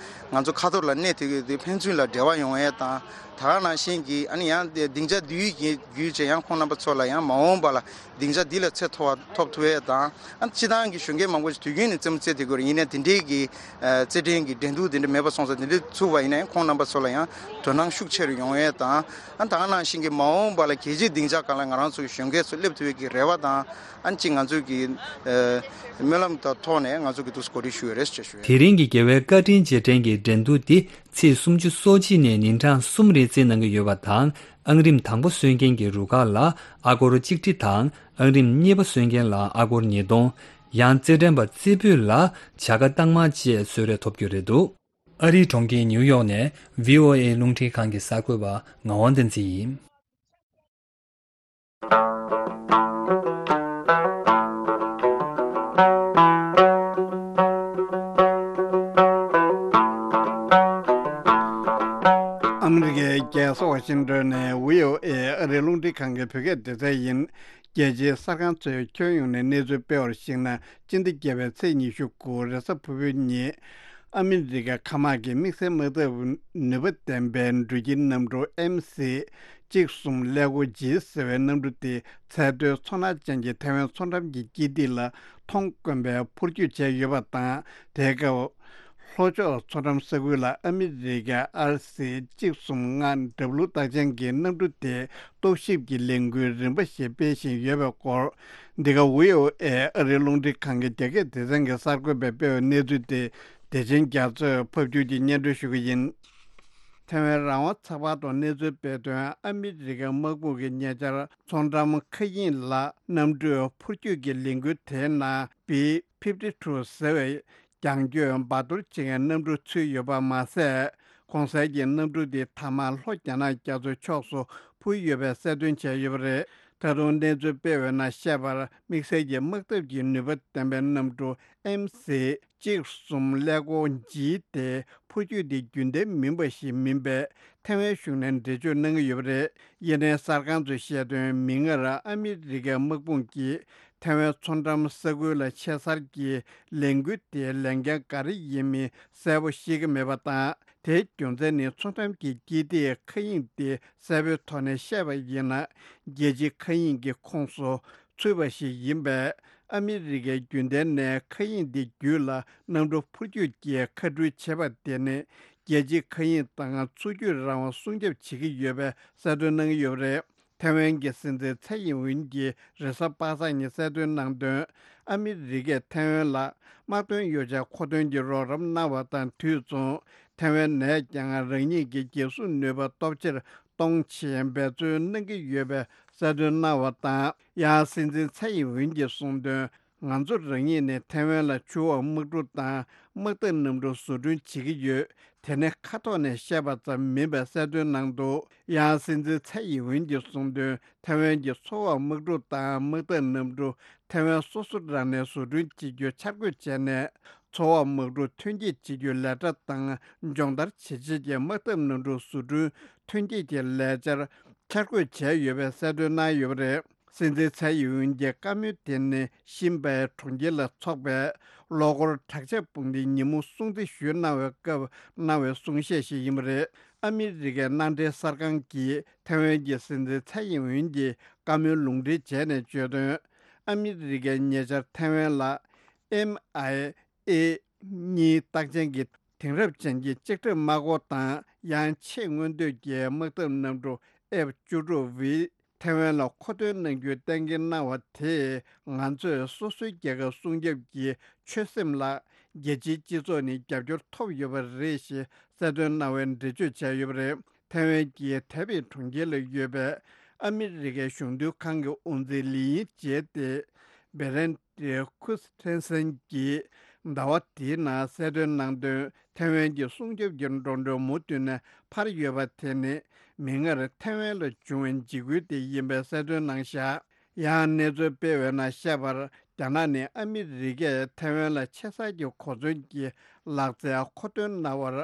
ང་ཚོ་ཁ་ཐོར་ལ་གནས་ཐུབ་ཀྱི་འདུག་ཕན་ཚུན་ལ་འབྲེལ་བ་ཡོང་ཡས་དང་། ད་ག་ནང་བཞིན་གྱི་ཨ་ནི་ཡང་སྡིངས་ཆ་འདིའི་བརྒྱུད་བྱས་ཡང་ཁོང་རྣམ་པ་ཚོ་ལ་ཡང་མ་འོངས་པ་ལ་སྡིངས་ཆ་འདི་ལས་ཚད་མཐོ་བ་ཐོབ་ཐུབ་ཡས། དང་། ཨ་སྤྱི་བཏང་གི་གཞོན་སྐྱེས་མང་པོ་ཞིག་དུས་རྒྱུན་ནས་རྩེད་མོ་རྩེ་བསྡད་ཀྱི་ཡོད་རེད། ཡིན་ནའི་དེ་འདྲའི་གི་ཨ་རྩེད་འགྲན་གྱི་འགྲན་བསྡུར་དེ་འདྲ་མེད་པ་སོང་ཙང་། དེ་འདྲ་ཚུགས་པ་ཡིན་ན་ཡང་ཁོང་རྣམ་པ་ཚོ་ལ་ཡང་དོ་སྣང་ཤུགས་ཆེ་རུ་ཡོང་ཡས་དང་། ཨ་ད་ག་ནང་བཞིན་གྱི་མ་འོངས་པ་ལ་རྒྱལ་སྤྱིའི་སྡིངས་ཆ་སྒང་ལ་ང་རང་ཚོ་གི་གཞོན་སྐྱེས་ཚོ་སླེབས་ཐུབ་ཡས་ཀྱི་རེ་བ་དང་། ཨ་གཅིག་ང་ཚོ་གི་ཨ་སྨོན་ལམ་དང་ཐོག་ནས་ང་ཚོ་གི་འདུག་སེ་གོ་སྒྲིག་ཞུ་ཡས་རེད་ཅེས་ཞུ་ཡས། དེ་རིང་གི་རྒྱལ་བའི་བཀའ་དྲིན་རྗེས་དྲན་གྱི་འགྲན་བསྡུར་འདི་ཚེས་སུམ་ཅུ་སོ་གཅིག་ནས་ཉིན་གྲངས་གསུམ་རིང་རྩེད་གནང་གི་ཡོད་པ་དང་། ཨང་རིམ་དང་པོ་སོན་མཁན་གྱི་རུ་ཁག་ལ་ཨ་སྒོར་གཅིག་ཁྲི་དང་། ཨང་རིམ་གཉིས་པ་སོན་མཁན་ལ་ཨ་སྒོར་ཉིས་སྟོང་། ཡང་རྩེད་འགྲན་པ་རྩེ་ཕུད་ལ་བྱ་དགའ་རྟགས་མ་བཅས་གསོལ་རས་ཐོབ་རྒྱུ་རེད་འདུག་ཨ་རིའི་གྲོང་ཁྱེར་ཉིའུ་ཡོག་ནས་བྷི་ཨོ་ཨེ་རླུང་འཕྲིན་ཁང་གི་གསར་འགོད་པ་ངག་དབང་བསྟན་འཛིན་ཡིན། ཨ་མི་རི་ཀའི་རྒྱལ་ས་ཝ་ཤིང་ཏོན་ནས་བྷི་ཨོ་ཨེ་ཨ་རིའི་རླུང་འཕྲིན་ཁང་གི་བོད་སྐད་སྡེ་ཚན་ཡིན། རྒྱལ་སྤྱིའི་གསར་ཁང་ཚོས་ཁྱོན་ཡོངས་ནས་གནས་ཚུལ་སྤེལ་བར་གཞིགས་ན། སྤྱི་ཟླ་བརྒྱད་པའི་ཚེས་ཉི་ཤུ་དགུ་རེས་གཟའ་ཕུར་བུའི་ཉིན། ཨ་མི་རི་ཀ་མཁའ་དམག་གི་དམིགས་བསལ་དམག་འཐབ་ནུས་པ་ལྡན་པའི་འགྲུལ་སྐྱེལ་གནམ་གྲུ་ཨེམ་སི་གཅིག་གསུམ་ཀླད་ཀོར་ཇི་ཟེར་བའི་གནམ་གྲུ་དེ་ཚད་མཐོའི་མཚོ་སྣ་ཅན་གྱི་ཐའེ་ཝན་མཚོ་འགྲམ་གྱི་སྐྱིད་ཐིག་ལ་མཐོང་དཀོན་པའི་འཕུར་སྐྱོད་བྱས་ཡོད་པ་དང་། དེའི་སྐབས་ལྷོ་ཕྱོགས་མཚོ་འགྲམ་ས་ཁུལ་ལ་ཨ་མི་རི་ཀའི་ཨར་སི་གཅིག་གསུམ་ལྔ་ཌབ་ལུ་རྟགས་ཅན་གྱི་གནམ་གྲུ་དེ་རྟོག་ཞིབ་ཀྱི་ལས་འགུལ་རིམ་པ་ཞིག་སྤེལ་བཞིན་ཡོད་པའི་སྐོར། འདི་ག་བྷི་ཨོ་ཨེ་ཨ་རིའི་རླུང་འཕྲིན་ཁང་གི་རྒྱ་སྐད་སྡེ་ཚན་གྱི་གསར་འགོད་པས་སྤེལ་བའི་གནས་ཚུལ་དེ་བདེ་ཆེན་རྒྱ་མཚོས་ཕབ་སྒྱུར་གྱིས་སྙན་སྒྲོན་ཞུ་གི་ཡིན། ཐའེ་ཝན་རང་དབང་ཚགས་པར་ཐོག་གནས་ཚུལ་སྤེལ་དོན། ཨ་མི་རི་ཀའི་དམག་དཔུང་གིས་ཉེ་ཆར་མཚོ་འགྲམ་མཁའ་དབྱིངས་ལ་གནམ་གྲུའི་འཕུར་སྐྱོད་ཀྱི་ལས་འགུལ་དེའི་ནང་བི་ཕིབ་ཊི་ཊུ་ཟེར་བའི་རྒྱང་སྐྱོད་འབར་གཏོར་བྱེད་མཁན་གནམ་གྲུ་ཚུད་ཡོད་པ་མ་ཟད། གོང་གསལ་གྱི་གནམ་གྲུ་འདི་མཐའ་མར་ལྷོ་རྒྱ་ནག་རྒྱ་མཚོའི་ཕྱོགས་སུ་འཕུར་ཡོད་པའི་གསལ་སྟོན་བྱས་ཡོད་པ་རེད། ད་དུང་གནས་ཚུལ་སྤེལ་བའི་ནང་བཤད་པར། དམིགས་བསལ་གྱི་དམག་འཐབ་ཀྱི་ནུས་པ་ལྡན་པའི་གནམ་གྲུ་ཨེམ་སི་གཅིག་གསུམ་ཀླད་ཀོར་ཇི་དེ་འཕུར་སྐྱོད་དེ་རྒྱུན་ལྡན་མིན་པ་ཞིག་མིན་པས། ཐའེ་ཝན་གཞུང་ནས་འགྲེལ་བརྗོད་གནང་གི་ཡོད་པ་རེད། ཡེ་ནས་གསར་ཁང་ཚོས་བཤད་དོན། མིག་སྔར་ཨ་མི་རི་ཀའི་དམག་དཔུང་གིས་ཐའེ་ཝན་མཚོ་འགྲམ་ས་ཁུལ་ལ་ཆེ་སར་གྱི་ལས་འགུལ་དེའི་ལས་འགན་ག་རེ་ཡིན་མིན་གསལ་པོ་ཤེས་ཀྱི་མེད་པ་དང་། དེའི་རྒྱུ་མཚན་ནི་མཚོ་འགྲམ་གྱི་སྐྱིད་ཐིག་མཁའ་དབྱིངས་དེ་གསལ་པོའི་ཐོག་ནས་བཤད་པ་ཡིན་ན། རྒྱལ་སྤྱིའི་མཁའ་དབྱིངས་ཀྱི་ཁོངས་སུ་ཚུད་པ་ཞིག་ཡིན་པས། ཨ་མི་རི་ཀས་རྒྱུན་ལྡན་ནས་མཁའ་དབྱིངས་འདི་བརྒྱུད་ལ་གནམ་གྲུ་འཕུར་སྐྱོད་ཀྱི་མཁའ་འགྲུལ་བྱེད་པ་དེ་ནི། རྒྱལ་སྤྱིའི་མཁའ་དབྱིངས་དང་མཚོ་རྒྱུད་རང་དབང་སྲུང་སྐྱོབ་བྱེད་ཀྱི་ཡོད་པའི་གསལ་སྟོན་གནང་གི་ཡོད་པ་རེད། ཐའེ་ཝན་གྱི་སྲིད་འཛིན་ཚའེ་ཡིན་ཝུན་གྱིས་རེས་གཟའ་པ་སངས་ཉིན་གསལ་སྟོན་གནང་དོན། ཨ་མི་རི་ཀས་ཐའེ་ཝན་ལ་དམག་དོན་ཡོ་བྱད་མཁོ་འདོན་གྱི་རོགས་རམ་གནང་བ་དང་དུས་མཚུངས། ཐའེ་ཝན་ནས་ཀྱང་རང་ཉིད་ཀྱི་འགན་སྲུང་ནུས་པ་སྟོབས་ཆེར་གཏོང་ཆེད་འབད་བརྩོན་གནང་གི་ཡོད་པའི་གསལ་སྟོན་གནང་བ་དང་། ཡང་སྲིད་འཛིན་ཚའེ་ཡིན་ཝུན་གྱིས་གསུངས་དོན། ང་ཚོ་རང་ཉིད་ནས་ཐའེ་ཝན་ལ་ཆུ་འོག་དམག་གྲུ་དང་དམག་འཐབ་གནམ་གྲུ་བཟོ་སྐྲུན་བྱེད་ཀྱི་ཡོད། དེ་ནི་ཁ་ཐོག་ནས་བཤད་པ་ཙམ་མིན་པའི་གསལ་སྟོན་གནང་འདུག་ཡང་སྲིད་འཛིན་ཚའེ་ཡིན་ཝུན་གྱིས་གསུངས་དོན། ཐའེ་ཝན་གྱི་མཚོ་འོག་དམག་གྲུ་དང་དམག་འཐབ་གནམ་གྲུ་ཐའེ་ཝན་སོ་སོ་རང་ནས་བཟོ་སྐྲུན་བྱེད་རྒྱུ་འཆར་འགོད་བྱས་ནས། མཚོ་འོག་དམག་གྲུ་ཐོན་སྐྱེད་བྱེད་རྒྱུའི་ལས་གྲྭ་དང་སྦྱོང་བརྡར་བྱེད་ཆེད་ཀྱི་དམག་འཐབ་གནམ་གྲུ་བཟོ་སྐྲུན་ཐོན་སྐྱེད་ཀྱི་ལས་འཆར་འཆར་འགོད་བྱས་ཡོད་པའི་གསལ་སྟོན་གནང་ཡོད་པ་རེད། སྲིད་འཛིན་ཚའེ་ཡིན་ཝུན་གྱི་བཀའ་མོལ་དེ་ནི་ཤིན་པའེ་གྲོང་ཁྱེར་ལ་འཚོགས་པའི་ལོ་འཁོར་དྲག་ཆས་དཔུང་སྡེའི་ཉིན་མོ་སྲུང་བརྩི་ཞུས་གནང་བའི་སྐབས་གནང་བའི་གསུང་བཤད་ཞིག་ཡིན་པ་རེད། ཨ་མི་རི་ཀའི་གནའ་འབྲེལ་གསར་ཁང་གིས་ཐའེ་ཝན་གྱི་སྲིད་འཛིན་ཚའེ་ཡིན་ཝུན་གྱི་བཀའ་མོལ་ལུང་འདྲེན་བྱས་ནས་བརྗོད་དོན། ཨ་མི་རི་ཀས་ཉེ་ཆར་ཐའེ་ཝན་ལ་ཨེམ་ཨའི་ཨེ་གཉིས་རྟགས་ཅན་གྱི་དེང་རབས་ཅན་གྱི་ལྕགས་ཁྲབ་དམག་འཁོར་དང་། ཡང་ཆེས་མངོན་འདོད་ཀྱི་དམག་འཐབ་གནམ་གྲུ་ཨེཕ་བཅུ་དྲུག་བྷི་ཐའེ་ཝན་ལ་མཁོ་འདོན་གནང་རྒྱུའི་གཏན་འཁེལ་གནང་བ་དེས། ང་ཚོས་སོ་སོའི་རྒྱལ་ཁབ་སྲུང་སྐྱོབ་ཀྱི་ཆོད་སེམས་ལ་རྒྱལ་སྤྱིའི་སྤྱི་ཚོགས་ནས་རྒྱབ་སྐྱོར་ཐོབ་ཡོད་པ་རེད་ཞེས་གསལ་སྟོན་གནང་བའི་འགྲེལ་བརྗོད་བྱས་ཡོད་པ་རེད། ཐའེ་ཝན་གྱི་ཐའེ་པེ་གྲོང་ཁྱེར་ལ་ཡོད་པའི་ཨ་མི་རི་ཀའི་གཞུང་དོན་ཁང་གི་དབུ་འཛིན་ལི་ཡིན་ཅེ་ཏེ་བེ་རན་ཏེ་ཁུ་ཐན་སན་གྱིས་ཟླ་བ་འདིའི་ནང་གསལ་སྟོན་གནང་དོན། ཐའེ་ཝན་གྱི་སྲུང་སྐྱོབ་ཀྱི་འགྲོ་གྲོན་མུ་མཐུད་ནས་འཕར་ཡོད་པ་དེ་ནི་མིག་སྔར་ཐའེ་ཝན་ལ་བྱུང་བའི་འཇིགས་སྐུལ་དེ་ཡིན་པའི་གསལ་སྟོན་གནང་བཞག་ཡང་གནས་ཚུལ་སྤེལ་བའི་ནང་བཤད་པར། རྒྱ་ནག་ནས་ཨ་མི་རི་ཀས་ཐའེ་ཝན་ལ་ཆེ་སར་གྱི་གོ་མཚོན་གྱི་ལག་རྩལ་མཁོ་འདོན་གནང་བར་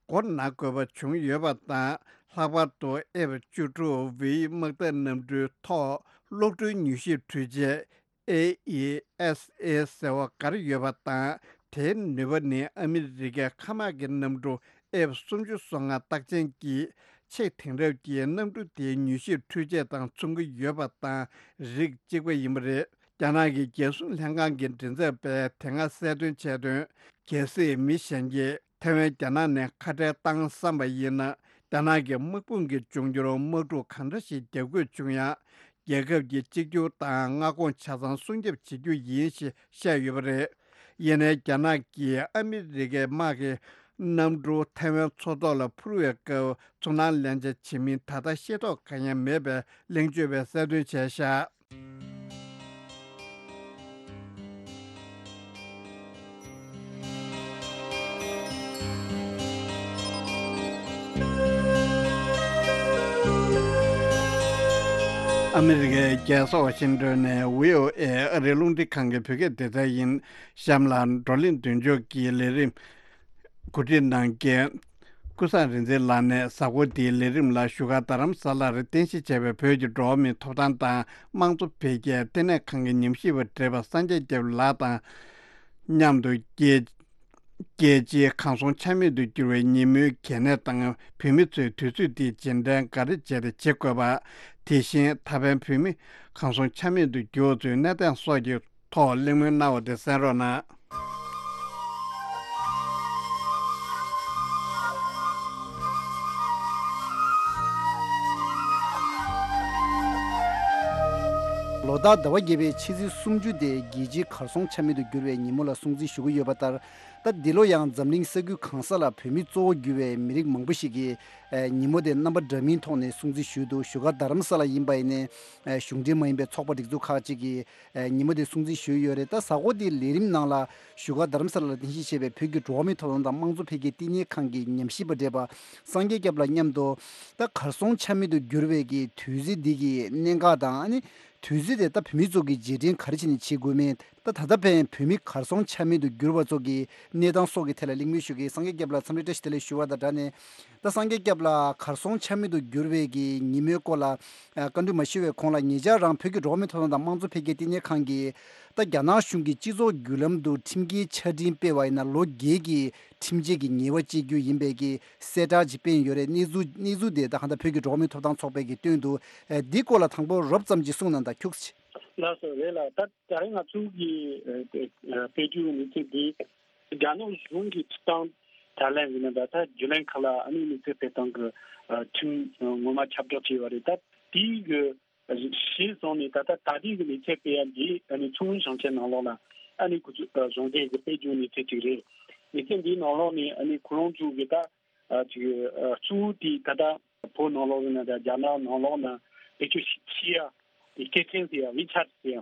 མགོ་ན་དགོས་པ་བྱུང་ཡོད་པ་དང་། ལྷག་པར་དུ་ཨེཕ་བཅུ་དྲུག་བྷི་དམག་འཐབ་གནམ་གྲུའི་ཐོག་གློག་འཕྲུལ་མྱུལ་ཞིབ་འཕྲུལ་ཆས་ཨེ་ཨི་ཨེས་ཨེ་ཟེར་བ་འགར་ཡོད་པ་དང་། དེའི་ནུས་པ་ནི་ཨ་མི་རི་ཀའི་མཁའ་དམག་གི་གནམ་གྲུ་ཨེཕ་སུམ་ཅུ་སོ་ལྔ་རྟགས་ཅན་གྱི་ཆེས་དེང་རབས་ཀྱི་གནམ་གྲུ་དེའི་མྱུལ་ཞིབ་འཕྲུལ་ཆས་དང་མཚུངས་ཀྱི་ཡོད་པ་དང་རིགས་གཅིག་པ་ཡིན་པ་རེད། རྒྱ་ནག་གི་རྒྱལ་སྲུང་ལྷན་ཁང་གི་མགྲིན་ཚབ་པས་དེ་སྔ་གསལ་སྟོན་བྱས་དོན། གལ་སྲིད་མི་གཞན་གྱིས་ཐའེ་ཝན་རྒྱ་ནག་ནས་ཁ་བྲལ་བཏང་བསམ་པ་ཡིན་ན། རྒྱ་ནག་གི་དམག་དཔུང་གིས་འབྱུང་འགྱུར་དམག་འཁྲུག་གང་འདྲ་ཞིག་རྒྱག་དགོས་བྱུང་ཡང་། རྒྱལ་ཁབ་ཀྱི་གཅིག་གྱུར་དང་མངའ་ཁོངས་ཆ་ཚང་སྲུང་སྐྱོབ་བྱེད་རྒྱུ་ཡིན་ཞེས་བཤད་ཡོད་པ་རེད། ཡིན་ནའི་རྒྱ་ནག་གིས་ཨ་མི་རི་ཀའི་དམག་གི་གནམ་གྲུ་ཐའེ་ཝན་མཚོ་ཐོག་ལ་འཕུར་བའི་སྐབས་ཚོར་སྣང་ལེན་ཆ་བྱེད་མིན་ད་ལྟ་ཤེས་རྟོགས་གང་ཡང་མེད་པའི་གླེང་བརྗོད་པས་གསལ་སྟོན་བྱས་ཤག་ཨ་མི་རི་ཀའི་རྒྱལ་ས་ཝ་ཤིང་ཏོན་ནས་བྷི་ཨོ་ཨེ་ཨ་རིའི་རླུང་འཕྲིན་ཁང་གི་བོད་སྐད་སྡེ་ཚན་ཡིན། གཤམ་ལ་བགྲོ་གླེང་མདུན་ལྕོག་གི་ལས་རིམ་གོ་སྒྲིག་གནང་མཁན་ཀུན་བཟང་རིག་འཛིན་ལགས་ནས་གཟའ་འཁོར་འདིའི་ལས་རིམ་ལ་བཞུགས་སྒར་རྡ་རམ་ས་ལར་རྟེན་གཞི་བྱས་པའི་བོད་ཀྱི་འགྲོ་བ་མིའི་ཐོབ་ཐང་དང་དམངས་གཙོ་འཕེལ་རྒྱས་ལྟེ་གནས་ཁང་གི་ཉམས་ཞིབ་པ་བགྲེས་པ་སངས་རྒྱས་སྐྱབས་ལགས་དང་མཉམ་དུ་རྒྱལ་རྒྱལ་སྤྱིའི་གར་སོང་ཆ་མེད་དུ་གྱུར་བའི་ཉིན་མོའི་གལ་གནད་དང་བོད་མི་ཚོས་དུས་ཚོད་འདིའི་རྗེས་དྲན་ག་རེ་བྱས་ཏེ་བྱེད་དགོས་པ། དེ་བཞིན་ད་ཕན་བོད་མི་གར་སོང་ཆ་མེད་དུ་གྱུར་བ་ཚོའི་གནས་སྟངས་སོགས་ཀྱི་ཐོག་གླེང་མོལ་གནང་བ་དེ་གསན་རོགས་གནང་། ལོ་ལྟར་ཟླ་བ་བརྒྱད་པའི་ཕྱི་ཚེས་སུམ་ཅུ་དེ་རྒྱལ་སྤྱིའི་གར་སོང་ཆ་མེད་དུ་གྱུར་བའི་ཉིན་མོ་ལ་སྲུང་བརྩི་ཞུ་གི་ཡོད་པ་ལྟར། ད་འདི་ལོ་ཡང་འཛམ་གླིང་ས་ཁུལ་གང་ས་ལ་བོད་མི་གཙོ་བོ་གྱུར་བའི་མི་རིགས་མང་པོ་ཞིག་གིས་ཨེ་ཉིན་མོ་དེ་རྣམ་པ་འདྲ་མིན་ཐོག་ནས་སྲུང་བརྩི་ཞུས་འདུག་བཞུགས་སྒར་རྡ་རམ་ས་ལ་ཡིན་པ་ཡིན་ནའི་ཨེ་གཞུང་འབྲེལ་མ་ཡིན་པའི་ཚོགས་པ་སྒྲིག་འཛུགས་ཁག་ཅིག་གིས་ཨེ་ཉིན་མོ་དེ་སྲུང་བརྩི་ཞུས་ཡོད་རེད། ད་གཟའ་འཁོར་འདིའི་ལས་རིམ་ནང་ལ་བཞུགས་སྒར་རྡ་རམ་ས་ལ་ལ་རྟེན་གཞི་བྱས་པའི་བོད་ཀྱི་འགྲོ་བ་མིའི་ཐོབ་ཐང་དང་དམངས་གཙོ་འཕེལ་རྒྱས་བསྟི་གནས་ཁང་གི་ཉམས་ཞིབ་པ་བགྲེས་པ་སངས་རྒྱས་སྐྱབས་ལགས་མཉམ་དུ། ད་གར་སོང་ཆ་མེད་དུ་གྱུར་བའི་གི་དུས་ཚིགས་འདི་གི་གནད་འགག་དང་ཨ་ནི། དུས་ཚོད་དེ་ད་བོད་མི་ཚོ་གི་རྗེས་དྲན་ག་རེ་བྱས་ནས་བྱེད་དགོས་མིན། ད་ད་ལྟ་ཕན་བོད་མི་གར་སོང་ཆ་མེད་དུ་གྱུར་བ་ཚོ་གི་གནས་སྟངས་སོགས་ཀྱི་ཐད་ལ་གླེང་མོལ་ཞུ་གི་སངས་རྒྱས་སྐྱབས་ལ་འཚམས་འདྲི་བཀྲ་ཤིས་བདེ་ལེགས་ཞུ་བ་དང་སྦྲགས་ནས། ད་སངས་རྒྱས་སྐྱབས་ལ་གར་སོང་ཆ་མེད་དུ་གྱུར་བའི་གི་ཉིན་མོའི་སྐོར་ལ་བཀའ་འདྲི་མ་ཞུ་བའི་གོང་ལ་ཉེ་ཆར་རང་བོད་ཀྱི་འགྲོ་བ་མིའི་ཐོབ་ཐང་དང་དམངས་གཙོ་འཕེལ་རྒྱས་བསྟི་གནས་ཁང་གིས་ད་རྒྱ་ནག་གཞུང་གི་སྤྱི་ཚོགས་བརྒྱུད་ལམ་དུ་ཁྲིམས་འགལ་ཆ་འཕྲིན་སྤེལ་བ་ཡིན་ན་ལོ་བརྒྱད་ཀྱི་ཁྲིམས་ཆད་ཀྱི་ཉེས་པ་བཅད་རྒྱུ་ཡིན་པའི་གི་གསལ་བསྒྲགས་ཅིག་སྤེལ་ཡོད་རེད། གནས་ཚུལ་གནས་ཚུལ་དེ་ད་གང་ལྟར་བོད་ཀྱི་འགྲོ་བ་མིའི་ཐོབ་ཐང་ཚོགས་པས་ཀྱི་སྟོན་དུ་ཨེ་འདི་སྐོར་ལ་དང་པོ་རོབ་ཙམ་ཅིག་གསུངས་གནང་དང་ཁྱུག་ཙམ། ལགས་སོ་རེད་ལགས། ད་ད་རེས་ང་ཚོ་གི་ཨེ་ཨེ་དཔེ་བརྗོད་གནས་ཚུལ་འདི་རྒྱ་ནག་གཞུང་གི་སྤྱི་བཏང་དྲ་ལམ་ཡིན་ན་ད་ད་བརྒྱུད་ལམ་ཁག་ལ་ཨ་ནི་གནས་ཚུལ་སྤེལ་སྟངས་ཀྱི་ཨ་ཁྲིམས་ངོ་མ་ཁྱབ་བསྒྲགས་བྱས་པ་རེད། ད་དེའི་གི་གཞི་བཟུང་ནས་ད་ལྟ་ད་ལྟའི་གི་ལས་ཚན་སྤེལ་ཡ་འདི་ཨ་ནི་མཚོ་སྔོན་ཞིང་ཆེན་ནང་ལོགས་ལ་ཨ་ནི་ཁོ་ཚོ་གཞུང་འབྲེལ་གི་དཔལ་འབྱོར་ལས་ཚན་ཅིག་རེད། ལས་ཚན་འདིའི་ནང་ལོགས་ནས་ཨ་ནི་ཁོ་རང་ཚོ་གི་ད་ཨ་ཅིག་ཨ་གཙོ་བོ་དེ་ད་ལྟ་བོད་ནང་ལོགས་ཡིན་ན་ད་རྒྱ་ནག་ནང་ལོགས་ན་བེད་སྤྱོད་བྱེད་ཡ་དེ་སྐད་ཆེན་ཟེར་ཡ་ཝི་ཆད་ཟེར་ཡ་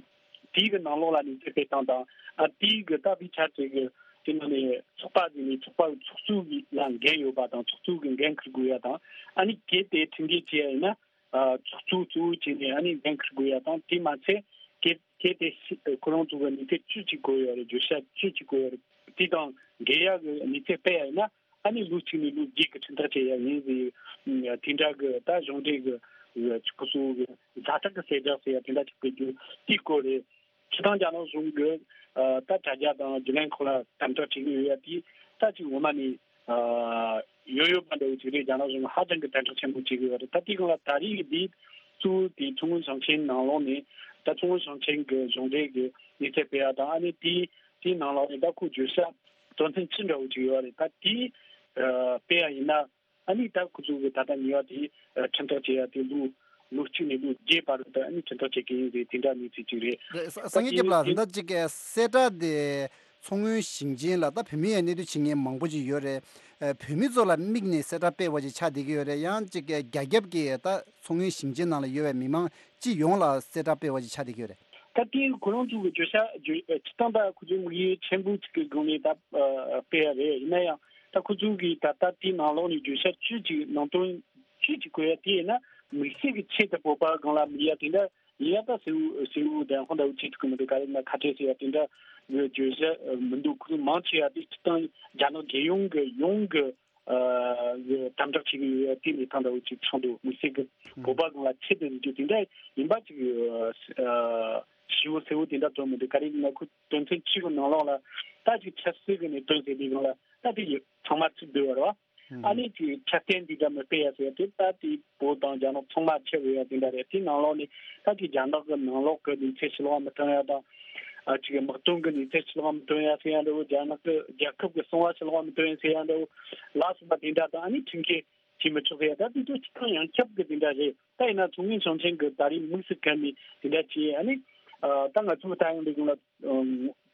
དེའི་གི་ནང་ལོགས་ལ་ནི་དཔེ་སྟངས་དང་ཨ་དེའི་གི་ད་ཝི་ཆད་ཟེར་གི་དེ་ནང་ནས་ཚོགས་པ་ཟེར་ནས་ཚོགས་པ་ཚོགས་གཙོ་གི་ལ་འགན་ཡོད་པ་དང་ཚོགས་གཙོ་གི་འགན་འཁུར་དགོས་ཡ་དང་ཨ་ནི་གལ་ཏེ་ཁྲིམས་འགལ་བྱས་ཡ་ཡིན་ན། ཨ་ཚོགས་གཙོ་གཙོ་བོ་བྱས་ནས་ཨ་ནི་འགན་འཁུར་དགོས་ཡ་དང་དེ་མ་ཚད་གལ་གལ་ཏེ་ཤི་ཁོ་རང་ཚོ་གི་གནས་ཚད་བཅུ་གཅིག་དགོས་ཡོད་རེད། བརྗོད་བྱ་བཅུ་གཅིག་དགོས་ཡོད་རེད། དེ་དང་འགལ་ཡ་གི་གནས་ཚད་སྤེལ་ཡ་ཡིན་ན་ཨ་ནི་ལོ་གཅིག་ནས་ལོ་བརྒྱད་ཀྱི་ཁྲིམས་ཐག་བཅད་ཡ་ཡིན་ཟེར། དེ་འདྲ་གི་ད་གཞུང་འབྲེལ་གི་ཁོ་ཚོ་གི་ཛ་དྲག་གི་གསལ་བསྒྲགས་ཟེར་ཡ་དེ་འདྲ་ཅིག་སྤེལ་རྒྱུ་དེའི་སྐོར་རེད། སྤྱི་བཏང་རྒྱ་ནག་གཞུང་གི་ཨ་ད་དྲ་རྒྱ་དང་བརྒྱུད་ལམ་ཁག་ལ་དམ་དྲག་བྱེད་ཀྱི་ཡོད་ཡ་དེ་ད་ཅིག་ངོ་མ་ནས་ཨ་ཡོད་ཡོད་པ་འདྲ་བོ་ཅིག་རེད། རྒྱ་ནག་གཞུང་ཧ་ཅང་གི་དམ་དྲག་ཆེན་པོ་བྱེད་ཀྱི་ཡོད་རེད། ད་དེའི་སྒང་ལ་ད་རེས་ཀྱི་དེ་གཙོ་བོ་དེ་མཚོ་སྔོན་ཞིང་ཆེན་ནང་ལོགས་ནས་ད་མཚོ་སྔོན་ཞིང་ཆེན་གྱི་གཞུང་འབྲེལ་གྱི་གནས་ཚད་སྤེལ་ཡ་དང་ཨ་ནི་དེའི་དེའི་ནང་ལོགས་ནས་ད་ཁོ་བརྗོད་བྱ་དོན་ཚན་བཅུ་འདྲ་བོ་ཅིག་ཡོད་རེད། ད་དེ་ཨ་སྤེལ་ཡ་ཡིན་ན། ཨ་ནི་ད་ཁོ་ཚོ་གི་ད་ལྟ་ཉེས་པ་དེ་ཁྲིམས་ཐག་བཅད་ཡ་དེ་ལོ་ལོ་གཅིག་ནས་ལོ་བརྒྱད་བར་དུ་ཨ་ནི་ཁྲིམས་ཐག་བཅད་ཀྱི་ཡིན་ཟེར་དེ་འདྲ་གནས་ཚུལ་ཅིག་རེད། རེད། ས་སངས་རྒྱས་སྐྱབས་ལགས་ད་ལྟ་ཅིག་གི་གསལ་བསྒྲགས་དེ་མཚོ་སྔོན་ཞིང་ཆེན་ལ་ད་བོད་མི་ཡང་གནས་སྡོད་བྱེད་མཁན་མང་པོ་ཅིག་ཡོད་རེད། བོད་མི་ཚོ་ལ་དམིགས་ནས་གསལ་བསྒྲགས་སྤེལ་བ་ཅིག་ཆགས་བསྡད་ཀྱི་ཡོད་རེད། ཡང་ཅིག་གི་རྒྱ་ཁྱབ་ཀྱི་ད་མཚོ་སྔོན་ཞིང་ཆེན་ནང་ལ་ཡོད་པའི་མི་མང་སྤྱི་ཡོངས་ལ་གསལ་བསྒྲགས་སྤེལ་བ་ཅིག་ཆགས་བསྡད་ཀྱི་ཡོད་རེད། ད་དེ་ཁོ་རང་ཚོ་གི་བརྗོད་བྱ་བརྗོད་སྤྱི་བཏང་ད་ཁོ་ཚོའི་དམིགས་ཡུལ་ཆེན་པོ་གཅིག་གི་སྒང་ནས་ད་སྤེལ་ཡ་རེད། ཡིན་ན་ཡང་ད་ཁོ་ཚོ་གི་ད་ལྟ་དེའི་ནང་ལོགས་ནས་བརྗོད་བྱ་བཅུ་གཅིག་ནང་དོན་བཅུ་གཅིག་བཀོད་ཡ་དེ་ཡིན་ན་དམིགས་བསལ་གྱི་ཆེད་དུ་བོད་པ་སྒང་ལ་དམིགས་ཡ་དེ་འདྲ་ཡིན་ཡ་ད་གསལ་བོ་གསལ་བོ་དང་ཧོན་ད་བོ་ཆེད་དུ་གི་མི་འདུག་ག་རེ་ན་ཁ་བྲལ་ཟེར་ཡ་དེ་འདྲ་བརྗོད་བྱ་མི་འདུག་ཁོ་ཚོ་མང་ཆེ་བ་དེ་སྤྱི་བཏང་རྒྱ་ནག་རྒྱལ་ཡོངས་ཀྱི་ཡོངས་ཀྱི་ཨ་དམ་དྲག་བྱེད་ཀྱི་ཡོད་ཡ་དེ་ལས་ཐང་འདྲ་བོ་ཅིག་ཚང་འདུག་དམིགས་བསལ་གྱི་བོད་པ་སྒང་ལ་ཆེད་དུ་འཛིན་རྒྱུ་དེ་འདྲ་ཡིན་པ་ཅིག་ཨ་ཞིབ་པོ་གསལ་བོ་དེ་འདྲ་བཏོན་མི་འདུག་ག་རེ་ཡིན་ན་ཁོ་དོན་ཚན་གཅིག་གི་ནང་ལོགས་ལ་ད་ཅིག་ཆབ་སྲིད་ཀྱི་གནད་དོན་ཟེར་དུས་སྒང་ལ་ད་དེ་ཚང་མ་ཚིག་བསྡུས་པ་རེད་བ། ཨ་ནི་ཅིག་ཆ་རྐྱེན་འདི་འདྲ་མི་སྤེལ་ཡ་ཟེར་ཡ་དེ་ད་དེ་བོད་དང་རྒྱ་ནག་ཚང་མ་ཆེ་བའི་ཡ་དེ་འདྲ་རེད། དེ་ནང་ལོགས་ནས་ད་ཅིག་རྒྱ་ནག་གི་ནང་ལོགས་གི་གནས་ཚུལ་ཕྱི་ལོགས་མི་ཐོན་ཡ་དང་། ཨ་ཅིག་དམག་དོན་གི་གནས་ཚུལ་ཕྱི་ལོགས་མི་ཐོན་ཡ་ཟེར་ཡ་འདྲ་བོ། རྒྱ་ནག་གི་རྒྱལ་ཁབ་གི་གསང་བ་ཕྱི་ལོགས་མི་ཐོན་ཡ་ཟེར་ཡ་འདྲ་བོ་ལ་སོགས་པ་དེ་འདྲ་དང་། ཨ་ནི་ཁྲིམས་འགལ་བྱེད་མི་ཆོག་ཟེར་ཡ་ད་དེ་ཚོ་སྤྱིར་བཏང་ཡོངས་ཁྱབ་གི་དེ་འདྲ་རེད། ད་ཡིན་ན་ཚོགས་མི་ཞིང་ཆེན་གི་ད་རེས་དམིགས་སུ་བཀར་ནས་དེ་འདྲ་བྱས། ཨ་ནི་ཨ་ད་ང་ཚོའི་ད་ཡང་འདི་གུང་ལ་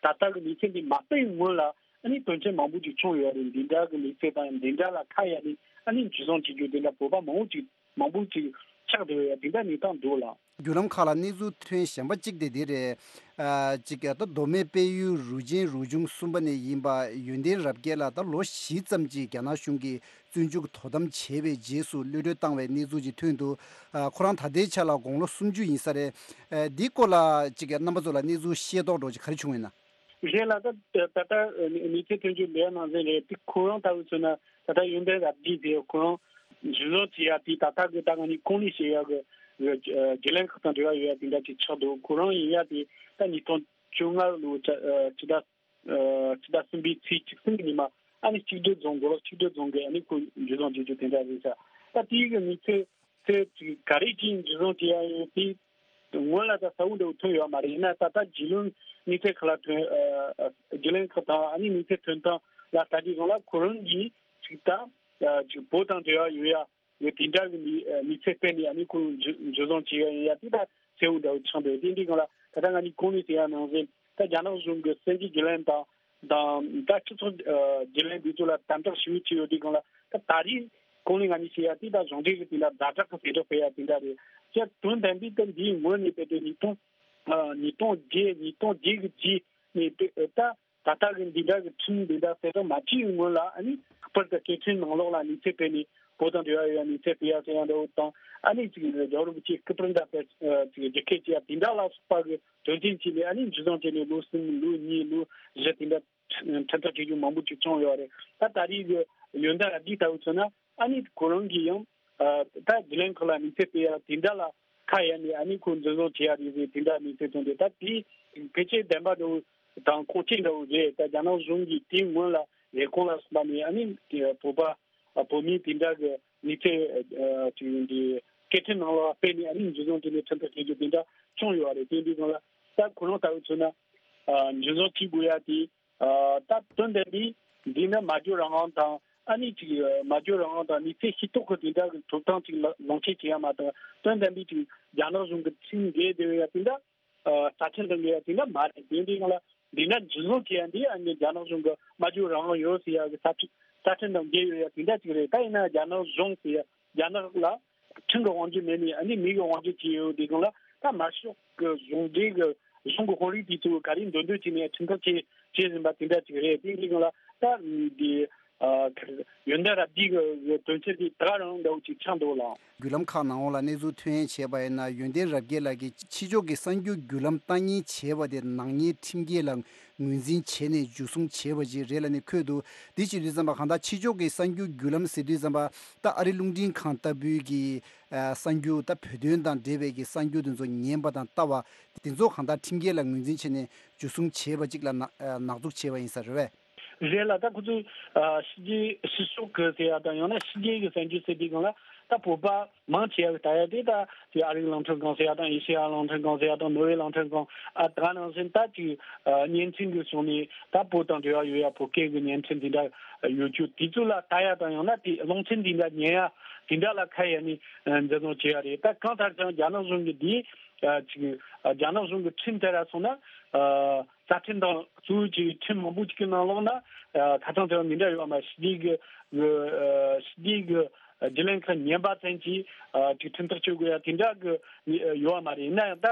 ཨ་ད་ལྟ་གི་གནས་ཚུལ་འདི་མ་སྤེལ་སྔོན་ལ་ཨ་ནི་དོན་རྐྱེན་མང་པོ་ཅིག་བྱུང་ཡོད་རེད། འདི་འདྲ་གི་གནས་ཚུལ་དང་འདི་འདྲ་ལ་ཁ་གཡར་ནས་ཨ་ནི་འཇུ་བཟུང་བྱེད་རྒྱུ་དེ་འདྲ་བོད་པ་མང་པོ་ཅིག་མང་པོ་ཅིག་ཆགས་བསྡད་ཡོད་ཡ་དེ་འདྲ་གནས་སྟངས་འདུག་ལགས། བརྒྱུད་ལམ་ཁག་ལ་གནས་ཚུལ་ཐོན་གཞན་པ་གཅིག་དེ་འདི་རེད། ཨ་གཅིག་ད་མདོ་སྨད་དཔལ་ཡུལ་རུ་ཆེན་རུ་ཆུང་གསུམ་པ་ནས་ཡིན་པ་ཡོན་ཏན་རབ་རྒྱས་ལགས་ད་ལོ་བཞི་ཙམ་གྱི་རྒྱ་ནག་གཞུང་གིས་བཙོན་འཇུག་དོ་དམ་བྱས་པའི་རྗེས་སུ་གློད་གྲོལ་བཏང་བའི་གནས་ཚུལ་ཅིག་ཐོན་འདུག་ཨ་ཁོ་རང་ད་ལྟའི་ཆ་ལ་དགུང་ལོ་སུམ་ཅུ་ཡིན་ས་རེད། ཨ་འདིའི་སྐོར་ལ་གཅིག་རྣམ་པ་ཚོ་ལ་གནས་ཚུལ་ཤེས་རྟོགས་འདྲ་ཅིག་ག་རེ་བྱུང་ཡོད་ན། རེད་ལགས། ད་ད་ལྟ་གནས་ཚུལ་ཐོན་རྒྱུ་ལས་ནང་བཞིན་རེད། དེ་ཁོ་རང་ལྟ་བུ་མཚོན་ན་ད་ལྟ་ཡོན་ཏན་རབ་རྒྱས་ཟེར་ཡ་ཁོ་རང་འཇུ་བཟུང་བྱེད་ཡ་དེ་ད་ལྟ་གི་ད་ང་གཉིས་གོང་ནས་བཤད་ཡ་གི་བརྒྱུད་ལམ་ཁག་དང་འབྲེལ་བ་ཡོད་ཡ་དེ་འདྲ་ཅིག་ཆགས་འདུག་ཁོ་རང་ཡིན་ཡ་དེ་ད་ཉིས་སྟོང་བཅོ་ལྔ་ལོ་ཕྱི་ཟླ་ཕྱི་ཟླ་གསུམ་པའི་ཚེས་བཅུ་གསུམ་གི་ཉི་མ་ཨ་ནི་གཅིག་སྒྲིལ་རྫོང་མགོ་ལོག་གཅིག་སྒྲིལ་རྫོང་གི་ཨ་ནི་ཁོ་འཇུ་བཟུང་བྱེད་རྒྱུ་དེ་འདྲ་རེད་ཤག་ད་དེའི་གི་གནས་ཚུལ་ཚེ་གཅིག་ག་རེ་ཅིག་འཇུ་བཟུང་བྱེད་ཡ་ཡོད་དེ། སྔོན་ལ་ད་གསལ་བོ་འདྲ་བོ་ཐོན་ཡོད་མ་རེད། ཡིན་ན་ད་ལྟ་རྒྱུས་ལོན་གནས་ཚུལ་ཁག་ལ་ཐོན། ཨ་རྒྱུས་ལོན་ཁག་དང་ཨ་ནི་གནས་ཚུལ་ཐོན་སྟངས་ལ་ལྟ་དུས་སྒང་ལ་ཁོ་རང་གིས་ཅིག་ད་ཨ་ཅིག་བོད་དང་འབྲེལ་བ་ཡོད་ཡ་ཡོད་དེ་འདྲ་གི་གནས་ཨ་གནས་ཚུལ་སྤེལ་ནས་ཨ་ནི་ཁོ་འཇུ་འཇུ་བཟུང་བྱེད་ཡ་ཡིན་ཡ་དེ་ད་གསལ་བོ་འདྲ་བོ་ཆགས་འདུག་དེ་འདྲའི་སྒང་ལ་ད་ལྟ་ང་གཉིས་གོང་ནས་ཟེར་ཡ་ནང་བཞིན་ད་རྒྱ་ནག་གཞུང་གི་གསར་འགྱུར་བརྒྱུད་ལམ་དང་། དང་ད་སྤྱི་ཚོགས་ཨ་བརྒྱུད་ལམ་འདི་ཚོ་ལ་དམ་དྲག་ཞེ་པོ་བྱས་ཡོད་དུས་སྒང་ལ་ད་ད་རེས་གོང་ནས་ང་གཉིས་བཤད་ཡ་དེ་ད་གཞུང་འབྲེལ་གྱི་དེ་འདྲ་ཛ་དྲག་གི་ཟེར་སྒྲོག་སྤེལ་ཡ་དེ་འདྲ་རེད། ཅེས་དོན་དམ་པའི་ད་འདིའི་ངོས་ནས་དཔེ་དེ་ཉིས་སྟོང་ཨ་ཉིས་སྟོང་བརྒྱད་ཉིས་སྟོང་བརྒྱད་ཀྱི་རྗེས་ནས་དཔེ་ད་ད་ལྟ་གི་འདི་འདྲ་གི་ཁྲིམས་འདི་འདྲ་གསལ་བསྒྲགས་མ་བྱས་ཡོད་སྔོན་ལ་ཨ་ནི་ལྷག་པར་དུ་སྐད་འཕྲིན་ནང་ལོགས་ལ་གནས་ཚུལ་སྤེལ་ནས་བོད་དང་འབྲེལ་བ་ཡོད་ཡ་གནས་ཚུལ་སྤེལ་ཡ་ཟེར་ཡ་འདྲ་བོ་དང་ཨ་ནི་ཅིག་རྒྱལ་བ་རིན་པོ་ཆེའི་སྐུ་པར་འདྲ་དཔེ་ཅིག་རྒྱ་སྐད་ཅིག་ཡ་དེ་འདྲ་ལ་སོགས་པ་གི་དོན་རྐྱེན་བྱས་ནས་ཨ་ནི་འཇུ་བཟུང་བྱས་ནས་ལོ་གསུམ་ལོ་གཉིས་ལོ་བཞི་དེ་འདྲ་ཁྲིམས་ཐག་བཅད་རྒྱུ་མང་པོ་ཅིག་བྱུང་ཡོད་རེད། ད་ད་རེས་ཀྱི་ཡོན་ཏན་རབ་རྒྱས་ལྟ་བུ་མཚོན་ན་ཨ་ནི་ཁོ་རང་གིས་ཡང་ད་བརྒྱུད་ལམ་ཁག་ལ་དམིགས་བསལ་དེ་ཡང་དེ་འདྲ་ལ་ཁ་གཡར་ནས་ཨ་ནི་ཁོ་འཛིན་བཟུང་བྱེད་ཡ་རེད་ཟེར་དེ་འདྲ་དམིགས་བསལ་བྱུང་སྟེ། ད་དེ་ཕལ་ཆེར་བདེན་པ་འདྲ་བོ་དང་ཁུངས་སྐྱེལ་འདྲ་བོ་རེད། ད་རྒྱ་ནག་གཞུང་གིས་དེའི་སྔོན་ལ་ལས་ཁུངས་ལ་སོགས་པ་ནས་ཨ་ནི་བོད་པ་བོད་མི་དེ་འདྲ་གི་མི་ཚེ་ཅིག་འདི་སྐད་འཕྲིན་ནང་ལ་སྤེལ་ནས་ཨ་ནི་འཛིན་བཟུང་བྱས་ནས་ཁྲིམས་ཐག་བཅད་རྒྱུ་དེ་འདྲ་བྱུང་ཡོད་རེད། དེ་འདྲའི་སྒང་ལ་ད་ཁོ་རང་ལྟ་བུ་མཚོན་ན་འཛིན་བཟུང་བྱེད་དགོས་ཡ་དེ། ཨ་ད་དོན་དམ་པའི་འདི་ནི་སྨྲ་བརྗོད་རང་དབང་དང་ཨ་ནི་ཅིག་སྨྲ་བརྗོད་རང་དབང་དང་མི་ཚེ་ཤེས་རྟོགས་ཀྱི་དེ་འདྲ་གི་ཐོབ་ཐང་ཅིག་ལ་ལོངས་སྤྱོད་བྱེད་ཡ་མ་གཏོགས་དོན་དམ་པའི་ཅིག་རྒྱ་ནག་གཞུང་གི་ཁྲིམས་འགལ་བསྡད་ཡོད་ཡ་དེ་འདྲ་ཨ་རྩ་ཁྲིམས་དང་འགལ་ཡ་དེ་འདྲ་མ་རེད། དེ་འདྲའི་སྒང་ལ་འདི་ན་འཛིན་བཟུང་བྱེད་ཡ་འདི་ཨ་ནི་རྒྱ་ནག་གཞུང་གི་སྨྲ་བརྗོད་རང་དབང་ཡོད་ཟེར་ཡ་གི་རྩ་ཁྲིམས་རྩ་ཁྲིམས་དང་འགལ་ཡོད་ཡ་དེ་འདྲ་ཅིག་རེད། ད་ཡིན་ན་རྒྱ་ནག་གཞུང་ཟེར་ཡ་རྒྱ་ནག་ལ་ཁྲིམས་ཀྱི་དབང་སྒྱུར་མེད་ནས་ཨ་ནི་མི་གི་དབང་སྒྱུར་བྱས་ཡོད་དེ་སྒང་ལ་ད་དམར་ཤོག་གི་གཞུང་འབྲེལ་གི་གཞུང་གི་དཔོན་རིགས་དེ་ཚོ་ག་རེ་འདོད་འདོད་བྱས་ནས་ཁྲིམས་ཐག་བཅད་བཅད་ཟིན་པ་དེ་འདྲ་ཅིག་རེད། དེ་འདི་སྒང་ལ་ད་འདི་ཨ་ཡོན་ཏན་རབ་རྒྱས་གི་དོན་ཚན་དེ་ད་ག་རང་འདྲ་བོ་ཅིག་ཆགས་འདུག་ལགས། བརྒྱུད་ལམ་ཁག་ནང་འོག་ལ་གནས་ཚུལ་ཐོན་བྱས་པ་ཡིན་ན་ཡོན་ཏན་རབ་རྒྱས་ལགས་ཀྱིས་ཕྱི་ཕྱོགས་ཀྱི་གསར་འགྱུར་བརྒྱུད་ལམ་ལྟ་ཉན་བྱས་པ་དེ་ནག་ཉེས་ཁྲིམས་འགལ་ལ་ངོས་འཛིན་བྱས་ནས་འཇུ་བཟུང་བྱས་པ་ཅིག་རེད་ལབ་ནས་འཁོད་འདུག་འདི་བྱེད་དུས་ཙམ་པ་གང་ལྟར་ཕྱི་ཕྱོགས་ཀྱི་གསར་འགྱུར་བརྒྱུད་ལམ་ཟེར་དུས་ཙམ་པ་ད་ཨ་རི་རླུང་འཕྲིན་ཁང་ལྟ་བུའི་གི་ཨ་གསར་འགྱུར་ད་བོད་དོན་དང་འབྲེལ་བའི་གི་གསར་འགྱུར་དེ་ཚོ་ཉན་པ་དང་ལྟ་བ་དེ་ཚོ་གང་ལྟར་ཁྲིམས་འགལ་ལ་ངོས་འཛིན་བྱས་ནས་འཇུ་བཟུང་བྱས་པ་ཅིག་ལ་ན་ཨ་ནག་འཛུགས་བྱས་པ་ཡིན་ས་རེད་པས། རེད་ལགས། ད་ཁོ་ཚོས་ཨ་ཕྱི་རྒྱལ་ཕྱི་ཕྱོགས་ཀྱི་ཟེར་ཡ་དང་ཡང་ན་ཕྱི་རྒྱལ་གྱི་གསར་འགྱུར་ཟེར་དུས་སྒང་ལ་ད་བོད་པ་མང་ཆེ་བ་ལྟ་ཡ་དེ་ད་དེ་ཨ་རིའི་རླུང་འཕྲིན་ཁང་ཟེར་ཡ་དང་ཨེ་ཤེ་ཡ་རླུང་འཕྲིན་ཁང་ཟེར་ཡ་དང་ནོར་ཝེ་རླུང་འཕྲིན་ཁང་ཨ་ད་ག་ནང་བཞིན་ད་ཅིག་ཨ་བརྙན་འཕྲིན་གྱི་ཕྱོགས་ནས་ད་བོད་དང་འབྲེལ་བ་ཡོད་ཡ་བོད་སྐད་ཀྱི་བརྙན་འཕྲིན་དེ་འདྲ་ཡོད་རྒྱུ་དེ་ཚོ་ལ་ལྟ་ཡ་དང་ཡང་ན་དེ་རླུང་འཕྲིན་དེ་འདྲ་ཉན་ཡ་དེ་འདྲ་ལ་ཁ་གཡར་ནས་ཨ་འཛིན་བཟུང་བྱས་ཡ་རེད། ད་གང་ལྟར་ཀྱང་རྒྱ་ནག་གཞུང་གིས་དེ་ཨ་ཅིག་ཨ་རྒྱ་ནག་གཞུང་གི་ཁྲིམས་ལྟར་སོང་ན་ཨ་རྩ་ཁྲིམས་དང་གཙོ་བོ་གཅིག་ཁྲིམས་མང་པོ་གཅིག་གི་ནང་ལོགས་ན་ཨ་ཁ་ཚང་དེ་བ་མི་འདྲ་ཡོད་མ། ཕྱི་རྒྱལ་གྱི་ཨ་ཕྱི་རྒྱལ་གྱི་བརྒྱུད་ལམ་ཁག་ཉན་པ་ཙམ་གྱིས་ཨ་ཅིག་ཁྲིམས་ཐག་གཅོད་དགོས་ཡ་དེ་འདྲ་གི་ཡོད་མ་རེད། ཡིན་ན་ཡང་ད་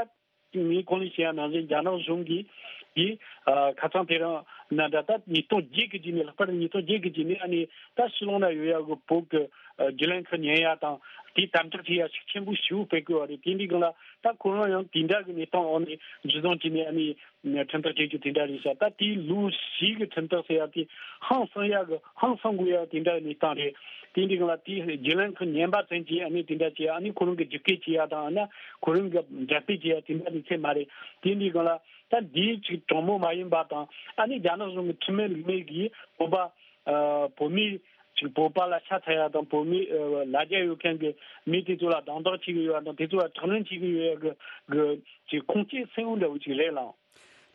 ངས་གོང་ནས་བཤད་ཡ་ནང་བཞིན་རྒྱ་ནག་གཞུང་གིས་དེ་ཨ་ཁ་ཚང་དེ་རིང་ན་འདྲ་ད་ཉིས་སྟོང་བརྒྱད་ཀྱི་རྗེས་ནས་ལྷག་པར་ཉིས་སྟོང་བརྒྱད་ཀྱི་རྗེས་ནས་ཨ་ནི་ད་ཕྱི་ལོགས་ན་ཡོད་ཡ་གི་བོད་ཀྱི་ཨ་བརྒྱུད་ལམ་ཁག་ཉན་ཡ་དང་དེ་དམ་དྲག་བྱེད་ཡ་ཤུགས་ཆེན་པོ་ཞེ་པོ་སྤེལ་དགོས་བ་རེད། དེ་འདྲའི་སྒང་ལ་ད་ཁོ་རང་ཡང་དེ་འདྲ་གི་གནས་སྟངས་འོག་ནས་འཇུ་བཟུང་བྱས་ནས་ཨ་ནི་ཁྲིམས་ཐག་བཅད་རྒྱུ་དེ་འདྲ་རེད་ཤག་ད་དེའི་ལོ་བཞི་གི་ཁྲིམས་ཐག་ཟེར་ཡ་དེ་ཧང་སང་ཡ་གི་ཧང་སང་དགོས་ཡ་དེ་འདྲ་གི་གནས་སྟངས་རེད། དེ་འདྲའི་སྒང་ལ་དེའི་བརྒྱུད་ལམ་ཁག་ཉན་པ་ཙམ་གྱིས་ཨ་ནི་དེ་འདྲ་བྱས་ཨ་ནི་ཁོ་རང་གི་རྒྱུད་སྐད་བྱེད་ཡ་དང་ཨ་ན་ཁོ་རང་གི་འགྲེམས་སྤེལ་བྱེད་ཡ་དེ་འདྲ་གི་ཚད་མ་རེད། དེ་འདྲའི་སྒང་ལ་ད་འདིའི་ཅིག་དྲང་མོ་མ་ཡིན་པ་དང་ཨ་ནི་རྒྱ་ནག་གཞུང་གི་ཁྲིམས་མེད་ལུགས་མེད་ཀྱིས་བོད་པ་ཨ་བོད་མི་ ཅིག་བོད་པ་ལ་ཤ་ཚ་ཡ་དང་བོད་མི་ལ་རྒྱ་ཡོད་མཁན་གྱི་མི་དེ་ཚོ་ལ་སྡང་དག་བྱེད་ཀྱི་ཡོད་ཡ་དང་དེ་ཚོ་ལ་དྲག་གནོན་བྱེད་ཀྱི་ཡོད་ཡ་གི་གི་ཅིག་ཁུངས་སྐྱེལ་གསལ་བོ་འདྲ་བོ་ཅིག་རེད་ལགས།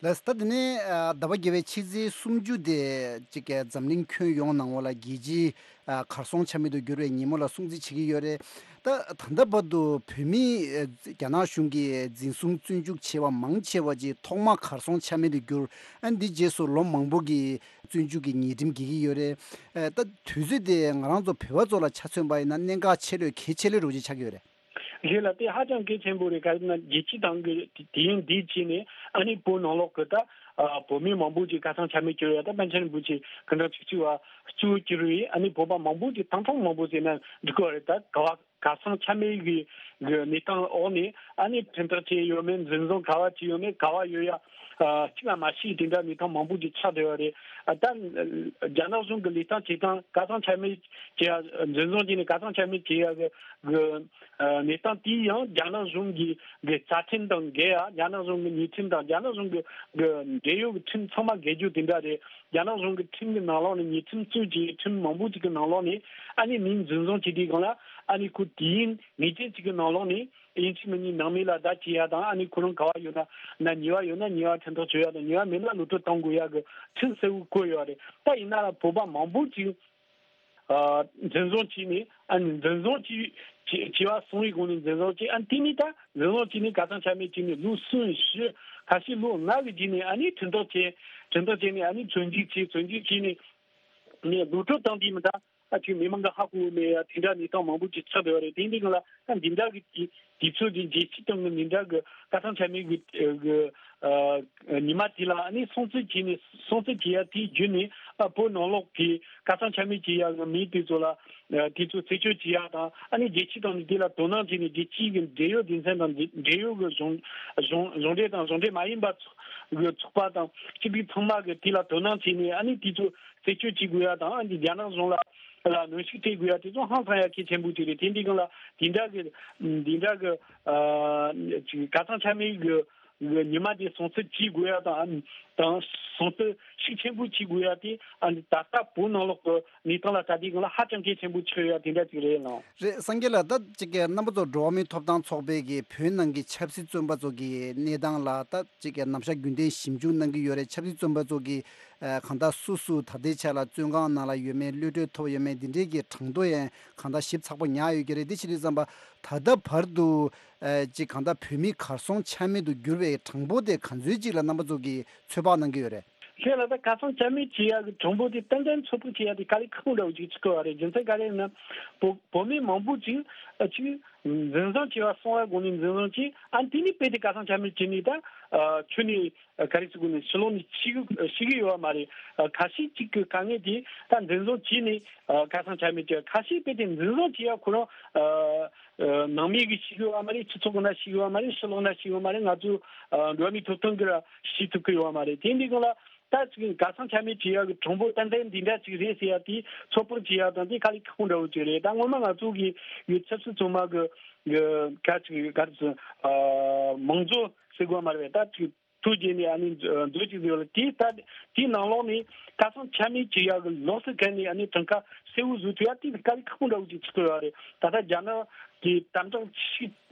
ལགས་སོ། ད་དེ་ནས་ཨ་ཟླ་བ་བརྒྱད་པའི་ཕྱི་ཚེས་སུམ་ཅུ་དེ་ཅིག་གི་འཛམ་གླིང་ཁྱོན་ཡོངས་ནང་བ་ལ་རྒྱལ་སྤྱིའི་ཨ་གར་སོང་ཆ་མེད་དུ་གྱུར་བའི་ཉིན་མོ་ལ་སྲུང་བརྩི་བྱེད་ཀྱི་ཡོད་རེད། ད་ད་ལྟ་བར་དུ་བོད་མིས་ཨ་རྒྱ་ནག་གཞུང་གིས་འཛིན་བཟུང་བཙོན་འཇུག་བྱས་པ་མང་ཆེ་བ་ཅིག་ཐོག་མ་གར་སོང་ཆ་མེད་དུ་གྱུར། ཨ་འདི་རྗེས་སུ་ལོ་མང་པོ་གི་བཙོན་འཇུག་གི་ཉེས་ཁྲིམས་འགེལ་གྱི་ཡོད་རེད། ཨ་ད་དུས་ཚོད་དེ་ང་རང་ཚོ་བོད་པ་ཚོ་ལ་ཆ་མཚོན་པ་ཡིན་ན་གནད་འགག་ཆེ་ལོས་གལ་ཆེ་ལོས་རོགས་ཅིག་ཆགས་ཀྱི་ཡོད་རེད། རེད་ལགས། དེ་ཧ་ཅང་གལ་ཆེན་པོ་རེད། ག་རེ་ན་རྒྱལ་སྤྱི་དང་གི་དུས་ཡུན་འདིའི་རྗེས་ནས་ཨ་ནི་བོད་ནང་ལོགས་ཀྱི་ད་ཨ་བོད་མི་མང་པོ་ཅིག་གར་སོང་ཆ་མེད་གྱུར་ཡོད། ད་པཎ་ཆེན་རིན་པོ་ཆེ་སྐུ་ཕྲེང་བཅུ་གཅིག་པ་གཙོ་བོ་གྱུར་བའི་ཨ་ནི་བོད་པ་མང་པོ་ཅིག་ཐང་ཐང་མང་པོ་ཟེར་ན་འགྲིག་གི་རེད། ད་ག་བ་གར་སོང་ཆ་མེད་ཀྱི་གི་གནས་སྟངས་འོག་ནས་ཨ་ནི་ཁྲིམས་ཐག་བཅད་ཡོད་མེད། འཛིན་བཟུང་ག་བ་བྱས་ཡོད་མེད། ག་བ་ཡོད་ཡ་ཨ་གཅིག་ལ་མ་ཤེས་དེ་འདྲ་གནས་སྟངས་མང་པོ་ཅིག་ཆགས་བསྡད་ཡོད་རེད། ཨ་ད་རྒྱ་ནག་གཞུང་གི་ལས་སྟངས་བྱེད་སྟངས་གར་སོང་ཆ་མེད་བྱེད་ཡ་འཛིན་བཟུང་བྱས་ནས་གར་སོང་ཆ་མེད་བྱེད་ཡ་གི་གི་ཨ་གནས་སྟངས་དེ་ཡང་རྒྱ་ནག་གཞུང་གི་གི་རྩ་ཁྲིམས་དང་འགལ་ཡ། རྒྱ་ནག་གཞུང་གི་ཉེས་ཁྲིམས་དང་རྒྱ་ནག་གཞུང་གི་གི་འབྲེལ་ཡོད་ཀྱི་ཁྲིམས་ཚང་མ་འགལ་རྒྱུ་དེ་འདྲ་རེད། རྒྱ་ནག་གཞུང་གི་ཁྲིམས་ཀྱི་ནང་ལོགས་ནས་ཉེས་ཁྲིམས་གཙོས་ཀྱི་ཁྲིམས་མང་པོ་ཅིག་གི་ནང་ལོགས་ནས་ཨ་ནི་མི་འཛིན་བཟུང་བྱེད་དུས་སྒང་ལ་ཨ་ནི་ཁོ་དུས་ཡུན་ངེས་ཅན་ཅིག་གི་ནང་ལོགས་ནས་ཡིན་གཅིག་མིན་གཉིས་ནང་མི་ལ་བརྡ་སྤྲད་ཡ་དང་ཨ་ནི་ཁོ་རང་ག་བ་ཡོད་ན་ན་ཉེས་པ་ཡོད་ན་ཉེས་པ་ཁྲིམས་ཐག་གཅོད་ཡ་དང་ཉེས་པ་མེད་ན་ལོག་སྤྲོད་གཏོང་དགོས་ཡ་གི་ཁྲིམས་གསལ་བོ་བཀོད་ཡོད་རེད། ད་ཡིན་ན་ལ་བོད་པ་མང་པོ་ཅིག་ཨ་འཛིན་བཟུང་བྱས་ནས་ཨ་ནི་འཛིན་བཟུང་བྱས་བྱས་བྱས་པ་སོང་བའི་སྒང་ནས་འཛིན་བཟུང་བྱས། ཨ་ནི་དེ་ནས་ད་འཛིན་བཟུང་བྱས་ནས་གར་སོང་ཆ་མེད་བྱས་ནས་ལོ་གསུམ་བཞི་ཁ་ཤས་ལོ་ལྔ་གི་རྗེས་ནས་ཨ་ནི་ཁྲིམས་ཐག་བཅད། ཁྲིམས་ཐག་བཅད་ནས་ཨ་ནི་བཙོན་འཇུག་བྱས། བཙོན་འཇུག་བྱས་ནས་ནས་ལོག་སྤྲོད་བཏང་དུས་མི་ད་ཨ་ཅིག་མི་མང་གི་ཧ་གོ་མེད་ཡ་དེ་འདྲ་གནས་སྟངས་མང་པོ་ཅིག་ཆགས་བསྡད་པ་རེད། དེ་འདི་གང་ལ་ཨ་འདི་འདྲ་གི་དུས་དུས་ཚོད་ཀྱི་རྒྱལ་སྤྱི་སྟེང་གི་འདི་འདྲ་གི་གར་སོང་ཆ་མེད་གི་གི་ཨ་ཉི་མ་དེ་ལ་ཨ་ནི་སྲུང་བརྩི་བྱས་ནས་སྲུང་བརྩི་བྱས་ཡ་དེའི་བརྒྱུད་ནས་ཨ་བོད་ནང་ལོགས་ཀྱི་གར་སོང་ཆ་མེད་བྱས་ཡ་གི་མི་དེ་ཚོ་ལ་ཨ་དེ་ཚོ་རྩད་གཅོད་བྱས་ཡ་དང་ཨ་ནི་རྒྱལ་སྤྱི་དང་ནི་དེ་ལ་དོ་སྣང་བྱས་ནས་རྒྱལ་སྤྱིའི་གི་འབྲེལ་ཡོད་སྡེ་ཚན་དང་འབྲེལ་ཡོད་གི་གཞུང་གཞུང་གཞུང་འབྲེལ་དང་གཞུང་འབྲེལ་མ་ཡིན་པ་ཚོ་གི་ཚོགས་པ་དང་སྤྱི་འཐུས་ཚང་མ་གི་དེ་ལ་དོ་སྣང་བྱས་ནས་ཨ་ནི་དེ་ཚོ་རྩད་གཅོད་བྱེད་དགོས་ཡ་དང་ཨ་ནི་རྒྱ་ནག་གཞུང་ལ་ལ་གནོན་ཤུགས་སྤྲད་དགོས་ཡ་དེ་ཚོ་ཧང་སང་ཡ་གལ་ཆེན་པོ་ཅིག་རེད། དེ་འདི་གང་ལ་དེ་འདྲ་གི་དེ་འདྲ་གི་ཨ་ཅིག་གར་སོང་ཆ་མེད་གི་གི་ཉི་མ་དེ་སྲུང་བརྩི་བྱེད་དགོས་ཡ་དང་ཨ་ནི་དང་སྲུང་བརྩི་ཤུགས་ཆེན་པོ་བྱེད་དགོས་ཡ་དེ་ཨ་ནི་ད་ལྟ་བོད་ནང་ལོགས་ཀྱི་གནས་སྟངས་ལ་ད་ལྟའི་སྒང་ལ་ཧ་ཅང་གལ་ཆེན་པོ་ཆགས་ཡོད་ཡ་དེ་འདྲ་ཅིག་རེད་ལགས། རེད། སངས་རྒྱས་ལགས། ད་ཅིག་གི་རྣམ་པ་ཚོ་འགྲོ་བ་མིའི་ཐོབ་ཐང་ཚོགས་པའི་གི་བོད་ནང་གི་ཆབ་སྲིད་བཙོན་པ་ཚོ་གི་གནས་སྟངས་ལ་ད་ཅིག་གི་ནམ་ཞག་རྒྱུན་ལྡན་ཞིབ་འཇུག་གནང་གི་ཡོད་རེད། ཆབ་སྲིད་བཙོན་པ་ཚོ་གི་ཨ་གང་ལྟར་སུ་སུ་ད་ལྟའི་ཆ་ལ་བཙོན་ཁང་ནང་ལ་ཡོད་མེད། གློད་གྲོལ་ཐོབ་ཡོད་མེད། འདི་འདྲའི་གི་གྲངས་ཐོ་ཡང་གང་ལྟར་ཞིབ་ཚགས་པོ་ཉར་ཡོད་ཀྱི་རེད། དེ་བྱེད་དུས་ཙམ་པ་ད་ལྟ་བར་དུ་ཨ་ཅིག་གང་ལྟར་བོད་མི་གར་སོང་ཆ་མེད་དུ་གྱུར་བའི་གྲངས་འབོར་དེ་ག་ཚོད་ཅིག་ལ་རྣམ་པ་ཚོ་གིས་ཚོད་དཔག་གནང་གི་ཡོད་རེད། ཁྱེད་ལ་ད་གར་སོང་ཆ་མེད་བྱེད་ཡག་གི་གྲངས་འབོར་དེ་ཏན་ཏན་ཚོད་དཔག་བྱེད་ཡག་དེ་དཀའ་ལས་ཁག་པོ་འདྲ་བོ་ཅིག་ཆགས་ཀྱི་ཡོད་རེད། རྒྱུ་མཚན་ག་རེ་ཡིན་ན། བོད་བོད་མི་མང་པོ་ཅིག་ཨ་ཅིག་འཛིན་བཟུང་བྱས་པ་སོང་བའི་སྒང་ནས་འཛིན་བཟུང་བྱས། ཨ་དེ་ནས་དཔེ་དེ་གར་སོང་ཆ་མེད་བྱས་ནས་ད་ཨ་ཁྱོད་ནས་ཨ་ག་རེ་ཟེར་དགོས་ནས་ཕྱི་ལོགས་ནས་ཤི་གི་ཤི་གི་ཡོད་པ་མ་རེད། ཨ་ཁ་ཤས་ཅིག་གི་དཀའ་ངལ་དེ་ད་འཛིན་བཟུང་བྱས་ནས་ཨ་གར་སོང་ཆ་མེད་བྱས། ཁ་ཤས་དཔེ་དེ་འཛིན་བཟུང་བྱས་ཡ་ཁོ་རང་ཨ་ཨ་ནང་མི་གིས་ཤི་གི་ཡོད་པ་མ་རེད། སྤྱི་ཚོགས་ནང་ཤི་གི་ཡོད་པ་མ་རེད། ཕྱི་ལོགས་ནང་ཤི་གི་ཡོད་པ་མ་རེད། ང་ཚོ་ཨ་འགྲོ་བ་མིའི་ཐོབ་ཐང་གིས་ར་ཤེས་ཐུབ་ཀྱི་ཡོད་པ་མ་རེད། དེ་འདི་སྒང་ལ། ད་ཅིག་གར་སོང་ཆ་མེད་བྱེད་ཡག་གི་གྲངས་འབོར་ཏན་ཏན་འདི་འདྲ་ཅིག་རེད་ཟེར་ཡག་དེ་ཚོད་དཔག་བྱེད་ཡག་དང་དེ་དཀའ་ལས་ཁག་པོ་འདྲ་བོ་ཅིག་རེད། ད་སྔོན་མ་ང་ཚོ་གི་ཡུལ་ཆབ་སྲིད་བཙོན་པ་གི་གི་ག་ཅིག་ག་རེ་ཟེར་ཨ་མང་གཙོ་ཟེར་དགོས་མ་རེད་པས། ད་ཅིག་ཐུགས་དགྱེས་ནས་ཨ་ནི་མཛོད་ཅིག་བཟོས་ཡོད་རེད། དེ་ད་དེའི་ནང་ལོགས་ནས་གར་སོང་ཆ་མེད་བྱེད་ཡག་གི་ལོགས་སུ་གན་ནས་ཨ་ནི་གྲངས་ཀ་གསལ་བོ་བཟོ་ཐུབ་ཡག་དེ་དཀའ་ལས་ཁག་པོ་འདྲ་བོ་ཅིག་ཆགས་ཀྱི་ཡོད་རེད། ད་ལྟ་རྒྱ་ནག་གི་དམ་དྲག་ཆེ་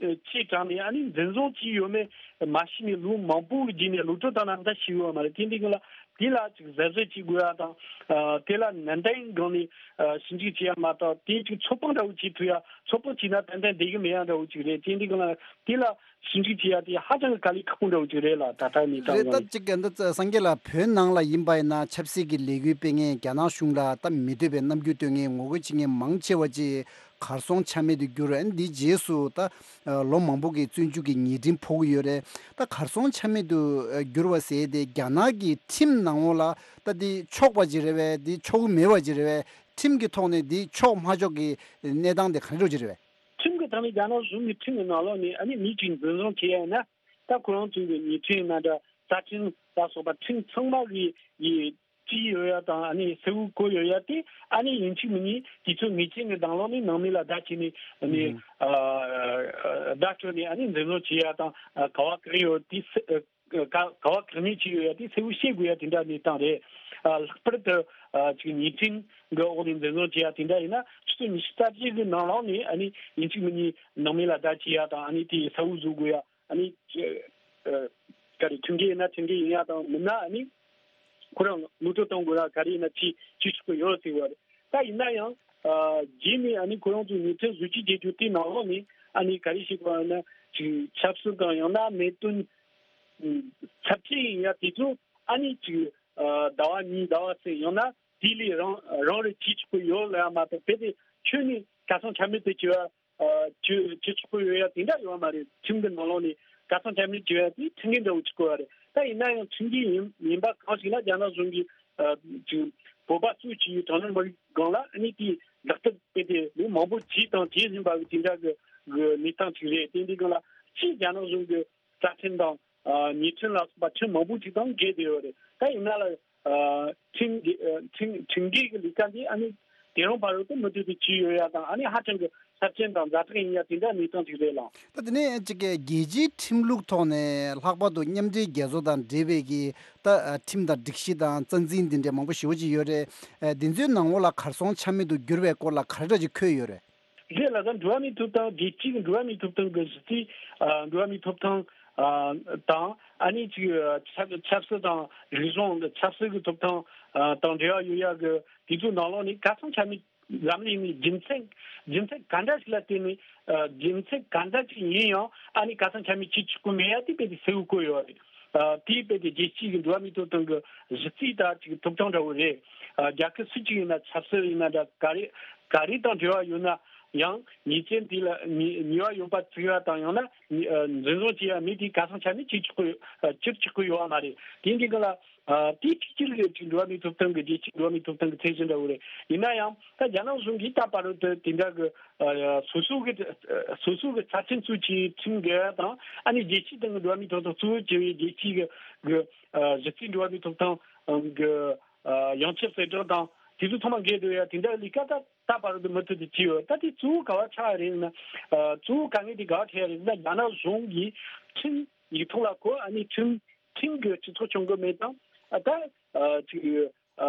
ཆེ་དྲགས་ནས་ཨ་ནི་འཛིན་བཟུང་བྱས་ཡོད་མེད་མ་ཤེས་ནས་ལོ་མང་པོ་གི་རྗེས་ནས་ལོག་སྤྲོད་བཏང་ན་ད་ཤེས་ཡོད་མ་རེད། དེ་འདི་སྒང་ལ་དེ་ལ་ཅིག་གཟབ་གཟབ་བྱེད་དགོས་ཡ་དང་། ཨ་དེ་ལ་ནན་ཏན་སྒང་ནས་ཨ་ཞིབ་འཇུག་བྱེད་ཡ་མ་གཏོགས་དེ་ཅིག་ཚོད་དཔག་འདྲ་བོ་བྱེད་ཐུབ་ཡ། ཚོད་དཔག་བྱས་ན་ཏན་ཏན་བསྡད་གི་མེད་ཡ་འདྲ་བོ་ཅིག་རེད། དེ་འདི་སྒང་ལ་དེ་ལ་ཞིབ་འཇུག་བྱེད་ཡ་དེ་ཧ་ཅང་གི་དཀའ་ལས་ཁག་པོ་འདྲ་བོ་ཅིག་རེད་ལ། ད་ལྟ་གནས་སྟངས་རེད། སྒང་ད་ནས་ཅིག་གི་འདི་སངས་རྒྱས་ལགས། བོད་ནང་ལ་ཡིན་པ་ཡིན་ན་ཆབ་སྲིད་ཀྱི་ལས་འགུལ་སྤེལ་མཁན། རྒྱ་ནག་གཞུང་ལ་ད་མི་འདོད་པའི་རྣམ་འགྱུར་སྟོན་མཁན། ངོ་རྒོལ་བྱེད་མཁན་མང་ཆེ་བ་ཅིག་གར་སོང་ཆ་མེད་དུ་གྱུར། ཨ་ནི་འདིའི་རྗེས་སུ་ད་ལོ་མང་པོ་གི་བཙོན་འཇུག་གི་ཉེས་ཁྲིམས་ཕོག་གི་ཡོད་རེད། ད་གར་སོང་ཆ་མེད་དུ་གྱུར་བ་ཟེར་དེ་རྒྱ་ནག་གི་ཁྲིམས་ནང་ལོགས་ལ་ད་འདི་ཆོག་པ་ཅིག་རེད་པས། འདི་ཆོག་གི་མེད་པ་ཅིག་རེད་པས། ཁྲིམས་ཀྱི་ཐོག་ནས་འདི་ཆོག་མ་ཆོག་གི་གནས་སྟངས་དེ་ག་འདྲ་ཅིག་རེད་པས། ཁྲིམས་ཀྱི་ཐོག་ནས་རྒྱ་ནག་གཞུང་གི་ཁྲིམས་ཀྱི་ནང་ལོགས་ནས་ཨ་ནི་མི་གཅིག་འཛིན་བཟུང་བྱེད་ཡ་ཡིན་ན། ད་ཁོ་རང་ཚོའི་གི་ཉེས་ཁྲིམས་ནང་འདྲ་རྩ་ཁྲིམས་ལ་སོགས་པ་ཁྲིམས་ཚང་མ་གི་ཡི་བྲིས་ཡོད་ཡ་དང་ཨ་ནི་གསལ་བོ་བཀོད་ཡོད་ཡ་དེ་ཨ་ནི་ཡིན་གཅིག་མིན་གཉིས་དུས་ཚོད་ངེས་ཅན་གྱི་ནང་ལོགས་ནས་ནང་མི་ལ་བརྡ་བྱས་ནས་ཨ་ནི་ཨ་བརྡ་སྤྲོད་ནས་ཨ་ནི་འཛིན་བཟུང་བྱེད་ཡ་དང་ག་བ་གང་ཡོད་དེ་གསལ་ ག་ག་བ་གང་ནས་བྱས་ཡོད་ཡ་དེ་གསལ་བོ་ཤེས་དགོས་ཡ་དེ་འདྲ་གནས་སྟངས་རེད། ཨ་ལྷག་པར་དུ་ཨ་ཅིག་ཉེས་ཁྲིམས་གི་འོག་ནས་འཛིན་བཟུང་བྱས་ཡ་དེ་འདྲ་ཡིན་ན་ཆུ་ཚོད་ཉི་ཤུ་རྩ་གཅིག་གི་ནང་ལོགས་ནས་ཨ་ནི་ཡིན་གཅིག་མིན་གཉིས་ནང་མི་ལ་བརྡ་བྱས་ཡ་དང་ཨ་ནི་དེ་གསལ་བོ་བཟོ་དགོས་ཡ། ཨ་ནི་ཨ་ག་རེ་ཁྲིམས་འགལ་ཡིན་ན་ཁྲིམས་འགལ་ཡིན་ཡ་དང་མིན་ན་ཨ་ནི་ཁོ་རང་ངོ་སྤྲོད་གཏོང་དགོས་ཡ་ག་རེ་ཡིན་ན་བྱེད་བྱེད་ཆོག་གི་ཡོད་ཟེར་བ་རེད། ད་ཡིན་ན་ཡང་ཨ་རྗེས་ནས་ཨ་ནི་ཁོ་རང་ཚོ་ཉེས་ཁྲིམས་བཟོ་བཅོས་བྱེད་རྒྱུ་དེའི་ནང་ལོགས་ནས་ཨ་ནི་ག་རེ་ཞིག་གོ་ཡ་ན་ཅིག་ཆབ་སྲིད་དང་ཡང་ན་གནད་དོན་ཚབས་ཆེན་ཡིན་ཡ་དེ་ཚོ་ཨ་ནི་ཅིག་ཟླ་བ་གཉིས་ཟླ་བ་གསུམ་ཡང་ན་དེ་ལས་རང་རང་རེ་བྱེད་ཆོག་གི་ཡོད་ལ་ཡང་མ་གཏོགས་དཔེ་དེ་ཁྱོན་ནས་གར་སོང་ཆ་མེད་དུ་བྱེད་པ་བྱེད་བྱེད་ཆོག་གི་ཡོད་ཡ་དེ་འདྲ་ཡོད་མ་རེད། ཁྲིམས་ཀྱི་ནང་ལོགས་ནས་གར་སོང་ཆ་མེད་བྱེད་ཡ་དེ་ཁྲིམས་འགལ་འདྲ་བོ་བྱེད་དགོས་པ་རེད། ད་ཡིན་ན་ཡང་ཁྲིམས་འགལ་ཡིན་ཡིན་པ་གང་ཞིག་ན་རྒྱ་ནག་གཞུང་གིས་ཅིག་བོད་པ་གཙོས་བྱས་པའི་གྲངས་ཉུང་མི་རིགས་སྒང་ལ་ཨ་ནི་དེའི་ལག་བསྟར་དཔེ་དེ་ལོ་མང་པོ་བྱས་དང་བྱེད་བཞིན་པ་གི་དེ་འདྲ་གི་གནས་སྟངས་ཅིག་རེད། དེ་འདྲའི་སྒང་ལ་སྤྱིར་རྒྱ་ནག་གཞུང་གི་རྩ་ཁྲིམས་དང་ཨ་ཉེས་ཁྲིམས་ལ་སོགས་པ་ཁྲིམས་མང་པོ་ཅིག་དང་འགལ་བསྡད་ཡོད་རེད། ད་ཡིན་ན་ལ་ཨ་ཁྲིམས་འགལ་ཨ་ཁྲིམས་ཁྲིམས་འགལ་གྱི་ལས་ཀ་འདི་ཨ་ནི་དེ་རིང་བར་དུ་མུ་མཐུད་དུ་བྱས་ཡོད་ཡ་དང་ཨ་ནི་ཧ་ཅང་གི་ཚབས་ཆེན་དང་ཛ་དྲག་ཡིན་ཡ་དེ་འདྲ་གནས་སྟངས་ཅིག་རེད་ལགས། ད་དེ་ནས་ཅིག་གི་རྒྱལ་སྤྱིའི་ཁྲིམས་ལུགས་ཐོག་ནས་ལྷག་པར་དུ་མཉམ་འབྲེལ་རྒྱལ་ཚོགས་དང་འབྲེལ་བའི་གི་ད་ཨ་ཁྲིམས་དང་སྒྲིག་གཞི་དང་རྩ་འཛིན་འདི་འདྲའི་མང་པོ་ཞེ་པོ་ཅིག་ཡོད་རེད། ཨ་འདི་ཚོའི་ནང་ལོགས་ལ་གར་སོང་ཆ་མེད་དུ་གྱུར་བའི་སྐོར་ལ་ག་རེ་འདྲ་ཅིག་འཁོད་ཡོད་རེད། རེད་ལགས། ད་འགྲོ་བ་མིའི་ཐོབ་ཐང་རྒྱལ་སྤྱིའི་འགྲོ་བ་མིའི་ཐོབ་ཐང་གི་གཞི་རྩའི་ཨ་འགྲོ་བ་མིའི་ཐོབ་ཐང་ཨ་དང་ཨ་ནི་ཅིག་ཆབ་ཆབ་སྲིད་དང་རིག་གཞུང་གི་ཆབ་སྲིད་ཀྱི་ཐོབ་ཐང་ཨ་དང་འབྲེལ་བ་ཡོད་ཡ་གི་དེ་ཚོའི་ནང་ལོགས་ནས་གར་སོང་ཆ་མེད་ལམ་ལུགས་ནི་རྒྱུ་མཚན་རྒྱུ་མཚན་ག་འདྲ་ཞིག་ལ་བརྟེན་ནས་ཨ་རྒྱུ་མཚན་ག་འདྲ་ཅིག་ཡིན་ཡང་ཨ་ནི་གར་སོང་ཆ་མེད་བྱེད་ཆོག་གི་མེད་ཡ་དེ་དཔེ་དེ་གསལ་བོ་བཀོད་ཡོད་རེད། ཨ་དེའི་དཔེ་དེ་རྒྱལ་སྤྱིའི་གི་འགྲོ་བ་མིའི་ཐོབ་ཐང་གི་གཞི་རྩའི་ད་ཅིག་ཐོབ་ཐང་འདྲ་བོ་རེད། ཨ་རྒྱལ་ཁབ་སུ་གཅིག་ཡིན་ན་ཆབ་སྲིད་ཡིན་ན་འདྲ་ག་རེ་ག་རེ་དང་འབྲེལ་བ་ཡོད་ན་ཡང་ཉེས་ཅན་དེ་ལ་ཉེས་ཉེས་པ་ཡོད་པ་བཙུགས་ཡ་དང་ཡང་ན་ཉེ་ཨ་འཛིན་བཟུང་བྱེད་ཡ་མི་དེ་གར་སོང་ཆ་མེད་བྱེད་ཆོག་གི་ཨ་བྱེད་ཆོག་གི་ཡོད་བ་མ་རེད། དེ་འདི་ག་ལ་ཨ་དེ་ཕྱི་རྒྱལ་གྱི་ཅིག་འགྲོ་བ་མིའི་ཐོབ་ཐང་གི་རྒྱལ་སྤྱིའི་འགྲོ་བ་མིའི་ཐོབ་ཐང་གི་ཚད་གཞི་འདྲ་བོ་རེད། ཡིན་ན་ཡང་ད་རྒྱ་ནག་གཞུང་གིས་ད་བར་དུ་དེ་འདྲ་གི་ཨ་སོ་སོ་གི་ཨ་སོ་སོ་གི་ཚབས་ཆེན་གཙོས་བྱས་ཁྲིམས་འགལ་དང་ཨ་ནི་རྒྱལ་སྤྱིའི་སྟེང་གི་འགྲོ་བ་མིའི་ཐོབ་ཐང་གཙོ་བོ་བྱས་པའི་རྒྱལ་སྤྱིའི་གི་གི་ཨ་གཞི་རྩའི་འགྲོ་བ་མིའི་ཐོབ་ཐང་གི་ཨ་ཡོངས་ཁྱབ་གསལ་བསྒྲགས་དང་དེ་ཚོ་ཚང་མ་འགལ་འགྲོ་ཡ་དེ་འདྲ་ལས་ཀ་ད་ད་བར་དུ་མུ་མཐུད་དུ་བྱས་ཡོད། ད་དེ་གཙོ་བོ་ག་བ་ཆགས་རེད་ན་ཨ་གཙོ་བོ་དཀའ་ངལ་དེ་ག་བ་འཕྲད་རེད་ན་རྒྱ་ནག་གཞུང་གིས་ཁྲིམས་ཡིག་ཐོག་ལ་གོ་ཨ་ནི་ཁྲིམས་ཁྲིམས་ཀྱི་སྤྱི་ཚོགས་བྱུང་གི་མེད་དང་ཨ་ད་ཨ་ཅིག་ཨ་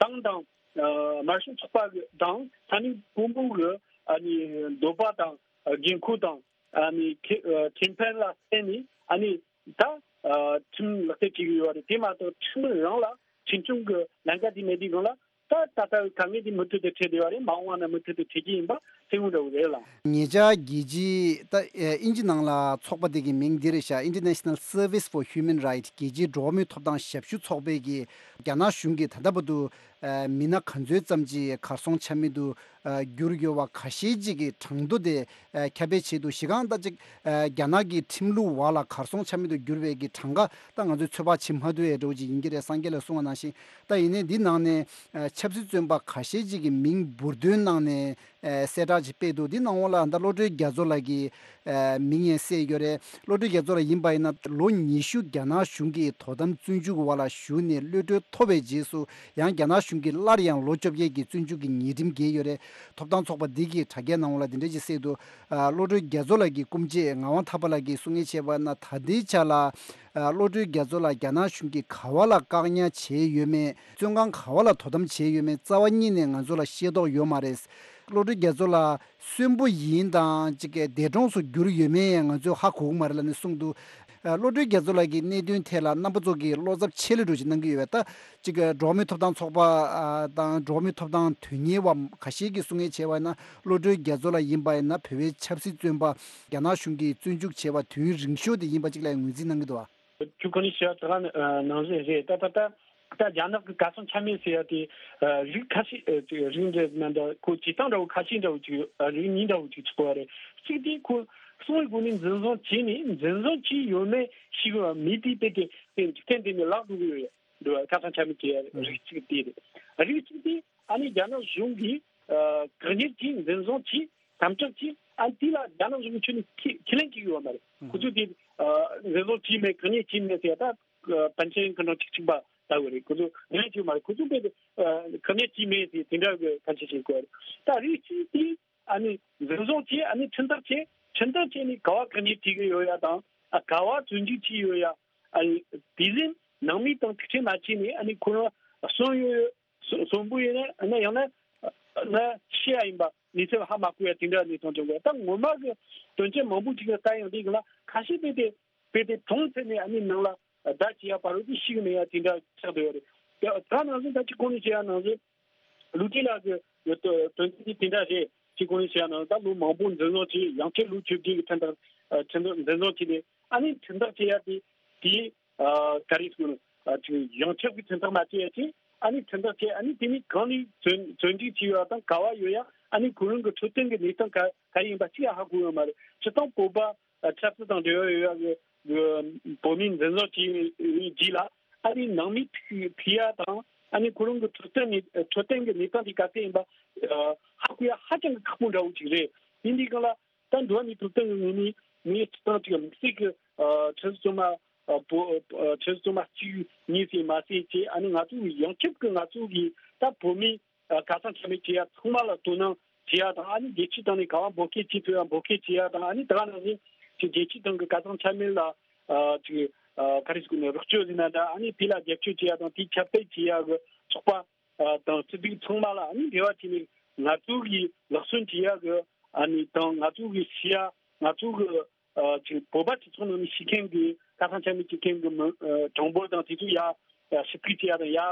ཏང་དང་ཨ་དམར་ཤོག་ཚོགས་པ་གི་དང་ས་གནས་དཔོན་པོ་གི་ཨ་ནི་འདོད་པ་དང་ཨ་འགན་ཁུར་དང་ཨ་ནི་ཁེ་ཨ་ཁེ་ཕན་ལ་བརྟེན་ནས་ཨ་ནི་ད་ཨ་ཁྲིམས་ལག་བསྟར་བྱེད་ཀྱི་ཡོད་རེད། དེ་མ་གཏོགས་ཁྲིམས་རང་ལ་ཁྲིམས་སྐྱོང་གི་ལམ་ཁ་དེ་མེད་དུས་སྒང་ལ་ད་ད་ལྟ་དཀའ་ངལ་དེ་མུ་མཐུད་དུ་འཕྲད་བསྡད་ཡོད་རེད། མ་འོངས་པ་ན་མུ་མཐུད་དུ་འཕྲད་ཀྱི་ཡིན་པ་གསལ་བོ་འདྲ་བོ་རེད་ལགས། ཉེ་ཆར་རྒྱལ་སྤྱིའི་ད་ཨིན་ཇི་ནང་ལ་ཚོགས་པ་དེ་གི་མིང་འདི་རེད་ཤག International Service for Human Rights རྒྱལ་སྤྱིའི་འགྲོ་བ་མིའི་ཐོབ་ཐང་ཞབས་ཞུ་ཚོགས་པས་ཀྱི་རྒྱ་ནག་གཞུང་གིས་ད་ལྟ་བར་དུ་ཨ་མི་སྣ་ག་ཚོད་ཙམ་ཅིག་གར་སོང་ཆ་མེད་དུ་ཨ་གྱུར་ཡོད་པ་ཁ་ཤས་ཅིག་གི་གྲངས་ཐོ་དེ་ཨ་ཁྱབ་སྤེལ་བྱས་འདུག་གཞི་རྐང་ད་ཅིག་ཨ་རྒྱ་ནག་གི་ཁྲིམས་ལུགས་འོག་ལ་གར་སོང་ཆ་མེད་དུ་གྱུར་བའི་གི་གྲངས་ཀ་ད་ང་ཚོས་ཚོད་དཔག་བྱེད་མ་ཐུབ་ཡས་འདྲ་བོ་ཅིག་ཡིན་གྱི་རེད། སངས་རྒྱས་ལགས་གསུངས་པ་ནང་བཞིན་ད་ཡིན་ནའི་འདི་ནང་ནས་ཨ་ཆབ་སྲིད་བཙོན་པ་ཁ་ཤས་ཅིག་གི་མིང་འབུར་འདོན་གནང་ནས་ཨ་གསལ་བསྒྲགས་ཅིག་སྤེལ་འདུག་འདི་ནང་འོག་ལ་ད་བློ་གྲོས་རྒྱ་མཚོ་ལགས་ཀྱི་ཨ་མིང་ཡང་གསལ་ཡོད་རེད། བློ་གྲོས་རྒྱ་མཚོ་ལགས་ཡིན་པ་ཡིན་ན་ལོ་ཉི་ཤུ་རྒྱ་ནག་གཞུང་གི་དོ་དམ་བཙོན་འཇུག་འོག་ལ་བཞུགས་ནས་གློད་གྲོལ་ཐོབ་པའི་རྗེས་སུ་ཡང་རྒྱ་ནག་གཞུང་གིས་སླར་ཡང་ལོ་བཅོ་བརྒྱད་ཀྱི་བཙོན་འཇུག་གི་ཉེས་ཁྲིམས་འགེལ་ཡོད་རེད། ཐོབ་ཐང་ཚོགས་པ་འདི་གིས་དྲ་རྒྱའི་ནང་ལ་འདི་འདྲ་ཅིག་གསལ་འདུག་ཨ་བློ་གྲོས་རྒྱ་མཚོ་ལགས་ཀྱི་སྐུ་མཆེད་ངག་དབང་ཐར་པ་ལགས་ཀྱིས་གསུང་ཡས་བྱས་པ་ན་ད་ལྟའི་ཆ་ལ་ཨ་བློ་གྲོས་རྒྱ་མཚོ་ལགས་རྒྱ་ནག་གཞུང་གིས་ག་བ་ལ་བཀག་ཉར་བྱས་ཡོད་མེད། བཙོན་ཁང་ག་བ་ལ་དོ་དམ་བྱས་ཡོད་མེད་རྩ་བ་ཉིད་ནས་ང་ཚོ་ལ་ཤེས་རྟོགས་ཡོད་མ་རེད། བློ་གྲོས་རྒྱ་མཚོ་ལགས་གསོན་པོ་ཡིན་དང་ཅིག་འདས་གྲོངས་སུ་གྱུར་ཡོད་མེད་ང་ཚོས་ཧ་གོ་གི་མ་རེད་ལབ་ནས་གསུངས་འདུག་ཨ་བློ་གྲོས་རྒྱ་མཚོ་ལགས་ཀྱི་གནད་དོན་ཐད་ལ་རྣམ་པ་ཚོ་གིས་བློ་འཚབ་ཆེ་ལོས་འགྲོ་ཅིག་གནང་གི་ཡོད་པས། ད་ཅིག་འགྲོ་བ་མིའི་ཐོབ་ཐང་ཚོགས་པ་ཨ་དང་འགྲོ་བ་མིའི་ཐོབ་ཐང་དོན་གཉེར་བ་ཁ་ཤས་ཀྱིས་གསུང་ཡས་བྱས་པ་ཡིན་ན་བློ་གྲོས་རྒྱ་མཚོ་ལགས་ཡིན་པ་ཡིན་ན་བོད་པའི་ཆབ་སྲིད་བཙོན་པ་རྒྱ་ནག་གཞུང་གིས་བཙོན་འཇུག་བྱས་པ་དུས་ཡུན་རིང་ཤོས་དེ་ཡིན་པ་ཅིག་ལ་ངོས་འཛིན་གནང་གི་འདུག་བ། ཁྱོད་ཁོ་ནས་བཤད་པ་ནང་བཞིན་རེད། ད་ད་ད་ད་རྒྱ་ནག་གི་གར་སོང་ཆ་མེད་ཟེར་ཡ་དེ་རིགས་ཁ་ཤས་རིགས་འདྲ་མི་འདྲ་ཁོ་བྱེད་སྟངས་འདྲ་བོ་ཁ་ཤས་འདྲ་བོ་ཅིག་རིགས་གཉིས་འདྲ་བོ་ཅིག་ཚོགས་པ་རེད། གཅིག་དེ་ཁོ་གསང་བའི་སྒོ་ནས་འཛིན་བཟུང་བྱས་ནས་འཛིན་བཟུང་བྱས་ཡོད་མེད་ཤེས་གི་མེད་དེ་དཔེ་དེ་འཇིག་རྟེན་འདི་ནས་བརླག་འགྲོ་གི་ཡོད་རེད། འདུག་གར་སོང་ཆ་མེད་ཀྱི་རིགས་གཅིག་དེ་རེད། རིགས་གཅིག་དེ་ཨ་ནི་རྒྱ་ནག་གཞུང་གིས་བཀག་ཉར་གྱིས་འཛིན་བཟུང་གྱིས་དམ་དྲག་གྱིས་ཨ་དེ་ལ་རྒྱ་ནག་གཞུང་གི་ཁས་ལེན་ཁས་ལེན་བྱེད་ཀྱི་ཡོད་མ་རེད། ཁོ་ཚོས་དེ་འཛིན་བཟུང་བྱས་མེད་བཀག་ཉར་བྱས་མེད་ཟེར་ད་པཎ་ཆེན་སྐུ་ཕྲེང་བཅུ་གཅིག་པ་ལྟ་བུ་རེད། ཁོ་ཚོས་ཁས་ལེན་བྱས་ཡོད་མ་རེད། ཁོ་ཚོས་དཔེ་བཀག་ཉར་བྱས་མེད་ཟེར་དེ་འདྲ་གི་ཕན་ཆད་བྱེད་དགོས་རེད། ད་རིགས་གཅིག་དེ་ཨ་ནི་འཛིན་བཟུང་བྱས་ཨ་ནི་ཁྲིམས་ཐག་བཅད་ཁྲིམས་ཐག་བཅད་ནས་ག་བ་བཀག་ཉར་བྱེད་ཀྱི་ཡོད་ཡ་དང་ཨ་ག་བ་བཙོན་འཇུག་བྱས་ཡོད་ཡ། ཨ་ནི་དེ་བཞིན་ནང་མི་དང་ཐུག་འཕྲད་མ་བྱས་ནས་ཨ་ནི་ཁོ་རང་གསོན་ཡོད་ཡོད་གསོན་པོ་ཡིན་ན་ཡང་ན་ཤི་ཡ་ཡིན་པ་གནས་ཚུལ་ཧ་མ་གོ་ཡ་དེ་འདྲ་གནས་སྟངས་བྱུང་གི། ད་ངོ་མ་གི་དོན་རྐྱེན་མང་པོ་ཅིག་ལ་ལྟ་ཡང་དེ་གི་ལ་ཁ་ཤས་དཔེ་དེ་དཔེ་དེ་གྲོངས་ཚར་ནས་ཨ་ནི་ནང་ལ་བརྡ་བྱེད་ཡ་བར་དུ་ཤི་གི་མེད་ཡ་དེ་འདྲ་ཆགས་བསྡད་ཡོད་རེད། ད་ད་ནང་བཞིན་ད་ཅི་གོང་ནས་བཤད་ཡ་ནང་བཞིན། ལུའུ་ཅི་ལགས་ཀྱི་དོན་ཚན་དེ་དེ་འདྲ་རེད། ཅི་གོང་ནས་བཤད་ཡ་ནང་ད་ལོ་མང་པོ་འཛིན་བཟུང་བྱས། ཡང་ཁྱེད་ལོ་བཅུ་བརྒྱད་ཀྱི་ཁྲིམས་ཐག་ཁྲིམས་ཐག་འཛིན་བཟུང་བྱས་ནས་ཨ་ནི་ཁྲིམས་ཐག་བཅད་ཡ་དེ་དེ་ག་རེ་ཟེར་དགོས་ནོ། ཡང་ཁྱབ་ཀྱི་ཁྲིམས་ཐག་མ་བཅད་ཡ་ཅིག་ཨ་ནི་ཁྲིམས་ཐག་བཅད། ཨ་ནི་དེ་ནི་གང་ནས་བཙོན་བཙོན་འཇུག་བྱས་ཡོད་དང་ག་བ་ཡོད་ཡ། ཨ་ནི་ཁོ་རང་གི་འཕྲོད་བསྟེན་གྱི་གནས་སྟངས་ག་ག་ཡིན་པ་ཅིག་ཡང་ཧ་གོ་ཡོད་མ་རེད། སྤྱིར་བཏང་བོད་པ་ཆབ་སྲིད་དང་འབྲེལ་བ་ཡོད་ཡ་གི་བོད་མི་འཛིན་བཟུང་བྱས་རྗེས་ལ་ཨ་ནི་ནང་མི་ཐུག་ཐུག་ཡ་དང་ཨ་ནི་ཁོ་རང་གི་འཕྲོད་བསྟེན་ནི་འཕྲོད་བསྟེན་གྱི་གནས་སྟངས་དེ་ག་ཚད་ཡིན་པ་ཧ་གོ་ཡ་ཧ་ཅང་གི་ཁག་པོ་འདྲ་བོ་ཅིག་རེད། ཡིན་དུས་སྒང་ལ་ད་འགྲོ་བ་མིའི་ཐོབ་ཐང་གི་ངོས་ནས་ངས་སྤྱིར་བཏང་ཅིག་དམིགས་བསལ་གྱི་ཆབ་སྲིད་བཙོན་མ་བོད་ཆབ་སྲིད་བཙོན་མ་གཅིག་གཉིས་ཟེར་མ་ཟེར་བྱས། ཨ་ནི་ང་ཚོ་ཡང་ཁྱབ་ཀྱི་ང་ཚོ་གི་ད་བོད་མི་ག་ཚང་ཆ་མེད་བྱེད་ཡ་ཚང་མ་ལ་དོ་སྣང་བྱེད་ཡ་དང་། ཨ་ནི་རྒྱལ་སྤྱིའི་སྟེང་ནས་ག་བ་འབོད་སྐུལ་བྱེད་ཐུབ་ཡ་འབོད་སྐུལ་བྱེད་ཡ་དང་། ཨ་ནི་ད་ག་ནང་བཞིན་ཅིག་རྒྱལ་སྤྱིའི་སྟེང་གི་ག་ཚང་ཆ་མེད་ལ་ཅིག་ག་རེ་ཟེར་དགོས་ནས་རོགས་སྐྱོར་ཟེར་ན་འདྲ། ཨ་ནི་དེ་ལ་རྒྱབ་སྐྱོར་བྱེད་ཡ་དང་དེ་ཁྱབ་སྤེལ་བྱེད་ཡ་གི་ཚོགས་པ་དང་སྤྱི་འཐུས་ཚང་མ་ལ་ཨ་ནི་འབྲེལ་བ་བྱས་ནས་ང་ཚོ་གི་ལག་སོན་བྱེད་ཡ་གི་ཨ་ནི་དང་ང་ཚོ་གི་ཤེས་ཡ་ང་ཚོ་གི་ཅིག་བོད་པ་སྤྱི་ཚོགས་ནང་ནས་ཤེས་མཁན་གྱི་ཁ་སང་ཆ་མེད་ཅིག་མཁན་གྱི་མི་གྲངས་འབོར་དང་དེ་ཚོ་ཡ་ཞིབ་ཕྲ་བྱེད་ཡ་དང་ཡ་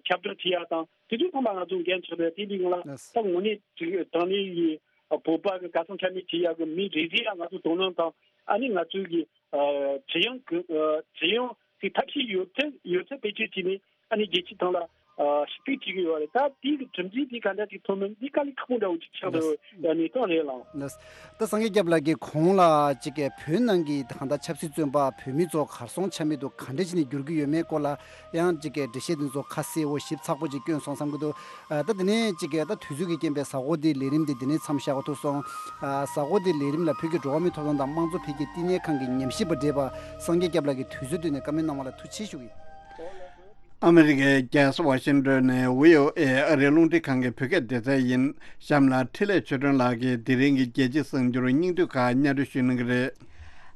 ཁྱབ་བསྒྲགས་བྱེད་ཡ་དང་དེ་ཚོ་ཚང་མ་ང་ཚོ་འགན་ཆགས་པས། དེ་འདི་ངང་ལ་ད་དངོས་གནས་ཅིག་དྲང་གནས་ཡི་བོད་པ་གི་ཁ་སང་ཆ་མེད་བྱེད་ཡ་གི་མི་རེ་རེ་ཡ་ང་ཚོ་དོ་སྣང་དང་ཨ་ནི་ང་ཚོའི་གི་ཇེ་ཡང་གི་ཇེ་ཡང་གི་ཐབས་ཤེས་ཡོད་ཚད་ཡོད་ཚད་བེད་སྤྱོད་བྱས་ནས་ཨ་ནི་རྒྱལ་སྤྱིའི་ཐོག་ལ་ཞིབ་ཕྲ་བྱེད་ཀྱི་ཡོད་རེད། ད་དེའི་གི་གྲུབ་འབྲས་དེ་ག་འདྲ་ཅིག་ཐོན་མིན་འདི་དཀའ་ལས་ཁག་པོ་འདྲ་བོ་ཅིག་ཆགས་འདུག་ཡ་གནས་སྟངས་རེད་ལགས། ད་སངས་རྒྱས་སྐྱབས་ལགས་ཀྱིས་གོང་ལ་ཅིག་གི་བོད་ནང་གི་ད་ལྟ་ཆབ་སྲིད་བཙོན་པ་བོད་མི་ཚོ་གར་སོང་ཆ་མེད་དུ་ག་འདྲ་བྱས་ནས་འགྱུར་གྱི་ཡོད་མེད་སྐོར་ལ་ཡང་ཅིག་གི་འགྲེལ་བཤད་འདི་ཚོ་ཁ་གསལ་བོ་ཞིབ་ཚགས་པོ་ཅིག་བསྐྱོན་སོང་བསམ་གྱི་འདུག་ད་དེ་ནས་ཅིག་གི་ད་དུས་ཚོད་ཀྱི་རྐྱེན་པས་གཟའ་འཁོར་འདིའི་ལས་རིམ་འདི་འདི་ནས་མཚམས་བཞག་པ་ཐུབ་སོང་། གཟའ་འཁོར་འདིའི་ལས་རིམ་ལ་བོད་ཀྱི་འགྲོ་བ་མིའི་ཐོབ་ཐང་དང་དམངས་གཙོ་འཕེལ་རྒྱས་བསྟི་གནས་ཁང་གི་ཉམས་ཞིབ་པ་བགྲེས་པ་སངས་རྒྱས་སྐྱབས་ལགས་ཀྱིས་དུས་ཚོད་བཏོན་ནས་བཀའ་མོལ་གནང་བ་ལ་ཐུགས་རྗེ་ཆེ་ཞུ་གི་ཡིན། ཨ་མི་རི་ཀའི་རྒྱལ་ས་ཝ་ཤིང་ཏོན་ནས་བྷི་ཨོ་ཨེ་ཨ་རིའི་རླུང་འཕྲིན་ཁང་གི་བོད་སྐད་སྡེ་ཚན་ཡིན། གཤམ་ལ་འཕྲིན་ལས་ཆོས་སྒྲོན་ལགས་ཀྱིས་དེ་རིང་གི་རྒྱལ་སྤྱིའི་གསར་འགྱུར་སྙིང་བསྡུས་ཁག་སྙན་སྒྲོན་ཞུ་གནང་གི་རེད།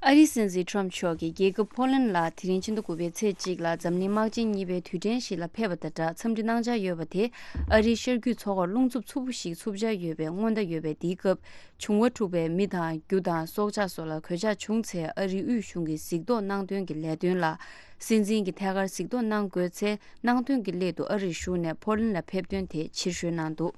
ཨ་རིའི་སྲིད་འཛིན་ཁྲོམ་མཆོག་གིས་རྒྱལ་ཁབ་ཕོ་ལན་ལ་དེ་རིང་ཕྱི་ཟླ་དགུ་པའི་ཚེས་གཅིག་ལ་འཛམ་གླིང་དམག་ཆེན་གཉིས་པའི་དུས་དྲན་ཞིག་ལ་ཕེབས་པ་དང་སྦྲགས་འཚམས་འདྲི་གནང་འཆར་ཡོད་པ་དེ་ཨ་རིའི་ཤར་རྒྱུད་མཚོ་ཁར་རླུང་འཚུབ་མཚུར་པོ་ཞིག་འཚུབ་འཆར་ཡོད་པའི་སྔོན་བརྡ་ཡོད་པས། འདིའི་སྐབས་བྱུང་བ་འཁྲུགས་པའི་མི་དང་རྒྱུ་དང་སྲོག་ཆགས་སོགས་ལ་གོད་ཆག་བྱུང་ཚེ་ཨ་རིའི་དབུས་གཞུང་གིས་གཟིགས་རྟོག་གནང་དོན་གྱི་ལས་དོན་ལ་སྲིད་འཛིན་གྱིས་ཐད་ཀར་གཟིགས་རྟོག་གནང་དགོས་ཚེ་གནང་དོན་གྱི་སླད་དུ་ཨ་རིར་བཞུགས་ནས་ཕོ་ལན་ལ་ཕེབས་དོན་དེ་ཕྱིར་བཤོལ་གནང་འདུག་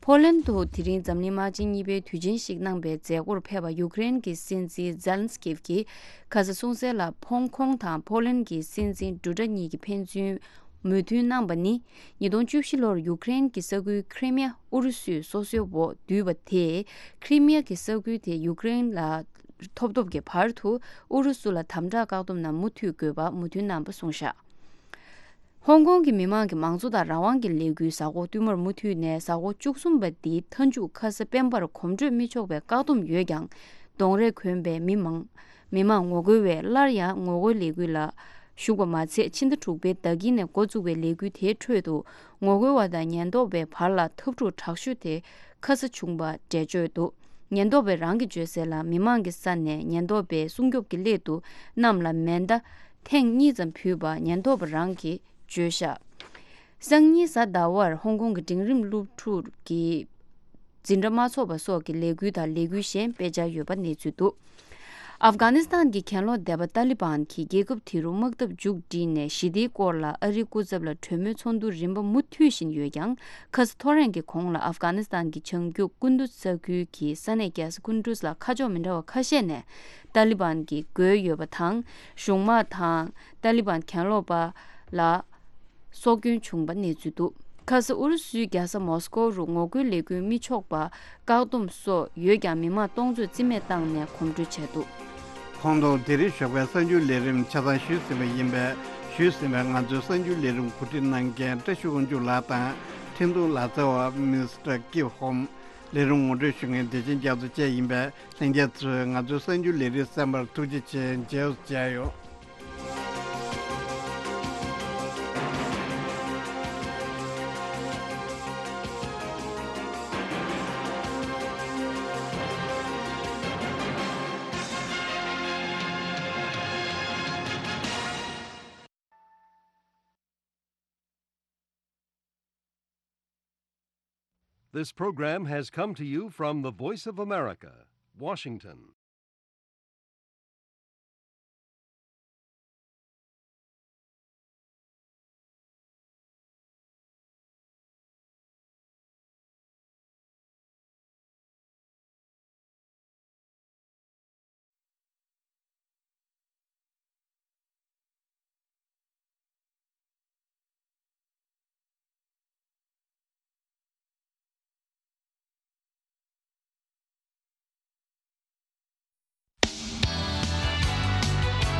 ཕོ་ལན་དུ་དེ་རིང་འཛམ་གླིང་དམག་ཆེན་གཉིས་པའི་དུས་ཆེན་ཞིག་གནང་པའི་མཛད་སྒོར་ཕེབས་པ་ཡུཀ་རེན་གྱི་སྲིད་འཛིན་ཛེ་ལན་སི་ཀིབ་ཀྱིས་ཁ་ས་གསུངས་གསལ་ལ་ཧོང་ཀོང་དང་ཕོ་ལན་གྱི་སྲིད་འཛིན་འབྲུག་སྒྲ་གཉིས་ཀྱིས་ཕན་ཚུན་མོས་མཐུན་གནང་པ་ནི། ཉིས་སྟོང་བཅུ་བཞི་ལོར་ཡུཀ་རེན་གྱི་ས་ཁུལ་ཁི་རི་མི་ཡ་ཨུ་རུ་སུས་སོ་སོའི་འོག་བསྡུས་པ་དེས་ཁི་རི་མི་ཡ་གི་ས་ཁུལ་དེ་ཡུཀ་རེན་ལ་ཐོབ་ཐོབ་ཀྱི་བར་དུ་ཨུ་རུ་སུ་ལ་དམ་དྲག་བཀག་སྡོམ་ནང་མུ་མཐུད་དགོས་པ་མོས་མཐུན་གནང་པ་གསུངས་བཞག་ཧོང་ཀོང་གི་མི་མང་གི་མང་གཙོ་དང་རང་དབང་གི་ལས་འགུལ་གཟའ་འཁོར་བསྟུད་མར་མུ་མཐུད་ནས་གཟའ་འཁོར་བཅུ་གསུམ་པ་འདིའི་མཐའ་མཇུག་ཁ་ས་སྤེན་པར་གོམ་བགྲོད་མི་ཆོག་པའི་བཀག་སྡོམ་ཡོད་ཀྱང་། གདོང་རས་གོན་པའི་མི་མང་མི་མང་ངོ་རྒོལ་བས་སླར་ཡང་ངོ་རྒོལ་ལས་འགུལ་ལ་ཞུགས་པ་མ་ཚད། ཕྱི་ཟླ་དྲུག་པའི་ཟླ་དཀྱིལ་ནས་འགོ་བཙུགས་པའི་ལས་འགུལ་དེའི་ཁྲོད་དུ་ངོ་རྒོལ་བ་དང་ཉེན་རྟོག་པའི་བར་ལ་འཐབ་འཁྲུག་དྲག་ཤོས་དེ་ཁ་ས་བྱུང་པ་འགྲེལ་བརྗོད་འདུག་ཉེན་རྟོག་པས་རང་གིས་བརྗོད་གསལ་ལ་མི་མང་གི་ས་ནས་ཉེན་རྟོག་པའི་སྲུང་སྐྱོབ་ཀྱི་སླད་དུ་གནམ་ལ་མེ་མདའ་ཐེངས་གཉིས་ཙམ་ཕུད་པ་ཉེན་རྟོག་པ་རང་གིས་བརྗོད་བཞག་སང་ཉིན་གཟའ་ཟླ་བར་ཧོང་ཀོང་གི་འབྲིང་རིམ་སློབ་ཕྲུག་གི་འཛིན་གྲྭ་མ་ཚོགས་པ་སོགས་ཀྱི་ལས་འགུལ་དང་ལས་འགུལ་གཞན་སྤེལ་འཆར་ཡོད་པ་གནས་ཚུལ་འདུག་ཨབ་གྷ་ནི་སི་ཐན་གྱི་གྱེན་ལོག་སྡེ་པ་ཏཱ་ལི་བན་གྱིས་རྒྱལ་ཁབ་དེ་རུ་དམག་འཐབ་མཇུག་བསྒྲིལ་ནས་ཞི་བདེའི་སྐོར་ལ་ཨ་རིའི་སྐུ་ཚབ་ལ་གྲོས་མོལ་ཚོགས་འདུ་རིམ་པ་མུ་མཐུད་བཞིན་ཡོད་ཀྱང་། ཁ་ས་ཐོ་རེངས་ཀྱི་གོང་ལ་ཨབ་གྷ་ནི་སི་ཐན་གྱི་བྱང་རྒྱུད་ཀུན་ཏུ་ས་ཁུལ་གྱི་ས་གནས་རྒྱལ་ས་ཀུན་ཏུས་ལ་ཁ་ཕྱོགས་མི་འདྲ་བ་ཁ་ཤས་ནས་ཏཱ་ལི་བན་གྱི་རྒོལ་ཡོད་པ་དང་། གཞུང་དམག་དང་ཏཱ་ལི་བན་གྱེན་ལོག་པ་ལ། སྲོག་སྐྱོན་བྱུང་པ་གནས་ཚུལ་འདུག་ཁ་ས་ཨུ་རུ་སུའི་རྒྱལ་ས་མོ་སི་ཀོ་རུ་ངོ་རྒོལ་ལས་འགུལ་མི་ཆོག་པ་བཀག་སྡོམ་སོགས་ཡོད་ཀྱང་མི་མང་སྟོང་ཚོས་རྩིས་མེད་བཏང་ནས་གོམ་བགྲོད་བྱས་འདུག་ཁོང་དུ་དེ་རིང་ཞོགས་པའི་གསར་འགྱུར་ལས་རིམ་ཆ་ཚང་ཞུས་ཟིན་པ་ཡིན་པས། ཞུས་ཟིན་པའི་ང་ཚོའི་གསར་འགྱུར་ལས་རིམ་གོ་སྒྲིག་གནང་མཁན་བཀྲ་ཤིས་དབང་ཕྱུག་ལགས་དང་འཕྲིན་གཏོང་ལག་རྩལ་བ་མིས་ཊར་ཀིབ་ཧོམ། ལས་རིམ་ངོ་སྤྲོད་ཞུ་མཁན་བདེ་ཆེན་རྒྱ་མཚོ་བཅས་ཡིན་པས། ལྷན་རྒྱས་ཚོས་ང་ཚོའི་གསར་འགྱུར་ལས་རིམ་གསན་པར་ཐུགས་རྗེ་ཆེ། མཇལ་མཇལ་ཡོང་། This program has come to you from the Voice of America, Washington.